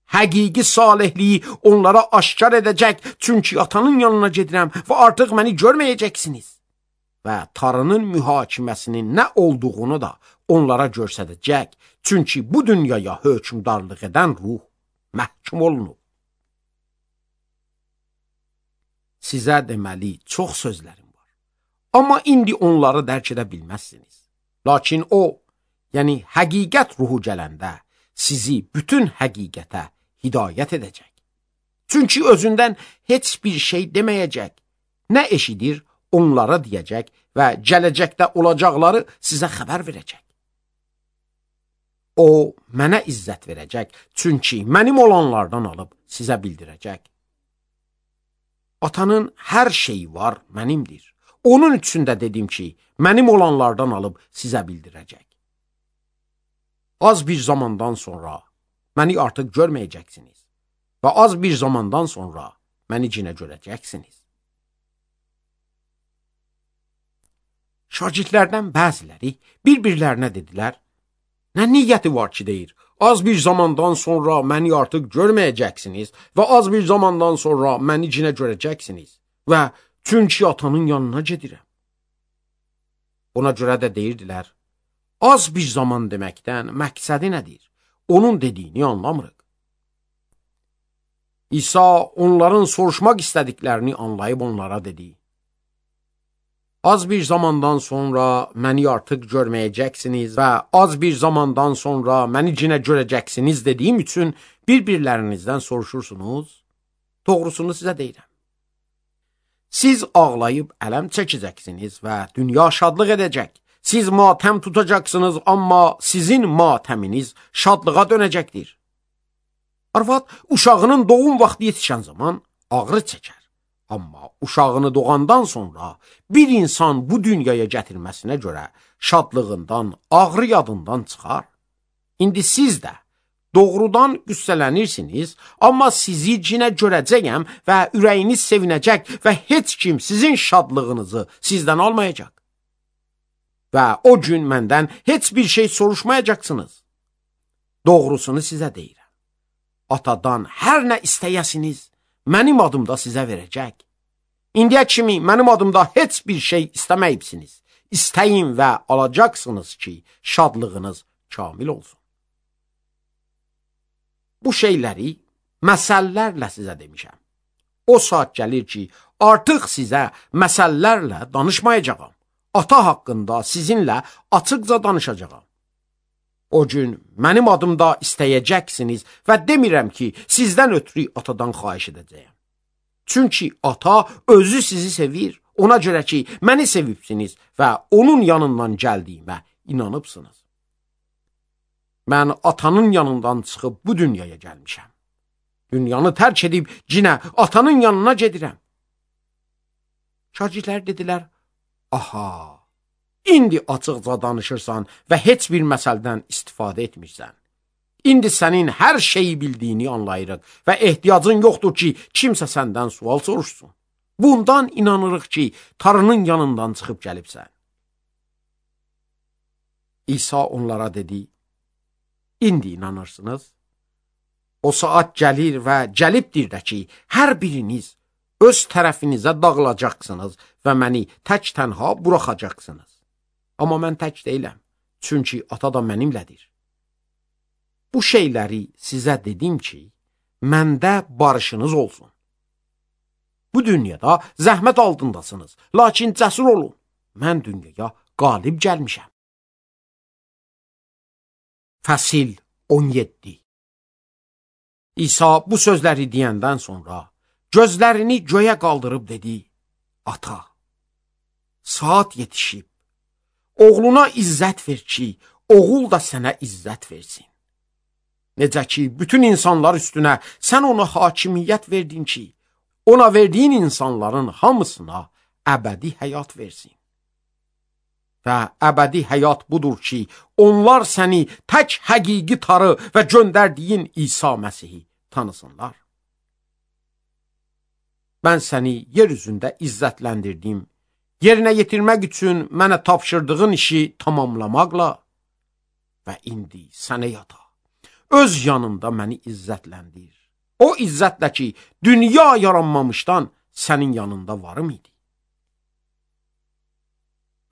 Həqiqi salihliyi onlara aşkar edəcək, çünki atanın yanına gedirəm və artıq məni görməyəcəksiniz. Və Tanrının mühakiməsinin nə olduğunu da onlara görsədəcək, çünki bu dünyaya hökmdarlıq edən ruh məhkum olunub. Sizə deməli çox sözlərim var, amma indi onları dərk edə bilməzsiniz. Lakin o, yəni həqiqət ruhu gələndə sizi bütün həqiqətə hidayət edəcək. Çünki özündən heç bir şey deməyəcək. Nə eşidir, onlara deyəcək və gələcəkdə olacaqları sizə xəbər verəcək. O, mənə izzət verəcək, çünki mənim olanlardan alıb sizə bildirəcək. Atanın hər şeyi var, mənimdir. Onun üçün də dedim ki, mənim olanlardan alıb sizə bildirəcək. Az bir zamandan sonra məni artıq görməyəcəksiniz və az bir zamandan sonra məni cinə görəcəksiniz. Şagirdlərdən bəziləri bir-birlərinə dedilər, nə niyyəti var ki deyir, az bir zamandan sonra məni artıq görməyəcəksiniz və az bir zamandan sonra məni cinə görəcəksiniz və çünki atanın yanına gedirəm. Buna görə də deyirdilər, az bir zaman deməkdən məqsədi nədir? Onun dediyini anlamırıq. İsa onların soruşmaq istədiklərini anlayıb onlara dedi, az bir zamandan sonra məni artıq görməyəcəksiniz və az bir zamandan sonra məni cinə görəcəksiniz dediyim üçün bir-birlərinizdən soruşursunuz. Doğrusunu sizə deyirəm. Siz ağlayıb ələm çəkəcəksiniz və dünya şadlıq edəcək. Siz matəm tutacaqsınız, amma sizin matəminiz şadlığa dönəcəkdir. Arvad uşağının doğum vaxtı yetişən zaman ağrı çəkər. Amma uşağını doğandan sonra bir insan bu dünyaya gətirməsinə görə şadlığından, ağrı yadından çıxar. İndi siz də doğrudan qüssələnirsiniz, amma sizi cinə görəcəyəm və ürəyiniz sevinəcək və heç kim sizin şadlığınızı sizdən almayacaq. Və o gün məndən heç bir şey soruşmayacaqsınız. Doğrusunu sizə deyirəm. Atadan hər nə istəyəsiniz, mənim adımda sizə verəcək. İndiyə kimi mənim adımda heç bir şey istəməyibsiniz. İstəyin və alacaqsınız ki, şadlığınız kamil olsun. Bu şeyləri məsəllərlə sizə demişəm. O saat gəlir ki, artıq sizə məsəllərlə danışmayacağam. Ata haqqında sizinlə açıqca danışacağam. O gün mənim adımda istəyəcəksiniz və demirəm ki, sizdən ötürü atadan xahiş edəcəyəm. Çünki ata özü sizi sevir, ona görə ki, məni sevibsiniz və onun yanından gəldiyimə inanıbsınız. Mən atanın yanından çıxıb bu dünyaya gəlmişəm. Dünyanı tərk edib cinə atanın yanına gedirəm. Şagirdlər dedilər, aha, İndi açıqca danışırsan və heç bir məsəldən istifadə etmirsən. İndi sənin hər şeyi bildiyini anlayırıq və ehtiyacın yoxdur ki, kimsə səndən sual soruşsun. Bundan inanırıq ki, Tanrının yanından çıxıb gəlibsən. İsa onlara dedi, İndi inanırsınız. O saat gəlir və gəlibdir də ki, hər biriniz öz tərəfinizə dağılacaqsınız və məni tək tənha buraxacaqsınız. Amma mən tək deyiləm, çünki ata da mənimlədir. Bu şeyləri sizə dedim ki, məndə barışınız olsun. Bu dünyada zəhmət altındasınız, lakin cəsur olun. Mən dünyaya qalib gəlmişəm. Fəsil on yeddi. İsa bu sözləri deyəndən sonra gözlərini göyə qaldırıb dedi, ata, saat yetişib. Oğluna izzət ver ki, oğul da sənə izzət versin. Necə ki, bütün insanlar üstünə sən ona hakimiyyət verdin ki, ona verdiyin insanların hamısına əbədi həyat versin. Və əbədi həyat budur ki, onlar səni tək həqiqi tarı və göndərdiyin İsa Məsihi tanısınlar. Mən səni yer üzündə izzətləndirdim, yerinə yetirmək üçün mənə tapşırdığın işi tamamlamaqla və indi sənə yata, öz yanında məni izzətləndir. O izzətlə ki, dünya yaranmamışdan sənin yanında varım idi.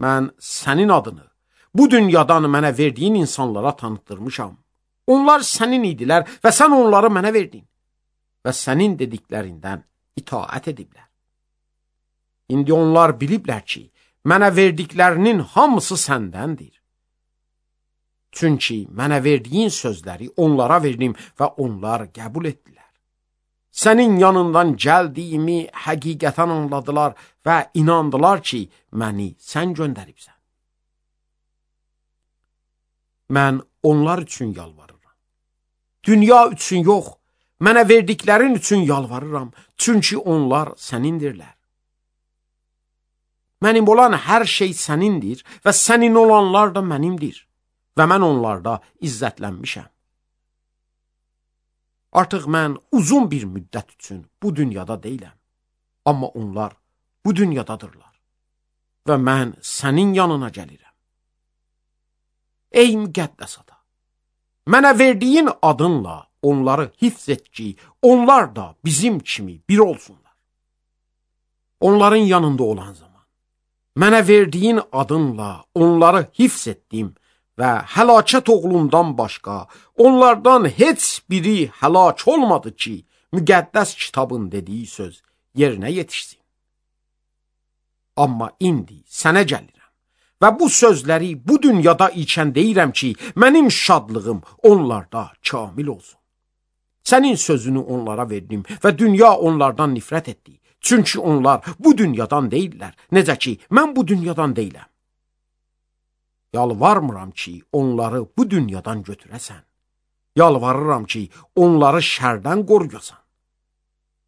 Mən sənin adını bu dünyadan mənə verdiyin insanlara tanıtdırmışam. Onlar sənin idilər və sən onları mənə verdin və sənin dediklərindən itaət ediblər. İndi onlar biliblər ki, mənə verdiklərinin hamısı səndəndir. Çünki mənə verdiyin sözləri onlara verdim və onlar qəbul etdilər. Sənin yanından gəldiyimi həqiqətən anladılar və inandılar ki, məni sən göndəribsən. Mən onlar üçün yalvarıram. Dünya üçün yox, mənə verdiklərin üçün yalvarıram, çünki onlar sənindirlər. Mənim olan hər şey sənindir və sənin olanlar da mənimdir və mən onlarda izzətlənmişəm. Artıq mən uzun bir müddət üçün bu dünyada deyiləm, amma onlar bu dünyadadırlar və mən sənin yanına gəlirəm. Ey müqəddəs ata, mənə verdiyin adınla onları hifz et ki, onlar da bizim kimi bir olsunlar. Onların yanında olan zaman, mənə verdiyin adınla onları hifz etdim və həlakət oğlundan başqa onlardan heç biri həlak olmadı ki, müqəddəs kitabın dediyi söz yerinə yetişsin. Amma indi sənə gəlirəm və bu sözləri bu dünyada ikən deyirəm ki, mənim şadlığım onlarda kamil olsun. Sənin sözünü onlara verdim və dünya onlardan nifrət etdi. Çünki onlar bu dünyadan deyirlər, necə ki, mən bu dünyadan deyiləm. Yalvarmıram ki, onları bu dünyadan götürəsən. Yalvarıram ki, onları şərdən qoruyasan.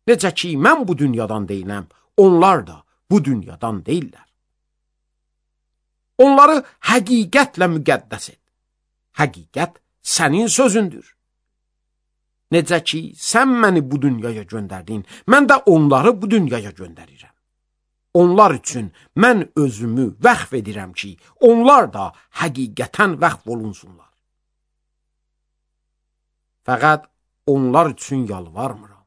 Necə ki, mən bu dünyadan deyiləm, onlar da bu dünyadan deyirlər. Onları həqiqətlə müqəddəs et. Həqiqət sənin sözündür. Necə ki, sən məni bu dünyaya göndərdin, mən də onları bu dünyaya göndərirəm. Onlar üçün mən özümü vəqf edirəm ki, onlar da həqiqətən vəqf olunsunlar. Fəqət onlar üçün yalvarmıram.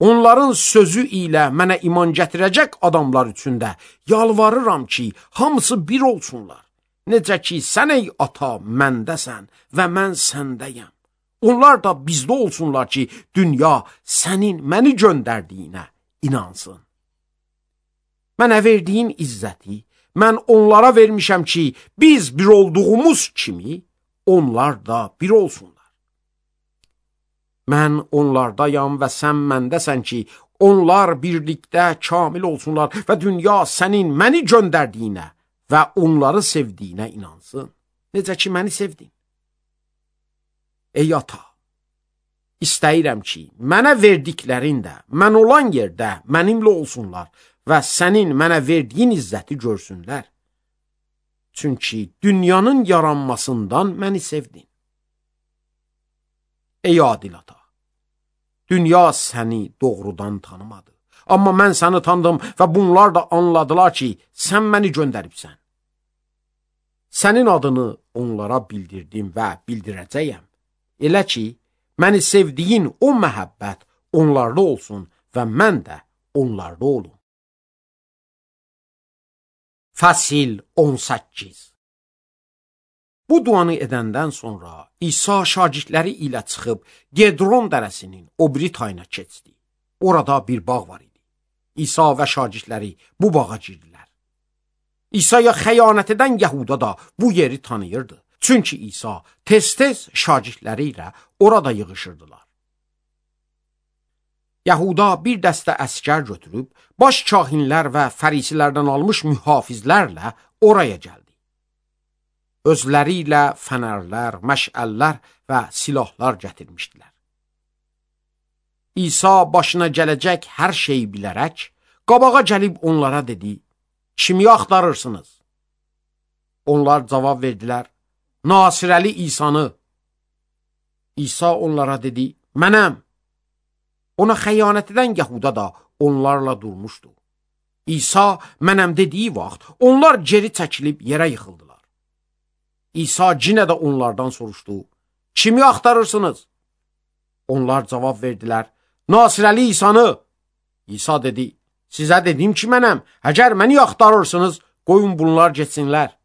Onların sözü ilə mənə iman gətirəcək adamlar üçün də yalvarıram ki, hamısı bir olsunlar. Necə ki, sən ey ata məndəsən və mən səndəyəm. Onlar da bizdə olsunlar ki, dünya sənin məni göndərdiyinə inansın. Mənə verdiyin izzəti mən onlara vermişəm ki, biz bir olduğumuz kimi onlar da bir olsunlar. Mən onlardayam və sən məndəsən ki, onlar birlikdə kamil olsunlar və dünya sənin məni göndərdiyinə və onları sevdiyinə inansın. Necə ki, məni sevdin. Ey ata, istəyirəm ki, mənə verdiklərin də mən olan yerdə mənimlə olsunlar və sənin mənə verdiyin izzəti görsünlər. Çünki dünyanın yaranmasından məni sevdin. Ey adil ata, dünya səni doğrudan tanımadı. Amma mən səni tanıdım və bunlar da anladılar ki, sən məni göndəribsən. Sənin adını onlara bildirdim və bildirəcəyəm. Elə ki, məni sevdiyin o məhəbbət onlarda olsun və mən də onlarda olum. Fəsil on səkkiz. Bu duanı edəndən sonra İsa şagirdləri ilə çıxıb Gedron dərəsinin o biri tayına keçdi. Orada bir bağ var idi. İsa və şagirdləri bu bağa girdilər. İsa'ya xəyanət edən Yahuda da bu yeri tanıyırdı. Çünki İsa tez-tez şagirdləri ilə orada yığışırdılar. Yahuda bir dəstə əskər götürüb, baş kahinlər və fərisilərdən almış mühafizlərlə oraya gəldi. Özləri ilə fənərlər, məşəllər və silahlar gətirmişdilər. İsa başına gələcək hər şeyi bilərək, qabağa gəlib onlara dedi, kimi axtarırsınız? Onlar cavab verdilər, Nasirəli İsanı. İsa onlara dedi, mənəm. Ona xəyanət edən Yahuda da onlarla durmuşdu. İsa mənəm dediyi vaxt onlar geri çəkilib yerə yıxıldılar. İsa yenə də onlardan soruşdu, kimi axtarırsınız? Onlar cavab verdilər, Nasirəli İsanı. İsa dedi, sizə dedim ki mənəm, əgər məni axtarırsınız, qoyun bunlar getsinlər.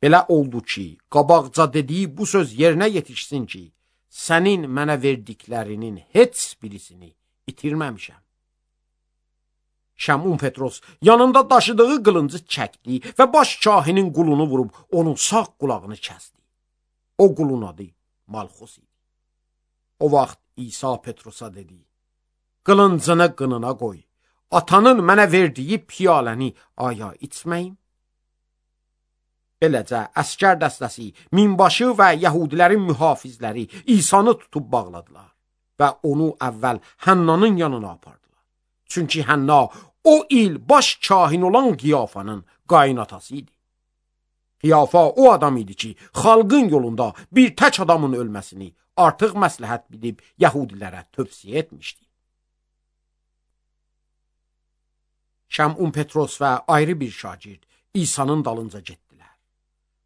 Belə oldu ki, qabaqca dediyi bu söz yerinə yetişsin ki, sənin mənə verdiklərinin heç birisini itirməmişəm. Şəmun Petros yanında daşıdığı qılıncı çəkdi və baş kahinin qulunu vurub onun sağ qulağını kəsdi. O qulun adı Malxus idi. O vaxt İsa Petrosa dedi, qılıncını qınına qoy, atanın mənə verdiyi piyaləni aya içməyim. Beləcə, əskər dəstəsi, minbaşı və Yahudilərin mühafizləri İsanı tutub bağladılar. və onu əvvəl Hənnanın yanına apardılar. Çünki Hənna o il baş kahin olan Qiyafanın qaynatası idi. Qiyafa o adam idi ki, xalqın yolunda bir tək adamın ölməsini artıq məsləhət bilib Yəhudilərə tövsiyə etmişdi. Şəmun Petros və ayrı bir şagird İsa'nın dalınca getdilər.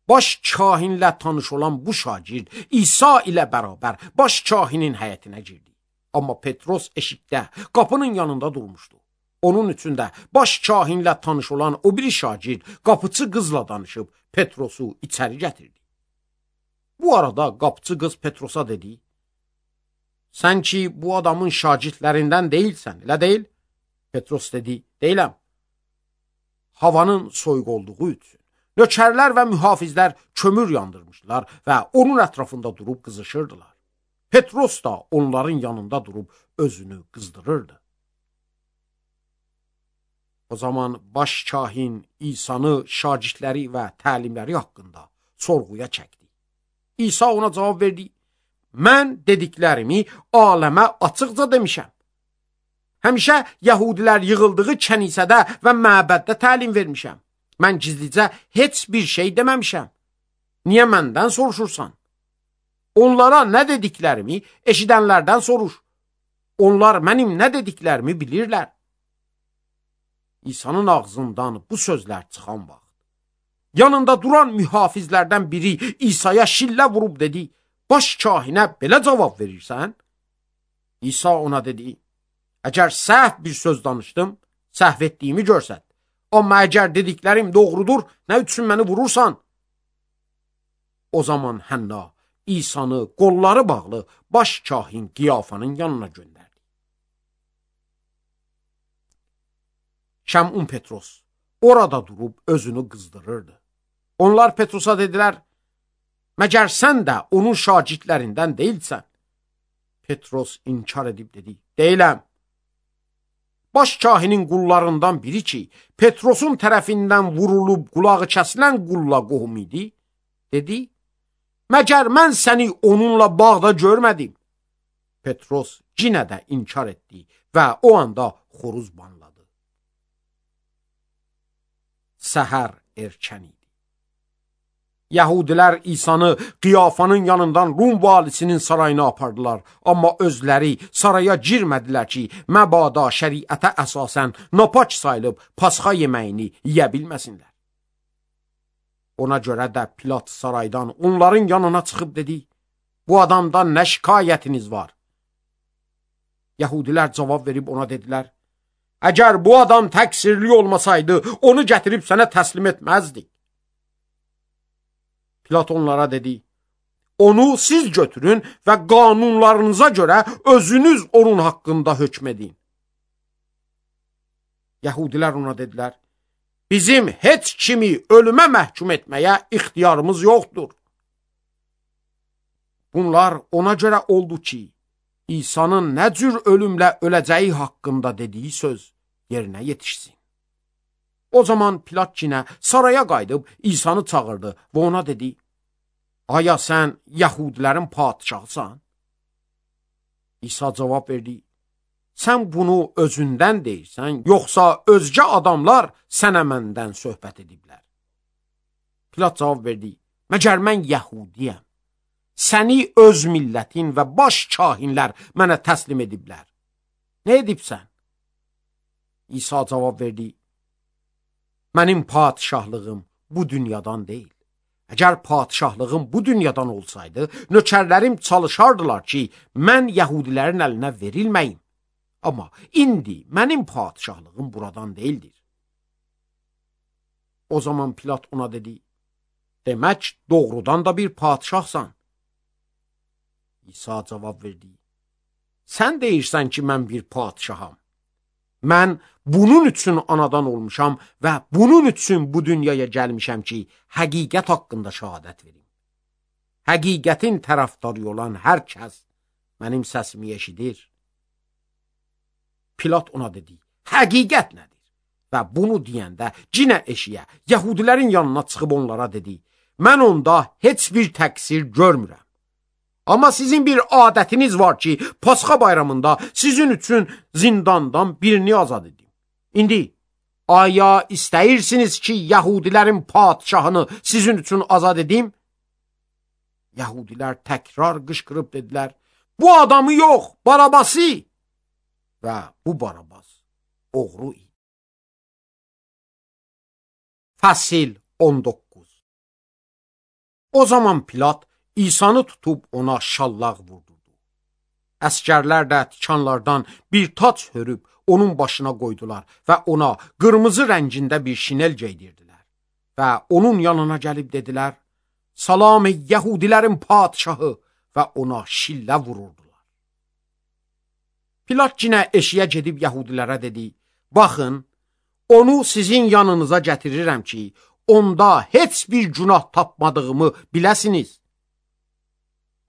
Baş kahinlə tanış olan bu şagird İsa ilə bərabər baş kahinin həyətinə girdi. Amma Petros eşikdə, qapının yanında durmuşdu. Onun üçün də baş kahinlə tanış olan o biri şagird qapıçı qızla danışıb Petrosu içəri gətirdi. Bu arada qapıçı qız Petrosa dedi: "Sən ki bu adamın şagirdlərindən deyilsən, elə deyil?" Petros dedi: "Deyiləm." Havanın soyuq olduğu üçün nökərlər və mühafizlər kömür yandırmışlar və onun ətrafında durub qızışırdılar. Petros da onların yanında durub özünü qızdırırdı. O zaman baş kahin İsa'nı şagirdləri və təlimləri haqqında sorğuya çəkdi. İsa ona cavab verdi: "Mən dediklərimi aləmə açıqca demişəm. Həmişə Yəhudilər yığıldığı kənisədə və məbəddə təlim vermişəm. Mən gizlicə heç bir şey deməmişəm. Niyə məndən soruşursan? Onlara nə dediklərimi eşidənlərdən soruş. Onlar mənim nə dediklərimi bilirlər." İsa'nın ağzından bu sözlər çıxan vaxt, yanında duran mühafizlərdən biri İsa'ya şillə vurub dedi: "Baş kahinə belə cavab verirsən?" İsa ona dedi: "Əgər səhv bir söz danışdım, səhv etdiyimi görsət. Amma əgər dediklərim doğrudur, nə üçün məni vurursan?" O zaman Hənna İsa'nı qolları bağlı baş kahin Qiyafanın yanına göndərdi. Şəmun Petros orada durub özünü qızdırırdı. Onlar Petrosa dedilər: "Məgər sən də onun şagirdlərindən deyilsən?" Petros inkar edib dedi: "Deyiləm." Baş kahinin qullarından biri ki, Petrosun tərəfindən vurulub qulağı kəsilən qulla qohum idi, dedi: "Məgər mən səni onunla bağda görmədim?" Petros yenə də inkar etdi və o anda xoruz banladı. Səhər erkən idi. Yəhudilər İsa'nı Qiyafanın yanından Rum valisinin sarayına apardılar. Amma özləri saraya girmədilər ki, məbada şəriətə əsasən napaç sayılıb pasxa yeməyini yeyə bilməsinlər. Ona görə də Pilat saraydan onların yanına çıxıb dedi: "Bu adamdan nə şikayətiniz var?" Yəhudilər cavab verib ona dedilər: "Əgər bu adam təqsirli olmasaydı, onu gətirib sənə təslim etməzdik." Pilat onlara dedi: "Onu siz götürün və qanunlarınıza görə özünüz onun haqqında hökm edin." Yəhudilər ona dedilər: "Bizim heç kimi ölümə məhkum etməyə ixtiyarımız yoxdur." Bunlar ona görə oldu ki, İsa'nın nə cür ölümlə öləcəyi haqqında dediyi söz yerinə yetişsin. O zaman Pilat yenə saraya qayıdıb İsa'nı çağırdı və ona dedi: "Aya sən Yəhudilərin padşahısan?" İsa cavab verdi: "Sən bunu özündən deyirsən, yoxsa özgə adamlar sənə məndən söhbət ediblər?" Pilat cavab verdi: "Məgər mən Yəhudiyəm? Səni öz millətin və baş kahinlər mənə təslim ediblər. Nə edibsən?" İsa cavab verdi: "Mənim padşahlığım bu dünyadan deyil. Əgər padşahlığım bu dünyadan olsaydı, nökərlərim çalışardılar ki, mən Yəhudilərin əlinə verilməyim. Amma indi mənim padşahlığım buradan deyildir." O zaman Pilat ona dedi: "Demək doğrudan da bir padşahsan." İsa cavab verdi: "Sən deyirsən ki, mən bir padşaham. Mən bunun üçün anadan olmuşam və bunun üçün bu dünyaya gəlmişəm ki, həqiqət haqqında şahadət verim. Həqiqətin tərəfdarı olan hər kəs mənim səsimi eşidir." Pilat ona dedi: "Həqiqət nədir?" Və bunu deyəndə cinə eşiyə Yəhudilərin yanına çıxıb onlara dedi: "Mən onda heç bir təqsir görmürəm. Amma sizin bir adətiniz var ki, Pasxa bayramında sizin üçün zindandan birini azad edin. İndi, aya istəyirsiniz ki, Yahudilərin padişahını sizin üçün azad edim? Yahudilər təkrar qışqırıb dedilər, bu adamı yox, Barabası. Və bu Barabas oğru idi. Fəsil on doqquz. O zaman Pilat İsanı tutub ona şallaq vurdurdu. Əskərlər də tikanlardan bir tac hörüb onun başına qoydular və ona qırmızı rəngində bir şinel geydirdilər. Və onun yanına gəlib dedilər, salam ey Yahudilərin padişahı, və ona şillə vururdular. Pilat yenə eşiyə gedib Yahudilərə dedi, baxın, onu sizin yanınıza gətirirəm ki, onda heç bir günah tapmadığımı biləsiniz.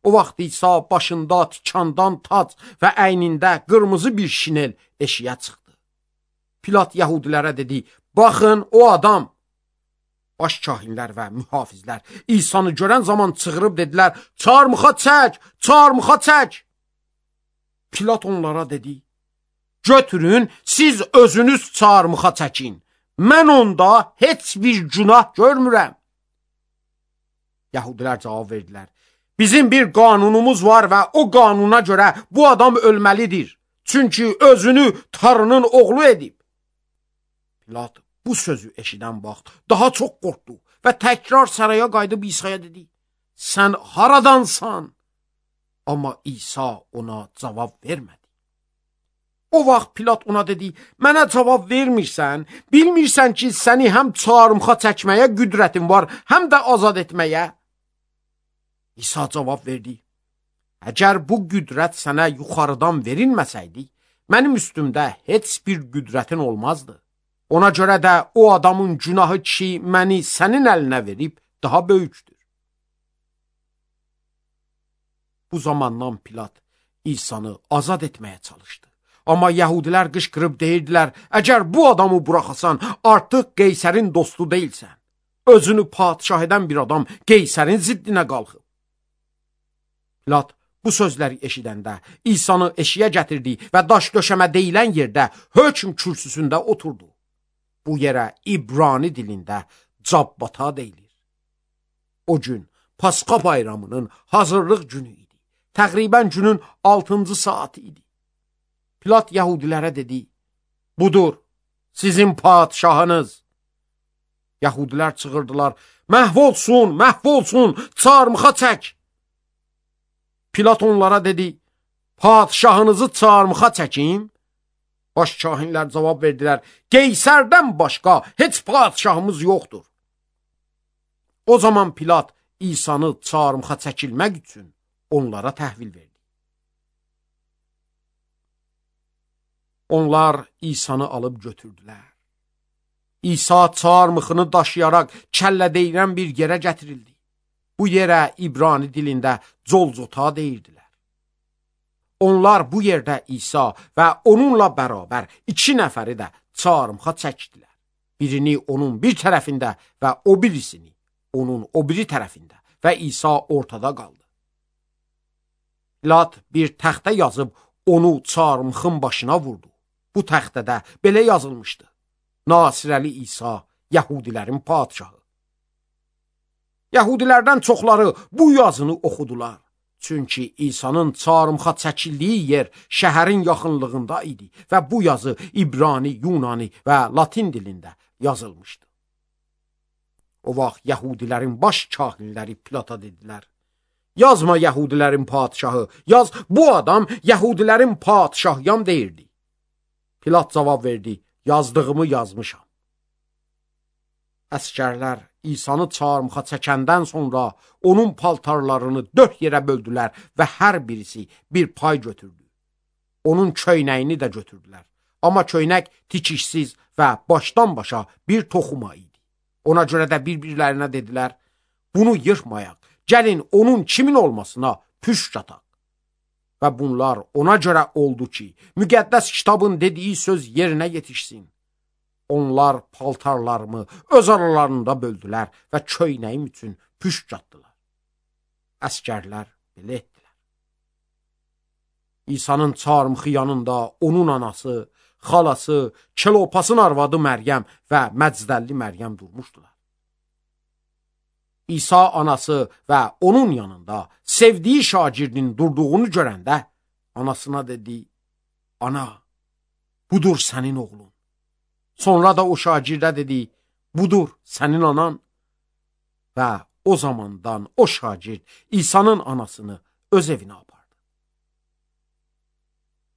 O vaxt İsa başında tikandan tac və əynində qırmızı bir şinel eşiyə çıxdı. Pilat Yahudilərə dedi, baxın o adam. Baş kahinlər və mühafizlər İsanı görən zaman çığırıb dedilər, çarmıxa çək, çarmıxa çək. Pilat onlara dedi, götürün, siz özünüz çarmıxa çəkin. Mən onda heç bir günah görmürəm. Yahudilər cavab verdilər, bizim bir qanunumuz var və o qanuna görə bu adam ölməlidir. Çünki özünü Tanrının oğlu edib. Pilat bu sözü eşidən vaxt daha çox qorxdu və təkrar saraya qayıdıb İsa'ya dedi, sən haradansan? Amma İsa ona cavab vermədi. O vaxt Pilat ona dedi, mənə cavab vermirsən, bilmirsən ki, səni həm çarmıxa çəkməyə qüdrətin var, həm də azad etməyə. İsa cavab verdi, əgər bu qüdrət sənə yuxarıdan verilməsəydi, mənim üstümdə heç bir qüdrətin olmazdı. Ona görə də o adamın günahı ki, məni sənin əlinə verib, daha böyükdür. Bu zamandan Pilat İsanı azad etməyə çalışdı. Amma Yahudilər qışqırıb deyirdilər, əgər bu adamı buraxasan, artıq Qeysərin dostu deyilsən. Özünü padişah edən bir adam Qeysərin ziddinə qalxıb. Pilat bu sözləri eşidəndə İsanı eşiyə gətirdi və daş döşəmə deyilən yerdə hökm kürsüsündə oturdu. Bu yerə İbrani dilində Cabbata deyilir. O gün Pasxa bayramının hazırlıq günü idi. Təqribən günün altıncı saati idi. Pilat Yahudilərə dedi, budur, sizin padişahınız. Yahudilər çığırdılar, məhv olsun, məhv olsun, çarmıxa çək. Pilat onlara dedi, padişahınızı çarmıxa çəkim? Baş kahinlər cavab verdilər, Qeysərdən başqa heç padişahımız yoxdur. O zaman Pilat İsanı çarmıxa çəkilmək üçün onlara təhvil verdi. Onlar İsanı alıb götürdülər. İsa çarmıxını daşıyaraq kəllə deyilən bir yerə gətirildi. Bu yerə İbrani dilində Golgota deyirdilər. Onlar bu yerdə İsa və onunla bərabər iki nəfəri də çarmıxa çəkdilər. Birini onun bir tərəfində və o birisini onun o biri tərəfində və İsa ortada qaldı. Pilat bir təxtə yazıb onu çarmıxın başına vurdu. Bu təxtədə belə yazılmışdı. Nasirəli İsa, Yahudilərin padişahı. Yahudilərdən çoxları bu yazını oxudular. Çünki İsa'nın çarmıxa çəkildiyi yer şəhərin yaxınlığında idi və bu yazı İbrani, Yunani və Latin dilində yazılmışdı. O vaxt Yahudilərin baş kahinləri Pilata dedilər, yazma Yahudilərin padişahı, yaz bu adam Yahudilərin padişahyam deyirdi. Pilat cavab verdi, yazdığımı yazmışam. Əskərlər İsanı çarmıxa çəkəndən sonra onun paltarlarını dörd yerə böldülər və hər birisi bir pay götürdü. Onun köynəyini də götürdülər. Amma köynək tikişsiz və başdan başa bir toxuma idi. Ona görə də bir-birlərinə dedilər, bunu yırtmayaq, gəlin onun kimin olmasına püşk ataq. Və bunlar ona görə oldu ki, müqəddəs kitabın dediyi söz yerinə yetişsin. Onlar paltarlarımı öz aralarında böldülər və köynəyim üçün püşk atdılar. Əskərlər belə etdilər. İsa'nın çarmıxı yanında onun anası, xalası, Kelopasın arvadı Məryəm və Məcdəlli Məryəm durmuşdular. İsa anası və onun yanında sevdiyi şagirdin durduğunu görəndə anasına dedi, ana, budur sənin oğlun. Sonra da o şagirdə dedi, budur sənin anan. Və o zamandan o şagird İsa'nın anasını öz evinə apardı.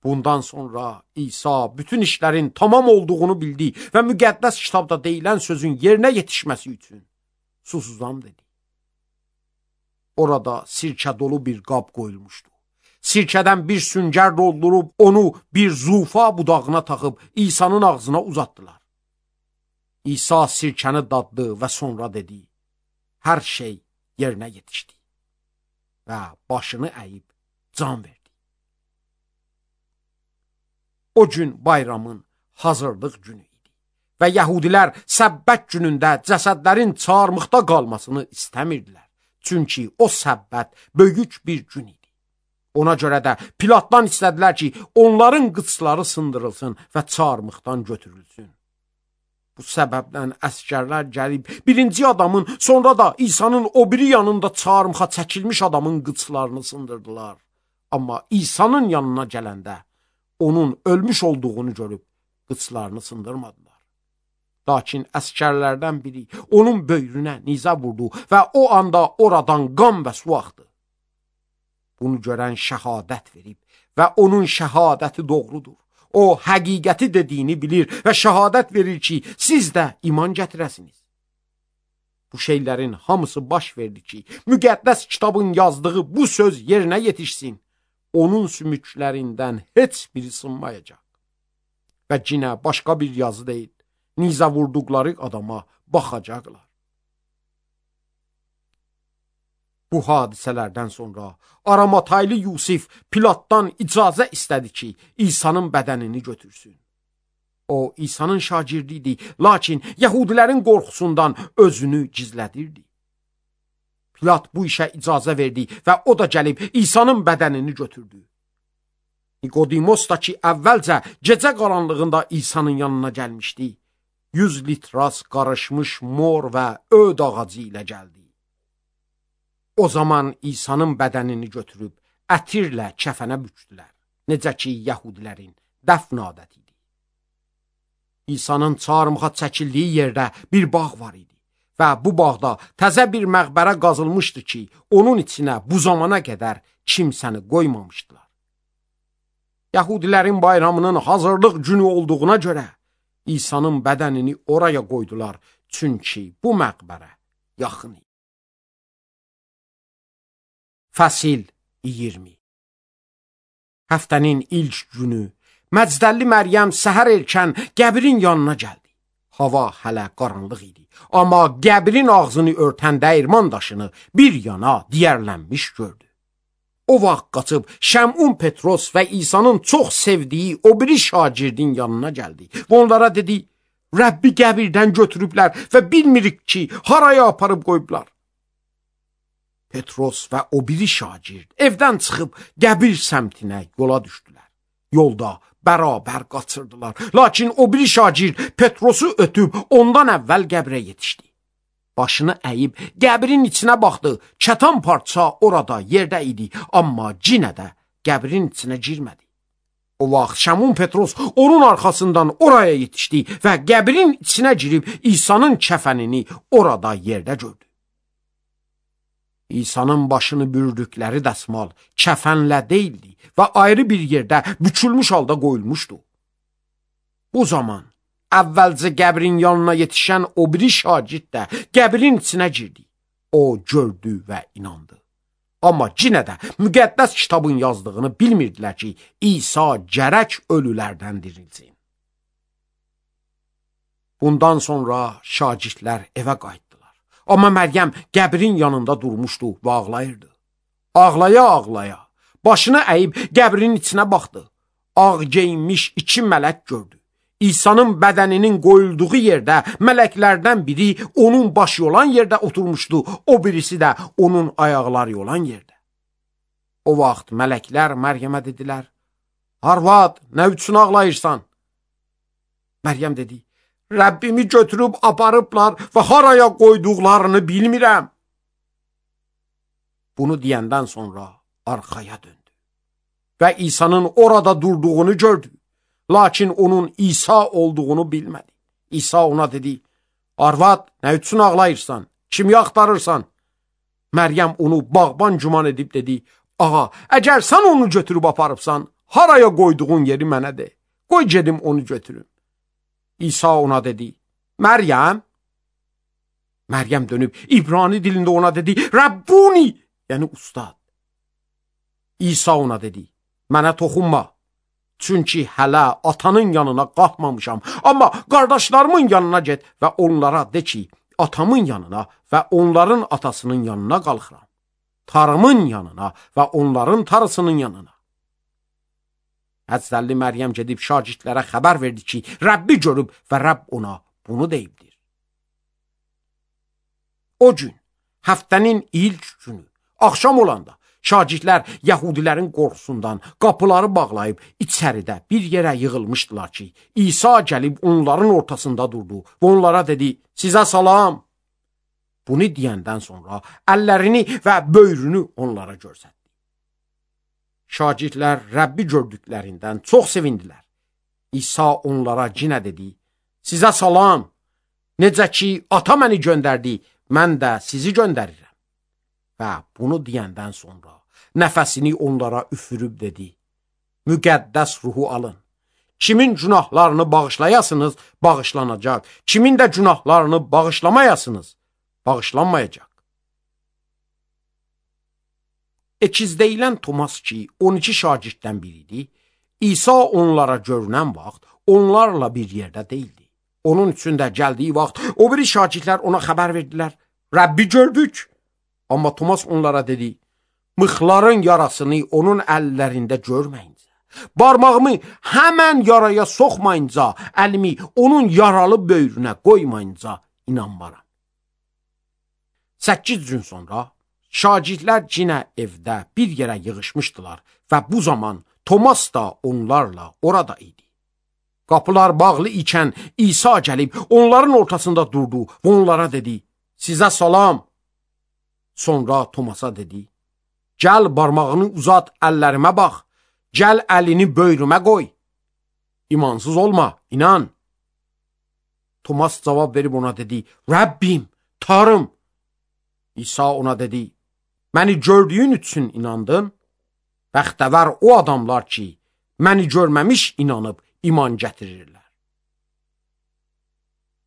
Bundan sonra İsa bütün işlərin tamam olduğunu bildi və müqəddəs kitabda deyilən sözün yerinə yetişməsi üçün susuzam dedi. Orada sirkə dolu bir qab qoyulmuşdu. Sirkədən bir süngər doldurub onu bir zufa budağına taxıb İsa'nın ağzına uzatdılar. İsa sirkəni daddı və sonra dedi, hər şey yerinə yetişdi və başını əyib can verdi. O gün bayramın hazırlıq günü idi və yəhudilər səbbət günündə cəsədlərin çarmıxda qalmasını istəmirdilər. Çünki o səbbət böyük bir gün idi. Ona görə də Pilatdan istədilər ki, onların qıçları sındırılsın və çarmıxdan götürülsün. Bu səbəbdən əskərlər gəlib birinci adamın, sonra da İsa'nın o biri yanında çarmıxa çəkilmiş adamın qıçlarını sındırdılar. Amma İsa'nın yanına gələndə onun ölmüş olduğunu görüb qıçlarını sındırmadılar. Lakin əskərlərdən biri onun böyrünə nizə vurdu və o anda oradan qan və su axdı. Bunu görən şəhadət verib və onun şəhadəti doğrudur. O həqiqəti dediyini bilir və şəhadət verir ki, siz də iman gətirəsiniz. Bu şeylərin hamısı baş verdi ki, müqəddəs kitabın yazdığı bu söz yerinə yetişsin. Onun sümüklərindən heç biri sınmayacaq. Və cinə başqa bir yazı deyil, nizə vurduqları adama baxacaqlar. Bu hadisələrdən sonra Aramataylı Yusif Pilatdan icazə istədi ki, İsa'nın bədənini götürsün. O, İsa'nın şagirdi idi, lakin Yəhudilərin qorxusundan özünü gizlədirdi. Pilat bu işə icazə verdi və o da gəlib İsa'nın bədənini götürdü. Nikodimos da ki, əvvəlcə gecə qaranlığında İsa'nın yanına gəlmişdi, yüz litras qarışmış mor və öd ağacı ilə gəldi. O zaman İsa'nın bədənini götürüb ətirlə kəfənə bükdülər, necə ki, Yəhudilərin dəfn adəti idi. İsa'nın çarmıxa çəkildiyi yerdə bir bağ var idi və bu bağda təzə bir məqbərə qazılmışdı ki, onun içinə bu zamana qədər kimsəni qoymamışdılar. Yəhudilərin bayramının hazırlıq günü olduğuna görə İsa'nın bədənini oraya qoydular, çünki bu məqbərə yaxın idi. Fəsil iyirmi. Həftənin ilk günü Məcdəlli Məryəm səhər erkən qəbrin yanına gəldi. Hava hələ qaranlıq idi, amma qəbrin ağzını örtən dəyirman daşını bir yana diyərlənmiş gördü. O vaxt qaçıb Şəmun Petros və İsa'nın çox sevdiyi o biri şagirdin yanına gəldi. Və onlara dedi, Rəbbi qəbirdən götürüblər və bilmirik ki, haraya aparıb qoyublar. Petros və o biri şagird evdən çıxıb qəbir səmtinə yola düşdülər. Yolda bərabər qaçırdılar. Lakin o biri şagird Petrosu ötüb ondan əvvəl qəbrə yetişdi. Başını əyib qəbrin içinə baxdı. Kətan parça orada yerdə idi, amma cinə də qəbrin içinə girmədi. O vaxt Şəmun Petros onun arxasından oraya yetişdi və qəbrin içinə girib İsa'nın kəfənini orada yerdə gördü. İsa'nın başını bürüdükləri dəsmal kəfənlə deyildi və ayrı bir yerdə bükülmüş halda qoyulmuşdu. Bu zaman əvvəlcə qəbrin yanına yetişən o biri şagird də qəbrin içinə girdi. O gördü və inandı. Amma yenə də müqəddəs kitabın yazdığını bilmirdilər ki, İsa gərək ölülərdən dirilsin. Bundan sonra şagirdlər evə qayıtdı. Amma Məryəm qəbrin yanında durmuşdu və ağlayırdı. Ağlaya-ağlaya, başını əyib qəbrin içinə baxdı. Ağ geyinmiş iki mələk gördü. İsa'nın bədəninin qoyulduğu yerdə mələklərdən biri onun başı olan yerdə oturmuşdu, o birisi də onun ayaqları olan yerdə. O vaxt mələklər Məryəmə dedilər, Arvad, nə üçün ağlayırsan? Məryəm dedi, Rəbbimi götürüb aparıblar və haraya qoyduqlarını bilmirəm. Bunu deyəndən sonra arxaya döndü və İsa'nın orada durduğunu gördü. Lakin onun İsa olduğunu bilmədi. İsa ona dedi, Arvad, nə üçün ağlayırsan? Kimi axtarırsan? Məryəm onu bağban güman edib dedi, ağa, əgər sən onu götürüb aparıbsan, haraya qoyduğun yeri mənə de. Qoy gedim onu götürüm. İsa ona dedi, Məryəm. Məryəm dönüb İbrani dilində ona dedi, Rabbuni, yəni ustad. İsa ona dedi, mənə toxunma. Çünki hələ atanın yanına qalxmamışam. Amma qardaşlarımın yanına get və onlara de ki, atamın yanına və onların atasının yanına qalxıram. Tarımın yanına və onların tarısının yanına. Həzrətli Məryəm gedib şagirdlərə xəbər verdi ki, Rəbbi görüb və Rəbb ona bunu deyibdir. O gün, həftənin ilk günü, axşam olanda, şagirdlər Yəhudilərin qorxusundan qapıları bağlayıb içəridə bir yerə yığılmışdılar ki, İsa gəlib onların ortasında durdu və onlara dedi, sizə salam. Bunu deyəndən sonra əllərini və böyrünü onlara göstərdi. Şagirdlər Rəbbi gördüklərindən çox sevindilər. İsa onlara yenə dedi, sizə salam. Necə ki, ata məni göndərdi, mən də sizi göndərirəm. Və bunu deyəndən sonra nəfəsini onlara üfürüb dedi, müqəddəs ruhu alın. Kimin günahlarını bağışlayasınız, bağışlanacaq. Kimin də günahlarını bağışlamayasınız, bağışlanmayacaq. Ekizdəyilən Tomas ki, on iki şagirddən biridir, İsa onlara görünən vaxt onlarla bir yerdə deyildi. Onun üçün də gəldiyi vaxt o biri şagirdlər ona xəbər verdilər, Rəbbi gördük. Amma Tomas onlara dedi, mıxların yarasını onun əllərində görməyincə, barmağımı həmən yaraya soxmayınca, əlimi onun yaralı böyrünə qoymayınca inanmaram. Səkkiz gün sonra şagirdlər yenə evdə bir yerə yığışmışdılar və bu zaman Tomas da onlarla orada idi. Qapılar bağlı ikən İsa gəlib onların ortasında durdu və onlara dedi, sizə salam. Sonra Tomasa dedi, gəl barmağını uzat, əllərimə bax, gəl əlini böyrümə qoy. İmansız olma, inan. Tomas cavab verib ona dedi, Rəbbim, Tarım. İsa ona dedi, məni gördüyün üçün inandın. Bəxtəvər o adamlar ki, məni görməmiş inanıb iman gətirirlər.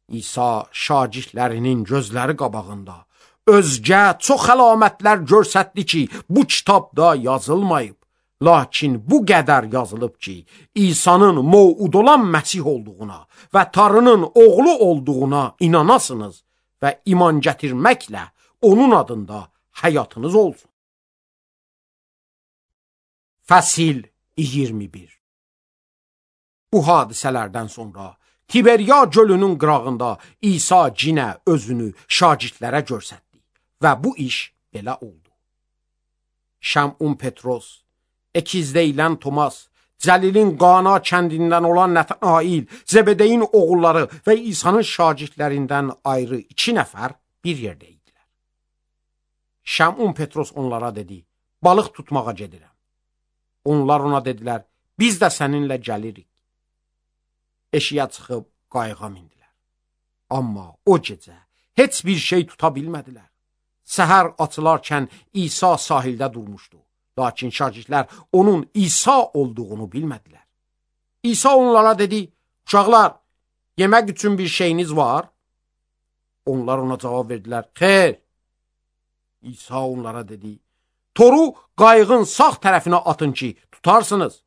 İsa şagirdlərinin gözləri qabağında özgə çox əlamətlər göstərdi ki, bu kitabda yazılmayıb. Lakin bu qədər yazılıb ki, İsa'nın mövud olan Məsih olduğuna və Tanrının oğlu olduğuna inanasınız və iman gətirməklə onun adında həyatınız olsun. Fəsil iyirmi bir. Bu hadisələrdən sonra Tiberiya gölünün qırağında İsa cinə özünü şagirdlərə göstərdi və bu iş belə oldu. Şəmun Petros, Ekizdəyilən Tomas, Cəlilin Qana kəndindən olan Nətail, Zebedeyin oğulları və İsa'nın şagirdlərindən ayrı iki nəfər bir yerdə idilər. Şəmun Petros onlara dedi, balıq tutmağa gedirəm. Onlar ona dedilər, biz də səninlə gəlirik. Eşiyə çıxıb qayığa mindilər. Amma o gecə heç bir şey tuta bilmədilər. Səhər açılarkən İsa sahildə durmuşdu. Lakin şagirdlər onun İsa olduğunu bilmədilər. İsa onlara dedi, uşaqlar, yemək üçün bir şeyiniz var? Onlar ona cavab verdilər, xeyr. İsa onlara dedi, toru qayığın sağ tərəfinə atın ki, tutarsınız.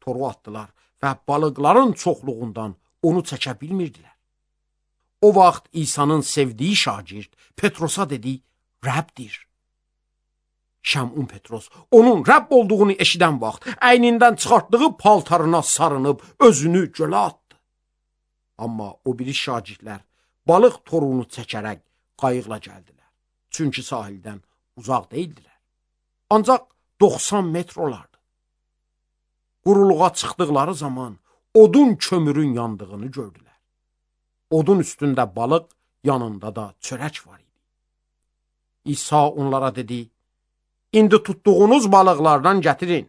Toru atdılar və balıqların çoxluğundan onu çəkə bilmirdilər. O vaxt İsa'nın sevdiyi şagird Petrosa dedi, Rəbdir. Şəmun Petros onun Rəbb olduğunu eşidən vaxt əynindən çıxartdığı paltarına sarınıb özünü gölə atdı. Amma o biri şagirdlər balıq torunu çəkərək qayıqla gəldilər. Çünki sahildən uzaq deyildilər. Ancaq doxsan metr olardı. quruluğa çıxdıqları zaman odun kömürün yandığını gördülər. Odun üstündə balıq, yanında da çörək var idi. İsa onlara dedi, indi tutduğunuz balıqlardan gətirin.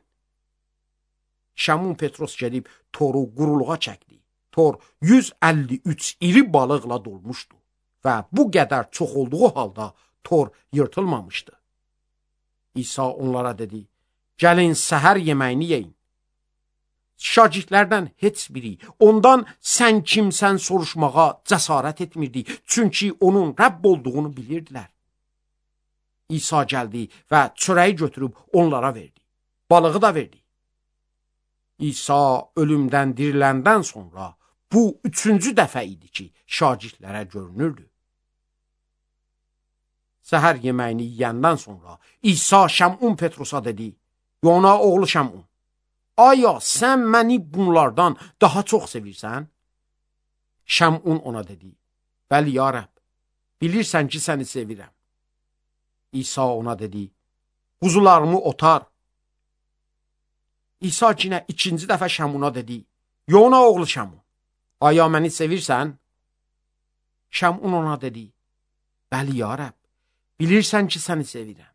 Şəmun Petros gedib toru quruluğa çəkdi. Tor yüz əlli üç iri balıqla dolmuşdu və bu qədər çox olduğu halda tor yırtılmamışdı. İsa onlara dedi, gəlin səhər yeməyini yeyin. Şagirdlərdən heç biri ondan sən kimsən soruşmağa cəsarət etmirdi, çünki onun Rəbb olduğunu bilirdilər. İsa gəldi və çörəyi götürüb onlara verdi, balığı da verdi. İsa ölümdən diriləndən sonra bu üçüncü dəfə idi ki, şagirdlərə görünürdü. Səhər yeməyini yiyəndən sonra İsa Şəmun Petrosa dedi, Yona oğlu Şəmun, aya sən məni bunlardan daha çox sevirsən? Şəmun ona dedi, bəli ya Rəbb, bilirsən ki, səni sevirəm. İsa ona dedi, quzularımı otar. İsa yenə ikinci dəfə Şəmuna dedi, Yona oğlu Şəmun, aya məni sevirsən? Şəmun ona dedi, bəli ya Rəbb, bilirsən ki, səni sevirəm.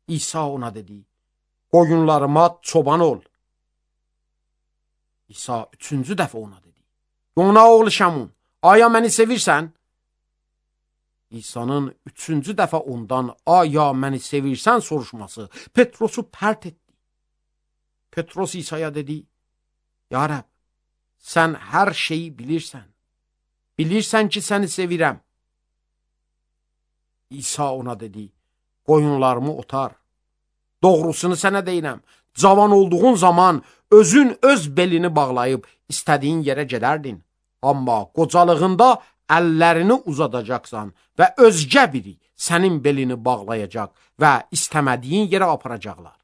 İsa ona dedi, qoyunlarıma çoban ol. İsa üçüncü dəfə ona dedi, Yona oğlu Şəmun, aya məni sevirsən? İsa'nın üçüncü dəfə ondan aya məni sevirsən soruşması Petrosu pərt etdi. Petros İsa'ya dedi, ya Rəbb, sən hər şeyi bilirsən. Bilirsən ki, səni sevirəm. İsa ona dedi, qoyunlarımı otar. Doğrusunu sənə deyirəm, cavan olduğun zaman özün öz belini bağlayıb istədiyin yerə gedərdin. Amma qocalığında əllərini uzadacaqsan və özgə biri sənin belini bağlayacaq və istəmədiyin yerə aparacaqlar.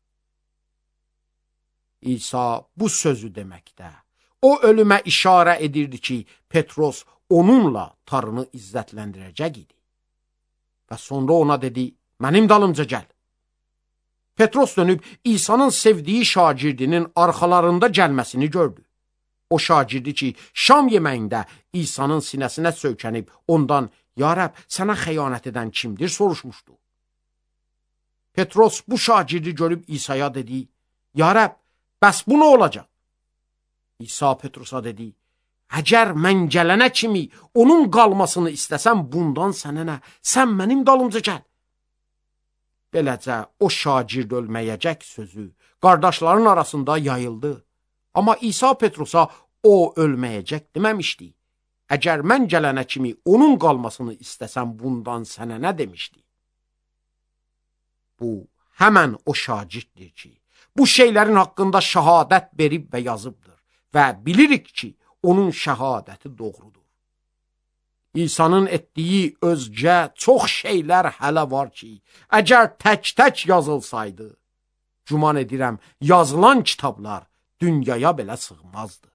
İsa bu sözü deməkdə, o ölümə işarə edirdi ki, Petros onunla tarını izzətləndirəcək idi. Və sonra ona dedi, mənim dalımca gəl. Petros dönüb İsa'nın sevdiyi şagirdinin arxalarında gəlməsini gördü. O şagirdi ki, şam yeməyində İsa'nın sinəsinə söykənib ondan, ya Rəbb, sənə xəyanət edən kimdir soruşmuşdu. Petros bu şagirdi görüb İsa'ya dedi, ya Rəbb, bəs bu nə olacaq? İsa Petrosa dedi, əgər mən gələnə kimi onun qalmasını istəsəm, bundan sənə nə? Sən mənim dalımca gəl. Beləcə o şagird ölməyəcək sözü qardaşların arasında yayıldı. Amma İsa Petrosa o ölməyəcək deməmişdi. Əgər mən gələnə kimi onun qalmasını istəsəm, bundan sənə nə demişdi? Bu, həmən o şagirddir ki, bu şeylərin haqqında şəhadət verib və yazıbdır və bilirik ki, onun şəhadəti doğrudur. İsa'nın etdiyi özgə çox şeylər hələ var ki, əgər tək-tək yazılsaydı, güman edirəm, yazılan kitablar dünyaya belə sığmazdı.